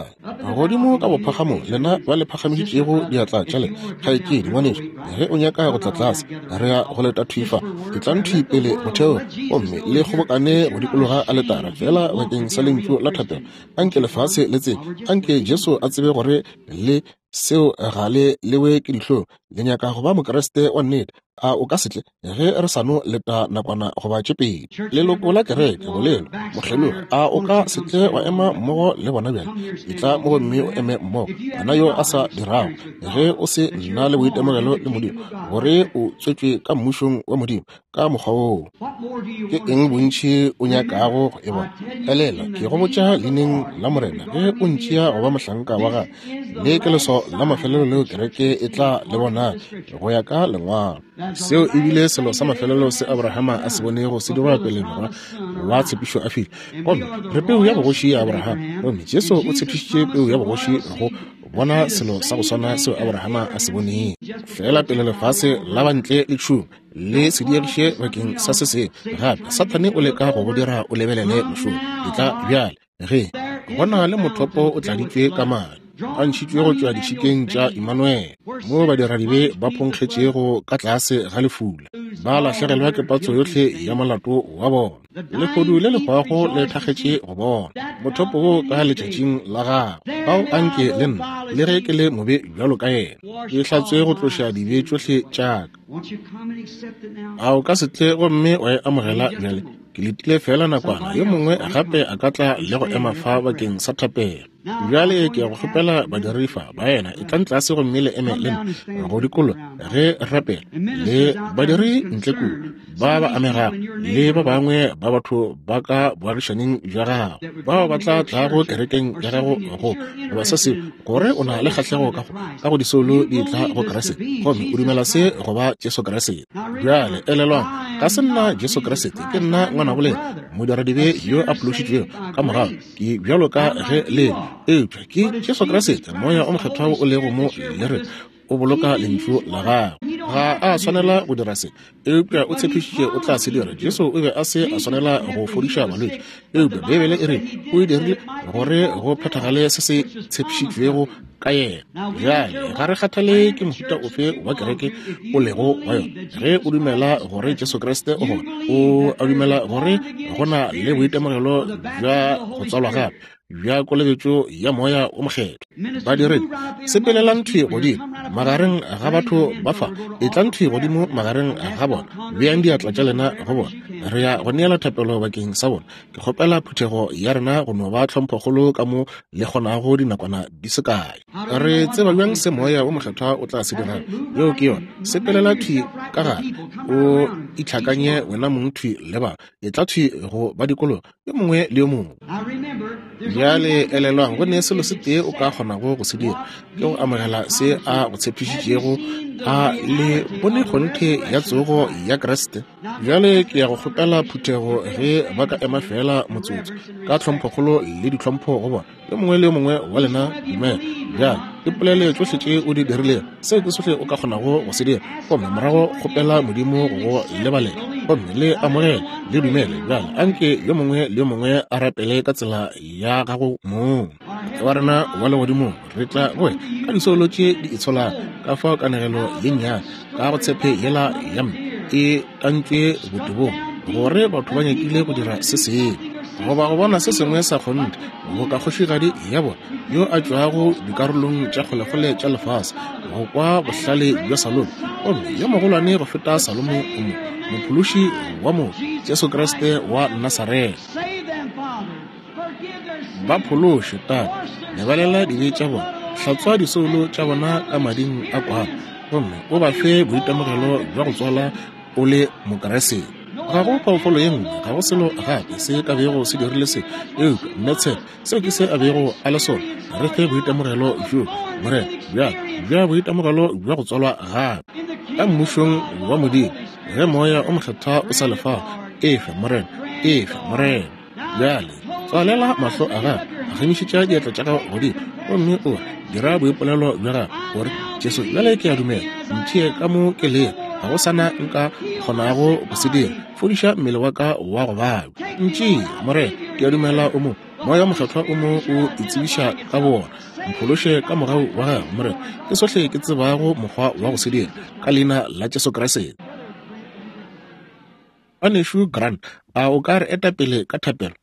godimo ka bophagamong, lena ba le phagamišitšego diatla tša lena, kgaetšedi, ngwanešu, ge o nyaka go tla tlase, re ya go leta thwi fa. Etlang thwi pele motheo gomme le kgobokane go dikologa aletara, feela bakeng sa lentšu la thapelo. Anke lefase le tsebe, anke Jesu a tsebe gore le seo ga le lewe ke dihlong. Le nyaka go ba Mokriste wa nnete, a o ka se tle? Ge re sa no leta nakwana goba tše pedi. Leloko la kereke, bolelo, mokgelogi, a o ka se tle wa ema mmogo le bona bjale? Etla mo gomme o eme mmogo. Wena yo a sa dirago, ge o se na le boitemogelo le Modimo, gore o tswetšwe ka Mmušong wa Modimo, ka mokgwa woo, ke eng bontši o nyakago go e bona? Elela, ke go botša leineng la Morena, ge o ntšea go ba mohlanka wa gagwe, le ke leswao la mafelelo leo kereke e tla le bona go ya ka Lengwalo. Seo e bile selo sa mafelelo se Abrahama a se bonego se dirwa pele morwa wa tshepišo a fihla. Gomme re peu ya bogoši ya Abrahama, gomme Jesu o tshepišitše peu ya bogoši go bona selo sa go swana seo Abrahama a se bonego. Feela pele lefase la ba ntle le tšhuma le se diegiše bakeng sa se sengwe gape, Sathane o leka go go dira o lebelele mošomo. Etla bjale, ge go na le mothopo o tladitšwe ka madi, a ntšhitšwe go tšwa ditšhikeng tša Immanuel, mo badiradibe ba phonkgetšego ka tlase ga lefula, ba lahlegelwa ke patso yohle ya molato wa bona. Lehodu le le hwago le thakgetše go bona mothopo wo ka letšatšing la gagwe. Bao a nke le nna, le ge ke le mobe bjalo ka yena, ke hlatswe go tloša dibe tšohle tša ka. A o ka se tle gomme wa e amogela bjale? Ke letile feela nakwana, yo mongwe gape a ka tla le go ema fa bakeng sa thapelo. Bjale ke ya go kgopela badiri fa, baena, etlang tlase gomme le eme le nna go dikologa ge re rapela, le badiri ntle kua ba ba amegago, le ba bangwe ba batho ba ka boagišaning bja gago bao ba tla tlago kerekeng ya gago go goba se sengwe, gore o na le kgahlego ka go ka go disoulo di tla go Kriste, gomme o dumela se go ba Jesu Kriste. Bjale elelwang, ga se nna Jesu Kriste, ke nna ngwanabo lena, modiradibe yo a phološitšwego ka mogau. Ke bjalo ka ge le, eupša ke Jesu Kriste, Moya o Mokgethwa o lego mo le re o boloka lentšu la gagwe. Ga a swanela go dira se, eupša o tshepišitše o tla se dira. Jesu o be a se a swanela go fodiša balwetši, eupša Beibele e re o e dirile gore go phethagale se se tshepišitšwego ka yena. Bjale ga re kgathale ke mohuta ofe wa kereke o lego wa yona, ge o dumela gore Jesu Kriste o gona, o a dumela gore go na le boitemogelo bja go tswalwa gape bja kolobetšo ya Moya o Mokgethwa. Badiredi, sepelelang thwi godimo magareng ga batho ba fa, etlang thwi godimo magareng ga bona, beang diatla tša lena go bona. Re ya go neela thapelo bakeng sa bona. Ke kgopela phuthego ya rena go no ba tlhomphokgolo ka mo le kgonago dinakwana di se kae. Re tseba bjang se Moya wo Mokgethwa o tla se dirago? Yeo ke yona. Sepelela thwi ka gare, o itlhakanye wena mong thwi le ba. Etla thwi go ba dikologa, yo mongwe le yo mongwe. Bjale elelwang, go ne selo se tee o ka kgonago go se dira, ke go amogela se A go tshepišitšego. A le bone kgonthe ya tsogo ya Kriste? Bjale ke ya go kgopela phuthego ge ba ka ema feela motsotso, ka tlhomphokgolo le ditlhompho go bona, yo mongwe le yo mongwe wa lena. Dumela bjale, ipolele tšohle tše o di dirilego, seo ke sohle o ka kgonago go se dira, gomme morago kgopela Modimo go go lebalela, gomme le amogele, le dumele. Bjale anke yo mongwe le yo mongwe a rapele ka tsela ya gago mong. Tate wa rena wa legodimong, re tla go wena ka disoulo tše di itsholago ka fao kanegelo ye nnyane ka go tshepe yela ya mme e tantšwe botebong, gore batho ba nyakile go dira se sengwe goba go bona se sengwe sa kgonthe boka kgošigadi ya bona yo a tšwago dikarolong tša kgolekgole tša lefase go kwa bohlale bja Salomo, gomme yo mogolwane go feta Salomo o mo, Mophološi wa motho, Jesu Kriste wa Nasaretha. Ba phološe, Tate, lebalela dibe tša bona, hlatswa disoulo tša bona ka mading a Kwana, gomme o ba fe boitemogelo bja go tswala o le Mokriste. Ga go phoofolo ye nngwe, ga go selo gape se ka bego se dirile se, eupša mme tshepe, seo ke se a bego a le sona. Re fe boitemogelo bjo, Morena, bjalo, bja boitemogelo bja go tswalwa gape ka Mmušong wa Modimo, ge Moya o Mokgethwa o sa le fao. Efe, Morena, efe, Morena. Bjale tswalela mahlo a gago, phagamišetša diatla tša gago godimo, gomme o re, dira boipolelo bja gago, gore Jesu, bjale ke a dumela, ntšee ka mo ke lego, ga go sa na nka kgonago go se dira, fodiša mmele wa ka wa go babja. Ntšee, Morena, ke a dumela o mo, Moya wo Mokgethwa o mo o itsebiša ka bowona. Mphološe ka mogau wa gago, Morena, ke sohle ke tsebago mokgwa wa go se dira, ka Leina la Jesu Kriste. Ngwanešu Grant, a o ka re eta pele ka thapelo?